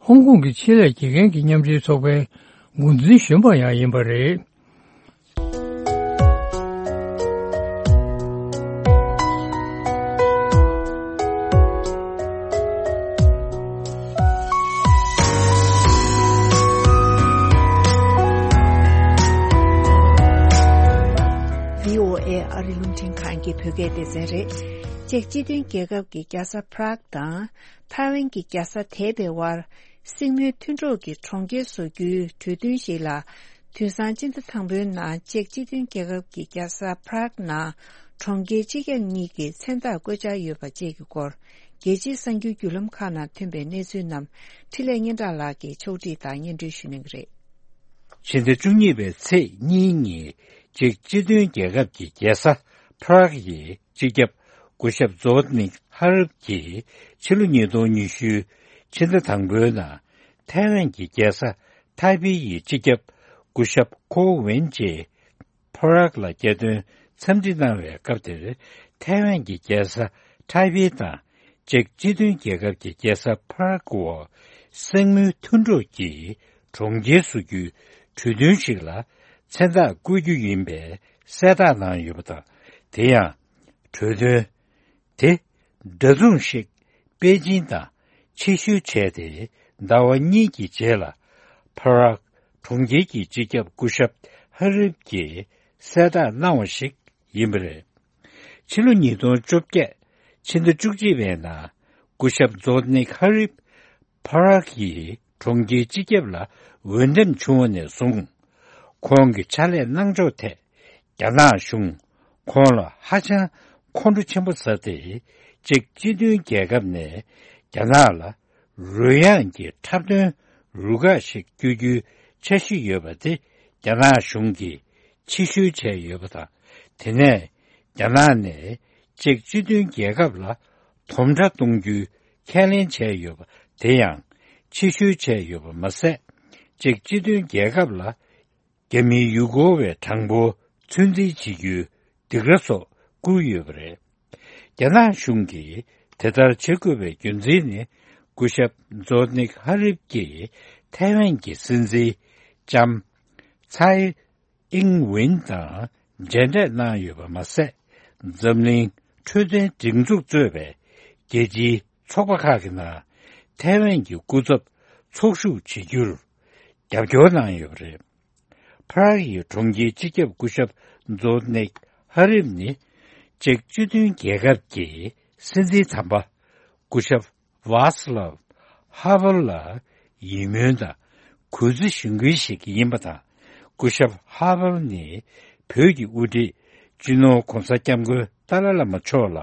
ཧོང་ཀོང་གི་ཆེད་ལས་དགེ་རྒན་གྱི་མཉམ་འབྲེལ་ཚོགས་པའི་འགོ་འཛིན་གཞོན་པ་ཡང་ཡིན་པ་རེད། བོད་སྐད་སྡེ་ཚན་རེད། ཅེཀ་སྤྱི་མཐུན་རྒྱལ་ཁབ་ཀྱི་རྒྱལ་ས་Prague་དང་ཐའེ་ཝན་གྱི་རྒྱལ་ས་ཐའེ་པེ་དབར་སྲིང་མོའི་མཐུན་གྲོགས་ཀྱི་གྲོང་ཁྱེར་བཟོ་རྒྱུའི་གྲོས་མཐུན་ཞིག་ལ། དུས་སང་སྤྱི་ཟླ་དང་པོའི་ནང་ཅེཀ་སྤྱི་མཐུན་རྒྱལ་ཁབ་ཀྱི་རྒྱལ་ས་Prague་ནང་གྲོང་ཁྱེར་སྤྱི་ཁྱབ་གཉིས་ཀྱི་མཚན་རྟགས་བཀོད་འཆར་ཡོད་པ་བཅས་ཀྱི་སྐོར། རྒྱལ་སྤྱིའི་གསར་འགྱུར་བརྒྱུད་ལམ་ཁག་ནང་ཐོན་པའི་གནས་ཚུལ་རྣམས་འཕྲིན་ལས་སྙན་གྲགས་ལགས་ཀྱིས་ཕྱོགས་སྒྲིག་དང་སྙན་སྒྲོན་ཞུ་གནང་གི་རེད། ཕྱི་ཟླ་བཅུ་གཉིས་པའི་ཚེས་གཉིས་ཉིན་ཅེཀ་སྤྱི་མཐུན་རྒྱལ་ཁབ་ཀྱི་རྒྱལ་ས་Prague་ཡི་སྤྱི་ཁྱབ་སྐུ་ཞབས་Zbigniew Hrabin་གྱིས་ཕྱི་ལོ་ཉིས་སྟོང་ཉི་ཤུའི་ཕྱི་ཟླ་དང་པོའི་ནང་ཐའེ་ཝན་གྱི་རྒྱལ་ས་ཐའེ་པེ་ཡི་སྤྱི་ཁྱབ་སྐུ་ཞབས་Ko Win་བཅས་Prague་ལ་རྒྱལ་དོན་འཚམས་འདྲི་གནང་བའི་སྐབས་དེར་ཐའེ་ཝན་གྱི་རྒྱལ་ས་ཐའེ་པེ་དང་ཅེཀ་སྤྱི་མཐུན་རྒྱལ་ཁབ་ཀྱི་རྒྱལ་ས་Prague་འོག་སྲིང་མོའི་མཐུན་གྲོགས་ཀྱི་གྲོང་ཁྱེར་བཟོ་རྒྱུའི་གྲོས་མཐུན་ཞིག་ལ་མཚན་རྟགས་བཀོད་རྒྱུ་ཡིན་པའི་གསལ་བསྒྲགས་གནང་ཡོད་པ་དང་། དེ་ཡང་གྲོས་མཐུན་དེ་འདྲ་མཚུངས་ཤིག་པེ་ཅིན་དང་ཕྱིར་བཤོལ་བྱས་ཏེ་ཟླ་བ་གཉིས་ཀྱི་རྗེས་ལ་Prague་གྲོང་ཁྱེར་གྱི་སྤྱི་ཁྱབ་སྐུ་ཞབས་Hrabin་གྱིས་གསལ་བསྒྲགས་གནང་བ་ཞིག་ཡིན་པ་རེད། ཕྱི་ལོ་ཉིས་སྟོང་བཅོ་བརྒྱད་ཕྱི་ཟླ་བཅུ་གཅིག་པའི་ནང་སྐུ་ཞབས་Zbigniew Hrabin་Prague་ཡི་གྲོང་ཁྱེར་སྤྱི་ཁྱབ་ལ་འོས་འདེམས་བྱུང་བ་ནས་བཟུང་ཁོང་གི་ཕྱག་ལས་གནང་ཕྱོགས་ཐད་རྒྱ་ནག་གཞུང་ཁོང་ལ་ཧ་ཅང་ཁོང་ཁྲོ་ཆེན་པོ་ཟ་སྟེ་ཅེཀ་སྤྱི་མཐུན་རྒྱལ་ཁབ་ནས་རྒྱ་ནག་ལ་རོལ་དབྱངས་ཀྱི་འཁྲབ་སྟོན་རུ་ཁག་ཞིག་བསྐྱོད་རྒྱུའི་འཆར་གཞི་ཡོད་པ་དེ་རྒྱ་ནག་གཞུང་གིས་ཕྱིར་བཤོལ་བྱས་ཡོད་པ་དང་། དེ་ནས་རྒྱ་ནག་ནས་ཅེཀ་སྤྱི་མཐུན་རྒྱལ་ཁབ་ལ་དོམ་ཁྲ་གཏོང་རྒྱུའི་ཁས་ལེན་བྱས་ཡོད་པ་དེ་ཡང་ཕྱིར་བཤོལ་བྱས་ཡོད་པ་མ་ཟད། ཅེཀ་སྤྱི་མཐུན་རྒྱལ་ཁབ་ལ་རྒྱ་མིའི་ཡུལ་སྐོར་བའི་གྲངས་འབོར་ཚོད་འཛིན་བྱེད་རྒྱུའི་སྡིགས་ར་སོགས་བསྐུར་ཡོད་པ་རེད། རྒྱ་ནག་གཞུང་གིས་དེ་ལྟར་བྱེད་དགོས་པའི་རྒྱུ་མཚན་ནི། སྐུ་ཞབས་Zbigniew Hrabin་གྱིས་ཐའེ་ཝན་གྱི་སྲིད་འཛིན་ལྕམ་Tsai Ing་ཝེན་དང་མཇལ་འཕྲད་གནང་ཡོད་པ་མ་ཟད། འཛམ་གླིང་འཕྲོད་བསྟེན་སྒྲིག་འཛུགས་གཙོས་པའི་རྒྱལ་སྤྱིའི་ཚོགས་པ་ཁག་གི་ནང་ཐའེ་ཝན་གྱི་སྐུ་ཚབ་ཚོགས་ཞུགས་བྱེད་རྒྱུར་རྒྱབ་སྐྱོར་གནང་ཡོད་པ་རེད། Prague་ཡི་གྲོང་ཁྱེར་སྤྱི་ཁྱབ་སྐུ་ཞབས་Zbigniew Hrabin་ནི་ཅེཀ་སྤྱི་མཐུན་རྒྱལ་ཁབ་ཀྱི་སྲིད་འཛིན་དམ་པ་སྐུ་ཞབས་Václav Havel་ལ་ཡིད་སྨོན་དང་གུས་བརྩི་ཞུ་མཁན་ཞིག་ཡིན་པ་དང་། སྐུ་ཞབས་Havel་ནི་བོད་ཀྱི་དབུ་ཁྲིད་སྤྱི་ནོར་༧གོང་ས་༧སྐྱབས་མགོན་ཏཱ་ལའི་བླ་མ་མཆོག་ལ་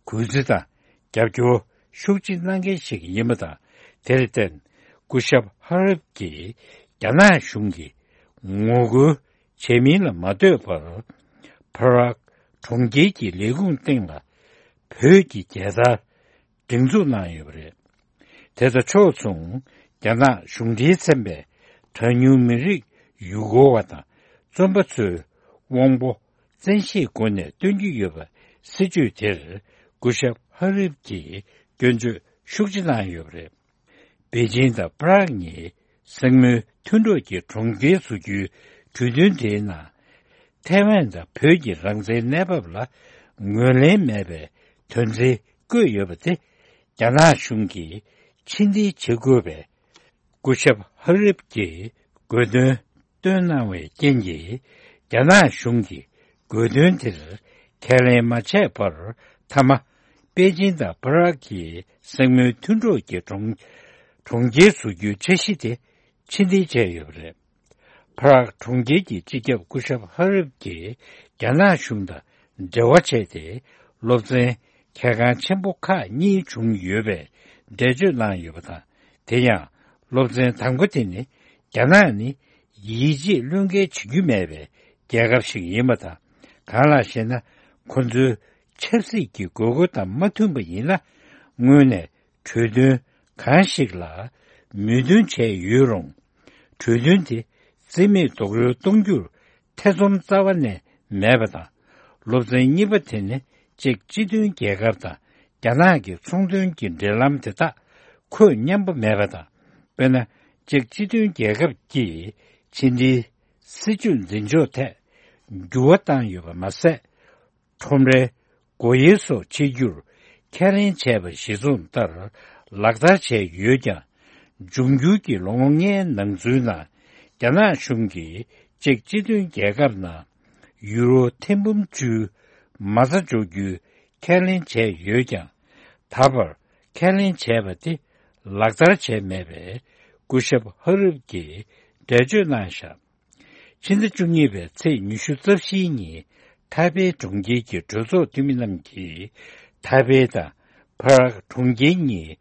གུས་བརྩི་དང་རྒྱབ་སྐྱོར་ཤུགས་ཆེ་གནང་མཁན་ཞིག་ཡིན་པ་དང་། དེར་བརྟེན་སྐུ་ཞབས་Havel་གྱིས་རྒྱ་ནག་གཞུང་གིས་ངོ་རྒོལ་བྱས་མིན་ལ་མ་ལྟོས་པར། Prague་གྲོང་ཁྱེར་གྱི་ལས་ཁུངས་སྟེང་ལ་བོད་ཀྱི་རྒྱལ་དར་སྒྲེང་འཛུགས་གནང་ཡོད་པ་རེད། དེ་དང་ཕྱོགས་མཚུངས་རྒྱ་ནག་གཞུང་འབྲེལ་ཚན་པས་གྲངས་ཉུང་མི་རིགས་ཡུལ་སྐོར་བ་དང་བཙོན་པ་ཚོའི་དབང་པོ་བཙན་ཤེད་སྒོ་ནས་སྟོན་གྱི་ཡོད་པ་སྲིད་བྱུས་དེར་སྐུ་ཞབས་ཧ་རིབ་ཀྱིས་སྐྱོན་བརྗོད་ཤུགས་ཆེ་གནང་ཡོད་པ་རེད། པེ་ཅིན་དང་པ་རག་གཉིས་སྲིང་མོའི་མཐུན་གྲོགས་ཀྱི་གྲོང་ཁྱེར་བཟོ་རྒྱུའི་གྲོས་མཐུན་དེའི་ནང་། ཐའེ་ཝན་དང་བོད་ཀྱི་རང་བཙན་གནས་བབ་ལ་ངོས་ལེན་མེད་པའི་དོན་ཚན་བཀོད་ཡོད་པ་དེ། རྒྱ་ནག་གཞུང་གིས་ཕྱིར་འཐེན་བྱེད་དགོས་པའི་སྐུ་ཞབས་ཧ་རིབ་ཀྱིས་དགོས་འདུན་བཏོན་གནང་བའི་རྐྱེན་གྱིས། རྒྱ་ནག་གཞུང་གིས་དགོས་འདུན་དེར་ཁས་ལེན་མ་བྱས་པར། མཐའ་མ་པེ་ཅིན་དང་པ་རག་གི་སྲིང་མོའི་མཐུན་གྲོགས་ཀྱི་གྲོང་གྲོང་ཁྱེར་བཟོ་རྒྱུའི་འཆར་གཞི་དེ་ཕྱིར་འཐེན་བྱས་ཡོད་པ་རེད། པ་རག་གྲོང་ཁྱེར་གྱི་སྤྱི་ཁྱབ་སྐུ་ཞབས་ཧ་རིབ་ཀྱིས་རྒྱ་ནག་གཞུང་དང་འབྲེལ་བ་བྱས་ཏེ། སློབ་ཚན་གལ་འགངས་ཆེན་པོ་ཁག་གཉིས་བྱུང་ཡོད་པའི་འགྲེལ་བརྗོད་གནང་ཡོད་པ་དང་། དེ་ཡང་སློབ་ཚན་དང་པོ་དེ་ནི། རྒྱ་ནག་ནི་ཡིད་ཆེས་བློས་འགེལ་བྱེད་རྒྱུ་མེད་པའི་རྒྱལ་ཁབ་ཞིག་ཡིན་པ་དང་། གང་ལགས་ཤེ་ན། ཁོ་ཚོའི་ཆབ་སྲིད་ཀྱི་དགོས་མཁོ་དང་མ་མཐུན་པ་ཡིན་ན། སྔོན་ནས་གྲོས་མཐུན་གང་ཞིག་ལ་མོས་མཐུན་བྱས་ཡོད་རུང་། གྲོས་མཐུན་དེ་རྩིས་མེད་རྡོག་རོལ་གཏོང་རྒྱུར་ཐེ་ཚོམ་རྩ་བ་ནས་མེད་པ་དང་། སློབ་ཚན་གཉིས་པ་དེ་ནི་ཅེཀ་སྤྱི་མཐུན་རྒྱལ་ཁབ་དང་རྒྱ་ནག་གི་ཚོང་དོན་གྱི་འབྲེལ་ལམ་དེ་དག་ཁོད་མཉམ་པོ་མེད་པ་དང་། དཔེར་ན། ཅེཀ་སྤྱི་མཐུན་རྒྱལ་ཁབ་ཀྱིས་ཕྱི་འབྲེལ་སྲིད་ཇུས་འཛིན་ཕྱོགས་ཐད་འགྱུར་བ་བཏང་ཡོད་པ་མ་ཟད། ཁྲོམ་རའི་སྒོ་དབྱེ་སོགས་ཕྱེ་རྒྱུར་ཁས་ལེན་བྱས་པ་གཞིར་བཟུང་ལྟར་ལག་བསྟར་བྱས་ཡོད་ཀྱང་། འབྱུང་འགྱུར་གྱི་ལོ་ངོ་ལྔའི་ནང་ཚུད་ནང་རྒྱ་ནག་གཞུང་གིས་ཅེཀ་སྤྱི་མཐུན་རྒྱལ་ཁབ་ནང་ཡུ་རོ་ཐེར་འབུམ་བཅུའི་ མ་རྩ་འཇོག་རྒྱུའི་ཁས་ལེན་བྱས་ཡོད་ཀྱང་། ད་བར་ཁས་ལེན་བྱས་པ་དེ་ལག་བསྟར་བྱས་མེད་པས། སྐུ་ཞབས་ཧ་རིབ་ཀྱིས་འགྲེལ་བརྗོད་གནང་བཞག་ཕྱི་ཟླ་བཅུ་གཉིས་པའི་ཚེས་ཉི་ཤུ་རྩ་བཞིའི་ཉིན། ཐའེ་པེ་གྲོང་ཁྱེར་གྱི་གྲོས་ཚོགས་འཐུས་མི་རྣམས་ཀྱིས། ཐའེ་པེ་དང་པ་རག་གྲོང་ཁྱེར་གཉིས་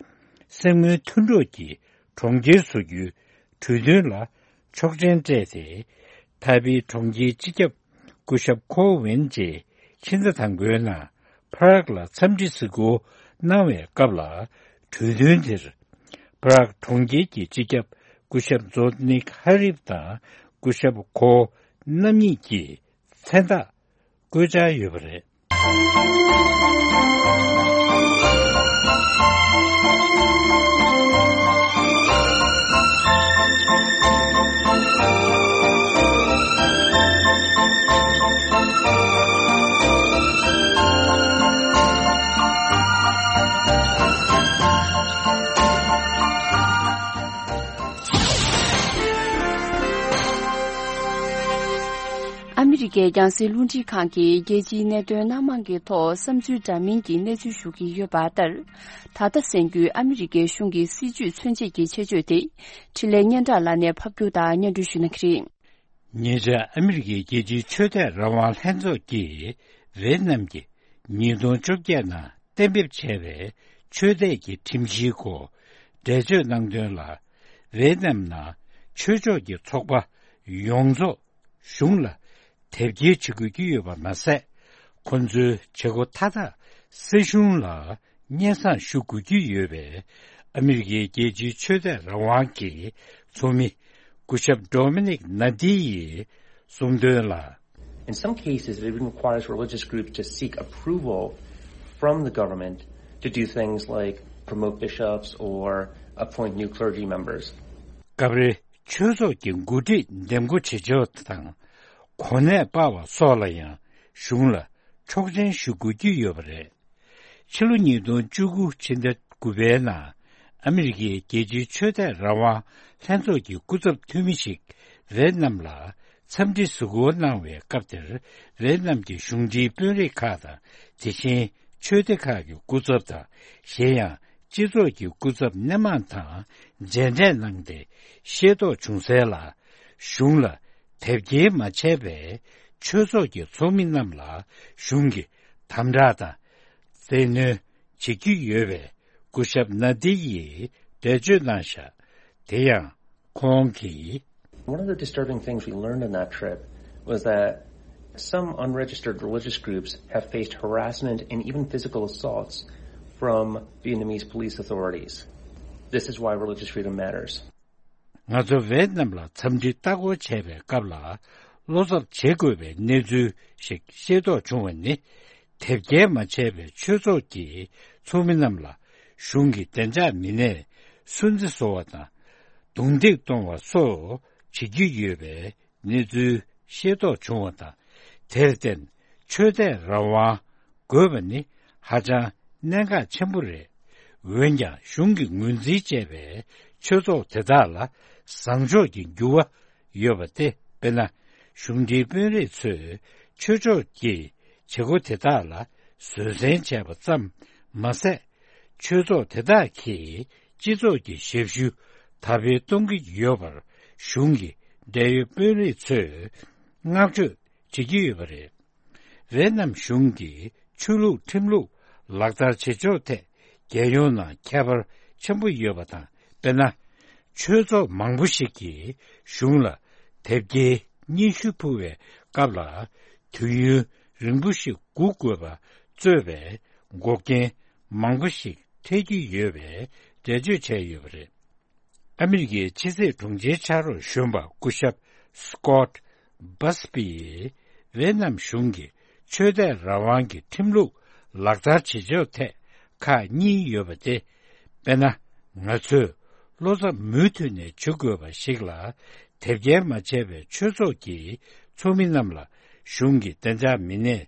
གསེར་དངུལ་མཐུན་གྲོགས་ཀྱི་གྲོང་ཁྱེར་བཟོ་རྒྱུའི་གྲོས་མཐུན་ལ་ཆོག་མཆན་སྤྲད་དེ། ཐའེ་པེ་གྲོང་ཁྱེར་སྤྱི་ཁྱབ་སྐུ་ཞབས་ཁོ་ཝེན་རྗེས་ཕྱི་ཟླ་དང་པོའི་ནང་པ་རག་ལ་འཚམས་འདྲི་གཟིགས་སྐོར་གནང་བའི་སྐབས་ལ། གྲོས་མཐུན་དེར་པ་རག་གྲོང་ཁྱེར་གྱི་སྤྱི་ཁྱབ་སྐུ་ཞབས་ཛོ་ནིག་ཧ་རིབ་དང་སྐུ་ཞབས་ཁོ་རྣམ་གཉིས་ཀྱིས་མཚན་རྟགས་བཀོད་འཆར་ཡོད་པ་རེད། ཨ་མི་རི་ཀའི་རྒྱང་སྲིང་རླུང་འཕྲིན་ཁང་གིས་རྒྱལ་སྤྱིའི་གནད་དོན་སྣ་མང་གི་ཐོག་བསམ་ཚུལ་འདྲ་མིན་གྱི་གནས་ཚུལ་ཞུ་གི་ཡོད་པ་ལྟར། ད་ལྟ་གསན་རྒྱུའི་ཨ་མི་རི་ཀའི་གཞུང་གི་སྲིད་ཇུས་མཚོན་བྱེད་ཀྱི་ཆེད་བརྗོད་དེ། འཕྲིན་ལས་སྙན་གྲགས་ལགས་ནས་ཕབ་སྒྱུར་དང་སྙན་སྒྲོན་ཞུ་གནང་གི་རེད། ཉེ་ཆར་ཨ་མི་རི་ཀའི་རྒྱལ་སྤྱིའི་ཆོས་དད་རང་དབང་ལྷན་ཚོགས་ཀྱིས་ཝེ་ནམ་གྱི་ཉིས་སྟོང་བཅོ་བརྒྱད་ནང་གཏན་འབེབས་བྱས་པའི་ཆོས་དད་ཀྱི་ཁྲིམས་གཞིའི་སྐོར་འགྲེལ་བརྗོད་གནང་དོན་ལ། ཝེ་ནམ་ནང་ཆོས་ཕྱོགས་ཀྱི་ཚོགས་པ་ཡོངས་རྫོགས་གཞུང་ལ་དེབ་སྐྱེལ་བྱེད་དགོས་ཀྱི་ཡོད་པ་མ་ཟད། ཁོ་ཚོའི་བྱེད་སྒོ་མཐའ་དག་སྲིད་གཞུང་ལ་སྙན་སེང་ཞུ་དགོས་ཀྱི་ཡོད་པས། ཨ་མི་རི་ཀའི་རྒྱལ་སྤྱིའི་ཆོས་དད་རང་དབང་གི་ཚོགས་མི་སྐུ་ཞབས་ཌོ་མི་ནིག་ན་དི་ཡིས་གསུངས་དོན་ལ། In some cases, it even requires religious groups to seek approval from the government to do things like promote bishops or appoint new clergy members. སྐབས་རེ་ཆོས་ཚོགས་ཀྱི་འགོ་ཁྲིད་འདེམས་བསྐོ་བྱེད་ཕྱོགས་དང་། གོ་གནས་སྤར་བ་སོགས་ལ་ཡང་གཞུང་ལ་ཆོག་མཆན་ཞུ་དགོས་ཀྱི་ཡོད་པ་རེད། ཕྱི་ལོ་ཉིས་སྟོང་བཅུ་དགུ་ཕྱི་ཟླ་དགུ་པའི་ནང་ཨ་མི་རི་ཀའི་རྒྱལ་སྤྱིའི་ཆོས་དད་རང་དབང་ལྷན་ཚོགས་ཀྱི་སྐུ་ཚབ་འཐུས་མི་ཞིག་ཝེ་ནམ་ལ་འཚམས་འདྲི་གཟིགས་སྐོར་གནང་བའི་སྐབས་དེར། ཝེ་ནམ་གྱི་གཞུང་འབྲེལ་དཔོན་རིགས་ཁག་དང་། དེ་བཞིན་ཆོས་སྡེ་ཁག་གི་སྐུ་ཚབ་དང་། གཞན་ཡང་སྤྱི་ཚོགས་ཀྱི་སྐུ་ཚབ་སྣེ་མང་དང་མཇལ་འཕྲད་གནང་སྟེ་ཤེས་རྟོགས་བྱུང་གསལ་ལ། གཞུང་ལ་དེབ་སྐྱེལ་མ་བྱས་པའི་ཆོས་ཚོགས་ཀྱི་ཚོགས་མི་རྣམས་ལ་གཞུང་གིས་དམ་དྲག་དང་བཙན་གནོན་བྱེད་ཀྱི་ཡོད་པའི་སྐུ་ཞབས་ན་དི་ཡིས་འགྲེལ་བརྗོད་གནང་བཞག་དེ་ཡང་ཁོང་གིས། One of the disturbing things we learned on that trip was that some unregistered religious groups have faced harassment and even physical assaults from Vietnamese police authorities. This is why religious freedom matters. ང་ཚོ་ཝེ་ནམ་ལ་འཚམས་འདྲི་ལྟ་སྐོར་བྱས་པའི་སྐབས་ལ། བློ་འཚབ་བྱེད་དགོས་པའི་གནས་ཚུལ་ཞིག་ཤེས་རྟོགས་བྱུང་བ་ནི། དེབ་སྐྱེལ་མ་བྱས་པའི་ཆོས་ཚོགས་ཀྱི་ཚོགས་མི་རྣམས་ལ་གཞུང་གིས་བདེ་འཇགས་མི་སྣས་སུན་གཙེར་བཟོ་བ་དང་། རྡུང་རྡེག་གཏོང་བ་སོགས་བྱེད་ཀྱི་ཡོད་པའི་གནས་ཚུལ་ཤེས་རྟོགས་བྱུང་བ་དང་། དེར་བརྟེན་ཆོས་དད་རང་དབང་དགོས་པ་ནི་ཧ་ཅང་གནད་འགག་ཆེན་པོ་རེད། འོན་ཀྱང་གཞུང་གིས་ངོས་འཛིན་བྱས་པའི་ཆོས་ཚོགས་དེ་དག་ལ་བཟང་ཕྱོགས་ཀྱི་འགྱུར་བ་ཡོད་པ་སྟེ། དཔེར་ན། གཞུང་འབྲེལ་དཔོན་རིགས་ཚོས་ཆོས་ཕྱོགས་ཀྱི་བྱེད་སྒོ་དེ་དག་ལ་བཟོད་བསྲན་བྱས་པ་ཙམ་མ་ཟད། ཆོས་ཚོགས་དེ་དག་གིས་སྤྱི་ཚོགས་ཀྱི་ཞབས་ཞུ་དར་སྤེལ་གཏོང་གི་ཡོད་པར་གཞུང་གི་འབྲེལ་ཡོད་དཔོན་རིགས་ཚོས་བསྔགས་བརྗོད་བྱེད་ཀྱི་ཡོད་པ་རེད། ཝེ་ནམ་གཞུང་གིས་ཆོས་ལུགས་ཁྲིམས་ལུགས་ལག་བསྟར་བྱེད་ཕྱོགས་ཐད་རྒྱལ་ཡོངས་ནང་ཁྱད་པར་ཆེན་པོ་ཡོད་པ་དང་། དཔེར་ན། ཆོས་ཚོགས་མང་པོ་ཞིག་གིས་གཞུང་ལ་དེབ་སྐྱེལ་སྙན་ཞུ་ཕུལ་བའི་སྐབས་ལ། དུས་ཡུན་རིང་པོ་ཞིག་སྒུག་དགོས་པ་གཙོས་པའི་འགོག་རྐྱེན་མང་པོ་ཞིག་འཕྲད་ཀྱི་ཡོད་པའི་འགྲེལ་བརྗོད་བྱས་ཡོད་པ་རེད། ཨ་མི་རི་ཀའི་ཕྱི་སྲིད་དྲུང་ཆེའི་ཕྱག་རོགས་གཞོན་པ་སྐུ་ཞབས་སི་ཀོད་བྷས་པི་ཡིས་ཝེ་ནམ་གཞུང་གིས་ཆོས་དད་རང་དབང་གི་ཁྲིམས་ལུགས་ལག་བསྟར་བྱེད་ཕྱོགས་ཐད་ཁག་གཉིས་ཡོད་པ་སྟེ། དཔེར་ན། ང་ཚོས་བློ་འཚབ་མུ་མཐུད་ནས་བྱེད་དགོས་པ་ཞིག་ལ། དེབ་སྐྱེལ་མ་བྱས་པའི་ཆོས་ཚོགས་ཀྱི་ཚོགས་མི་རྣམས་ལ་གཞུང་གི་བདེ་འཇགས་མི་སྣས་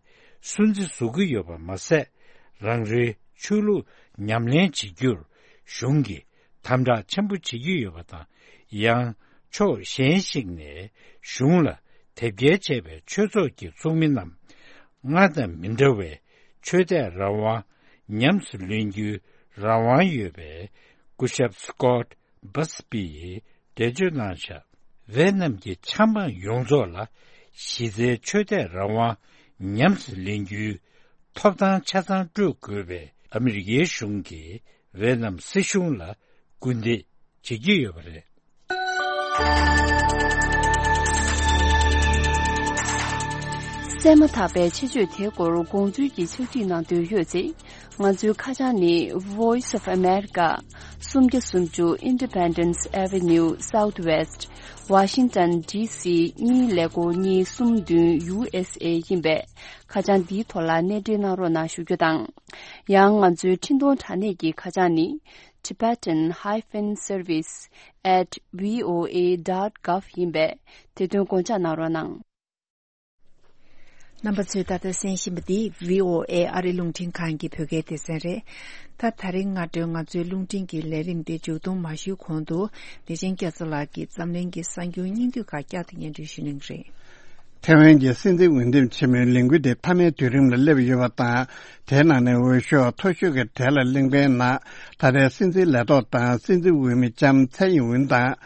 སུན་གཙེར་བཟོ་གི་ཡོད་པ་མ་ཟད། རང་རེའི་ཆོས་ལུགས་ཉམས་ལེན་བྱེད་རྒྱུར་གཞུང་གིས་དམ་དྲག་ཆེན་པོ་བྱེད་ཀྱི་ཡོད་པ་དང་། ཡང་ཕྱོགས་གཞན་ཞིག་ནས་གཞུང་ལ་དེབ་སྐྱེལ་བྱས་པའི་ཆོས་ཚོགས་ཀྱི་ཚོགས་མི་རྣམས་ སྔར་དང་མི་འདྲ་བའི་ཆོས་དད་རང་དབང་ཉམས་སུ་ལེན་རྒྱུའི་རང་དབང་ཡོད་པའི་སྐུ་ཞབས་སི་ཀོཊ་བྷ་སི་པིས་འགྲེལ་བརྗོད་གནང་བཞག་ཝེ་ནམ་གྱི་ཆབ་འབངས་ཡོངས་རྫོགས་ལ་གཞི་རྩའི་ཆོས་དད་རང་དབང་ཉམས་སུ་ལེན་རྒྱུའི་ཐོབ་ཐང་ཆ་ཚང་སྤྲོད་དགོས་པའི་ཨ་མི་རི་ཀའི་གཞུང་གིས་ཝེ་ནམ་སྲིད་གཞུང་ལ་སྐུལ་འདེད་བྱེད་ཀྱི་ཡོད་པ་རེད། གསན་མ་ཐག་པའི་ཆེད་བརྗོད་དེའི་སྐོར་དགོངས་ཚུལ་གྱི་ཕྱག་བྲིས་གནང་འདོད་ཡོད་ཚེ། ང་ཚོའི་ཁ་བྱང་ནི། Voice of America, སུམ་བརྒྱ་སུམ་ཅུ་Independence Avenue Southwest, Washington D C གཉིས་ཀླད་ཀོར་གཉིས་གསུམ་བདུན་U S A ཡིན་པས། ཁ་བྱང་འདིའི་ཐོག་ལ་གནས་འབྲེལ་གནང་རོགས་གནང་ཞུ་རྒྱུ་དང་། ཡང་ང་ཚོའི་འཕྲིན་གཏོང་དྲ་གནས་ཀྱི་ཁ་བྱང་ནི། Tibetan hyphen service at V O A dot gov ཡིན་པས། དེ་དོན་དགོངས་འཇགས་གནང་རོགས་གནང་། རྣམ་པ་ཚོས་ད་ལྟ་གསན་བཞིན་པ་འདི་V O A ཨ་རི་རླུང་འཕྲིན་ཁང་གི་བོད་སྐད་སྡེ་ཚན་རེད། ད་ད་རིང་སྔ་དྲོའི་ང་ཚོའི་རླུང་འཕྲིན་གྱི་ལས་རིམ་འདི་མཇུག་སྡོམ་མ་ཞུས་གོང་དུ། བདེ་ཆེན་སྐྱབས་མཚོ་ལགས་ཀྱིས་འཛམ་གླིང་གི་གསར་འགྱུར་སྙིང་བསྡུས་ཁག་བསྐྱར་དུ་སྙན་སྒྲོན་ཞུ་གནང་གི་རེད། ཐེ་ཝན་གྱི་སྲིད་འཛིན་འོས་འདེམས་ཆེན་མོའི་ལས་འགུལ་དེ་མཐའ་མའི་དུས་རིམ་ལ་སླེབས་ཡོད་པ་དང་། དེའི་ནང་ནས་འོས་ཤོག་མཐོ་ཤོས་ཀྱི་གྲས་ལ་གླེང་བའི་ནང་། ད་ལྟའི་སྲིད་འཛིན་ལས་ཐོག་དང་སྲིད་འཛིན་འོས་མི་ལྕམ་ཚའེ་ཡིན་ཝུན་དང་།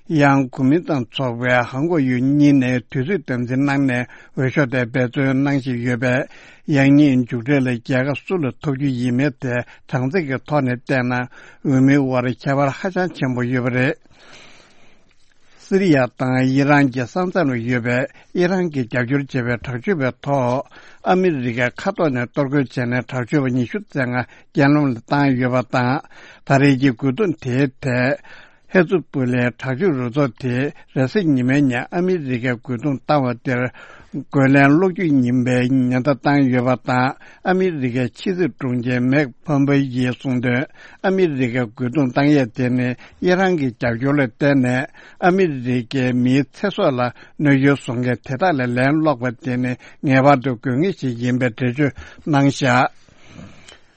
ཡང་གོ་མིན་ཏང་ཚོགས་པའི་ཧང་གོ་ཡུས་གཉིས་ནས་དུས་ཚོད་དམ་འཛིན་གནང་ནས་འོས་ཤོག་དེ་འབད་བརྩོན་གནང་བཞིན་ཡོད་པས། ཡང་སྙིང་མཇུག་འབྲས་ལ་རྒྱལ་ཁ་སུ་ལ་ཐོབ་རྒྱུ་ཡིན་མིན་དེ་གྲངས་ཚད་ཀྱི་ཐོག་ནས་བལྟས་ན། འོས་མིའི་དབར་ཁྱད་པར་ཧ་ཅང་ཆེན་པོ་ཡོད་པ་རེད། སི་རི་ཡ་དང་ཨི་རན་གྱི་ས་མཚམས་ལ་ཡོད་པའི་ཨི་རན་གྱིས་རྒྱབ་སྐྱོར་བྱས་པའི་དྲག་སྤྱོད་པའི་ཐོག་ཨ་མི་རི་ཀའི་མཁའ་ཐོག་ནས་གཏོར་རྒོལ་བྱས་ནས། དྲག་སྤྱོད་པ་ཉི་ཤུ་རྩ་ལྔ་རྐྱེན་ལམ་ལ་བཏང་ཡོད་པ་དང་། ད་རེས་ཀྱི་རྒོལ་རྡུང་དེའི་ཐད། ཧེ་ཛུ་པུ་ལའི་དྲག་སྤྱོད་རུ་ཚོགས་དེས་རེས་གཟའ་ཉི་མའི་ཉིན་ཨ་མི་རི་ཀའི་རྒོལ་རྡུང་བཏང་བ་དེར། རྒོལ་ལན་སློག་རྒྱུ་ཡིན་པའི་ཉེན་བརྡ་བཏང་ཡོད་པ་དང་། ཨ་མི་རི་ཀའི་ཕྱི་སྲིད་དྲུང་ཆེ་མེག་ཕོམ་པེ་ཡིས་གསུངས་དོན། ཨ་མི་རི་ཀའི་རྒོལ་རྡུང་བཏང་ཡས་དེ་ནི་ཨི་རན་གྱི་རྒྱབ་སྐྱོར་ལ་བརྟེན་ནས། ཨ་མི་རི་ཀའི་མིའི་ཚེ་སྲོག་ལ་གནོད་སྐྱོན་བཟོ་མཁན་དེ་དག་ལ་ལན་སློག་པ་དེ་ནི་ངེས་པར་དུ་དགོས་ངེས་ཤིག་ཡིན་པའི་འགྲེལ་བརྗོད་གནང་བཞག་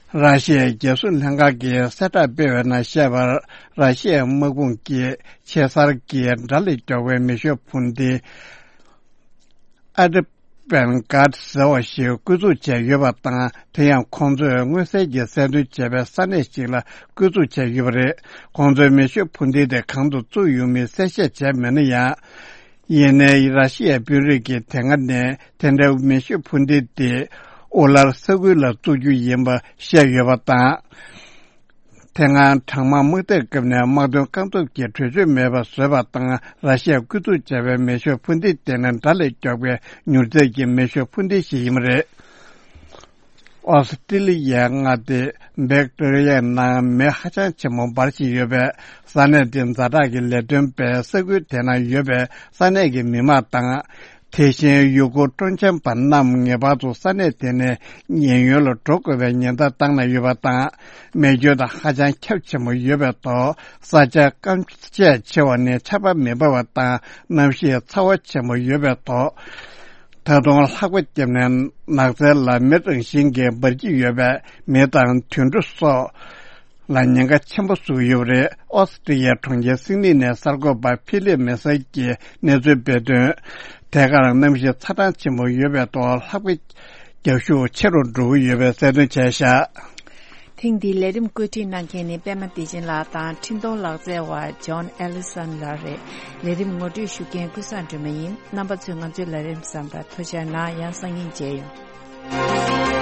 ར་ཤི་ཡའི་རྒྱལ་སྲུང་ལྷན་ཁང་གིས་གསལ་བསྒྲགས་སྤེལ་བའི་ནང་བཤད་པར། ར་ཤི་ཡའི་དམག་དཔུང་གིས་ཆེ་སར་གྱི་དགྲ་ལས་མགྱོགས་པའི་མེ་ཤུགས་འཕུར་མདེལ་ཨ་ཏི་པན་གྷ་ཏི་ཟེར་བ་ཞིག་བརྐོས་བཙུགས་བྱས་ཡོད་པ་དང་། དེ་ཡང་ཁོང་ཚོས་མངོན་གསལ་གྱིས་གསལ་སྟོན་བྱས་པའི་ས་གནས་ཤིག་ལ་བརྐོས་བཙུགས་བྱས་ཡོད་པ་རེད། ཁོང་ཚོའི་མེ་ཤུགས་འཕུར་མདེལ་དེ་གང་དུ་བཙུགས་ཡོད་མིན་གསལ་བཤད་བྱས་མེད་ན་ཡང་། ཡིན་ནའི་ར་ཤི་ཡའི་དཔོན་རིགས་ཀྱིས་དེ་སྔ་ནས་དེ་འདྲའི་མེ་ཤུགས་འཕུར་མདེལ་དེ་ཨུ་ལར་ས་ཁུལ་ལ་བཙུགས་རྒྱུ་ཡིན་པ་བཤད་ཡོད་པ་དང་། དེ་སྔ་གྲང་དམག་དམག་འཐབ་སྐབས་ནས་དམག་དོན་རྐང་སྟོབས་ཀྱི་གྲོས་ཆོད་མེད་པ་བཟོས་པ་དང་། ར་ཤི་ཡས་བརྐོས་བཙུགས་བྱས་པའི་མེ་ཤུགས་འཕུར་མདེལ་དེ་ནི་དགྲ་ལས་མགྱོགས་པའི་མྱུར་ཚད་ཀྱི་མེ་ཤུགས་འཕུར་མདེལ་ཞིག་ཡིན་པ་རེད། ཨོ་སི་ཀྲི་ལི་ཡའི་མངའ་སྡེ་བིག་ཏོ་རི་ཡའི་ནང་མེ་ཧ་ཅང་ཆེན་པོ་འབར་བཞིན་ཡོད་པས། ས་གནས་དེའི་ཛ་དྲག་གི་ལས་དོན་པས་ས་ཁུལ་དེ་ན་ཡོད་པའི་ས་གནས་ཀྱི་མི་མང་དང་། དེ་བཞིན་ཡུལ་སྐོར་སྤྲོ་འཆམ་པ་རྣམས་ངེས་པར་དུ་ས་གནས་དེ་ནས་ཉེན་གཡོལ་ལ་འགྲོ་དགོས་པའི་ཉེན་བརྡ་བཏང་གནང་ཡོད་པ་དང་། རྨས་སྐྱོན་དང་ཧ་ཅང་ཁྱབ་ཆེན་པོ་ཡོད་པའི་ཐོག་ས་ཆ་སྐམ་ཤས་ཆེ་བ་ནི་ཆར་པ་མི་འབབ་པ་དང་གནམ་གཤིས་ཚ་བ་ཆེན་པོ་ཡོད་པའི་ཐོག་ད་དུང་ལྷགས་པ་བརྒྱབ་ནས་ནགས་ཚལ་ལ་མེ་རང་བཞིན་གྱིས་འབར་གྱི་ཡོད་པས། མི་དང་དུད་འགྲོ་སོགས་ལ་ཉེན་ཁ་ཆེན་པོ་བཟོས་ཡོད་པ་རེད། ཨོ་སི་ཀྲི་ཡའི་གྲོང་ཁྱེར་སིད་ནི་ནས་གསར་འགོད་པ་ཕི་ལིབ་མེ་སར་གྱིས་གནས་ཚུལ་སྤེལ་དོན། དེ་གར་གནམ་གཤིས་ཚ་གྲང་ཆེན་པོ་ཡོད་པའི་ཐོག་ལྷགས་པའི་རྒྱག་ཤུགས་ཆེ་རུ་འགྲོ་གི་ཡོད་པའི་གསལ་སྟོན་བྱས་བཞག་ཐེངས་འདིའི་ལས་རིམ་བཀོད་སྒྲིག་གནང་མཁན་ནི་པད་མ་བདེ་ཆེན་ལགས་དང་། འཕྲིན་གཏོང་ལག་རྩལ་བ་ཇོན་ཨེ་ལི་སན་ལགས་རེད། ལས་རིམ་ངོ་སྤྲོད་ཞུ་མཁན་ཀུན་བཟང་སྒྲོལ་མ་ཡིན། རྣམ་པ་ཚོས་ང་ཚོའི་ལས་རིམ་གཟིགས་པར་ཐུགས་རྗེ་གནང་། ཡང་སང་ཉིན་མཇལ་ཡོང་།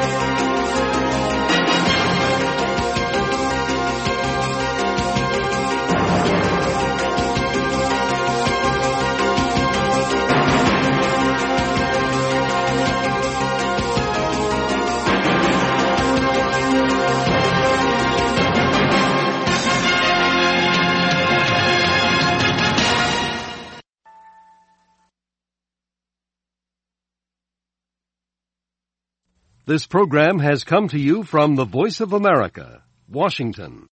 This program has come to you from the Voice of America, Washington.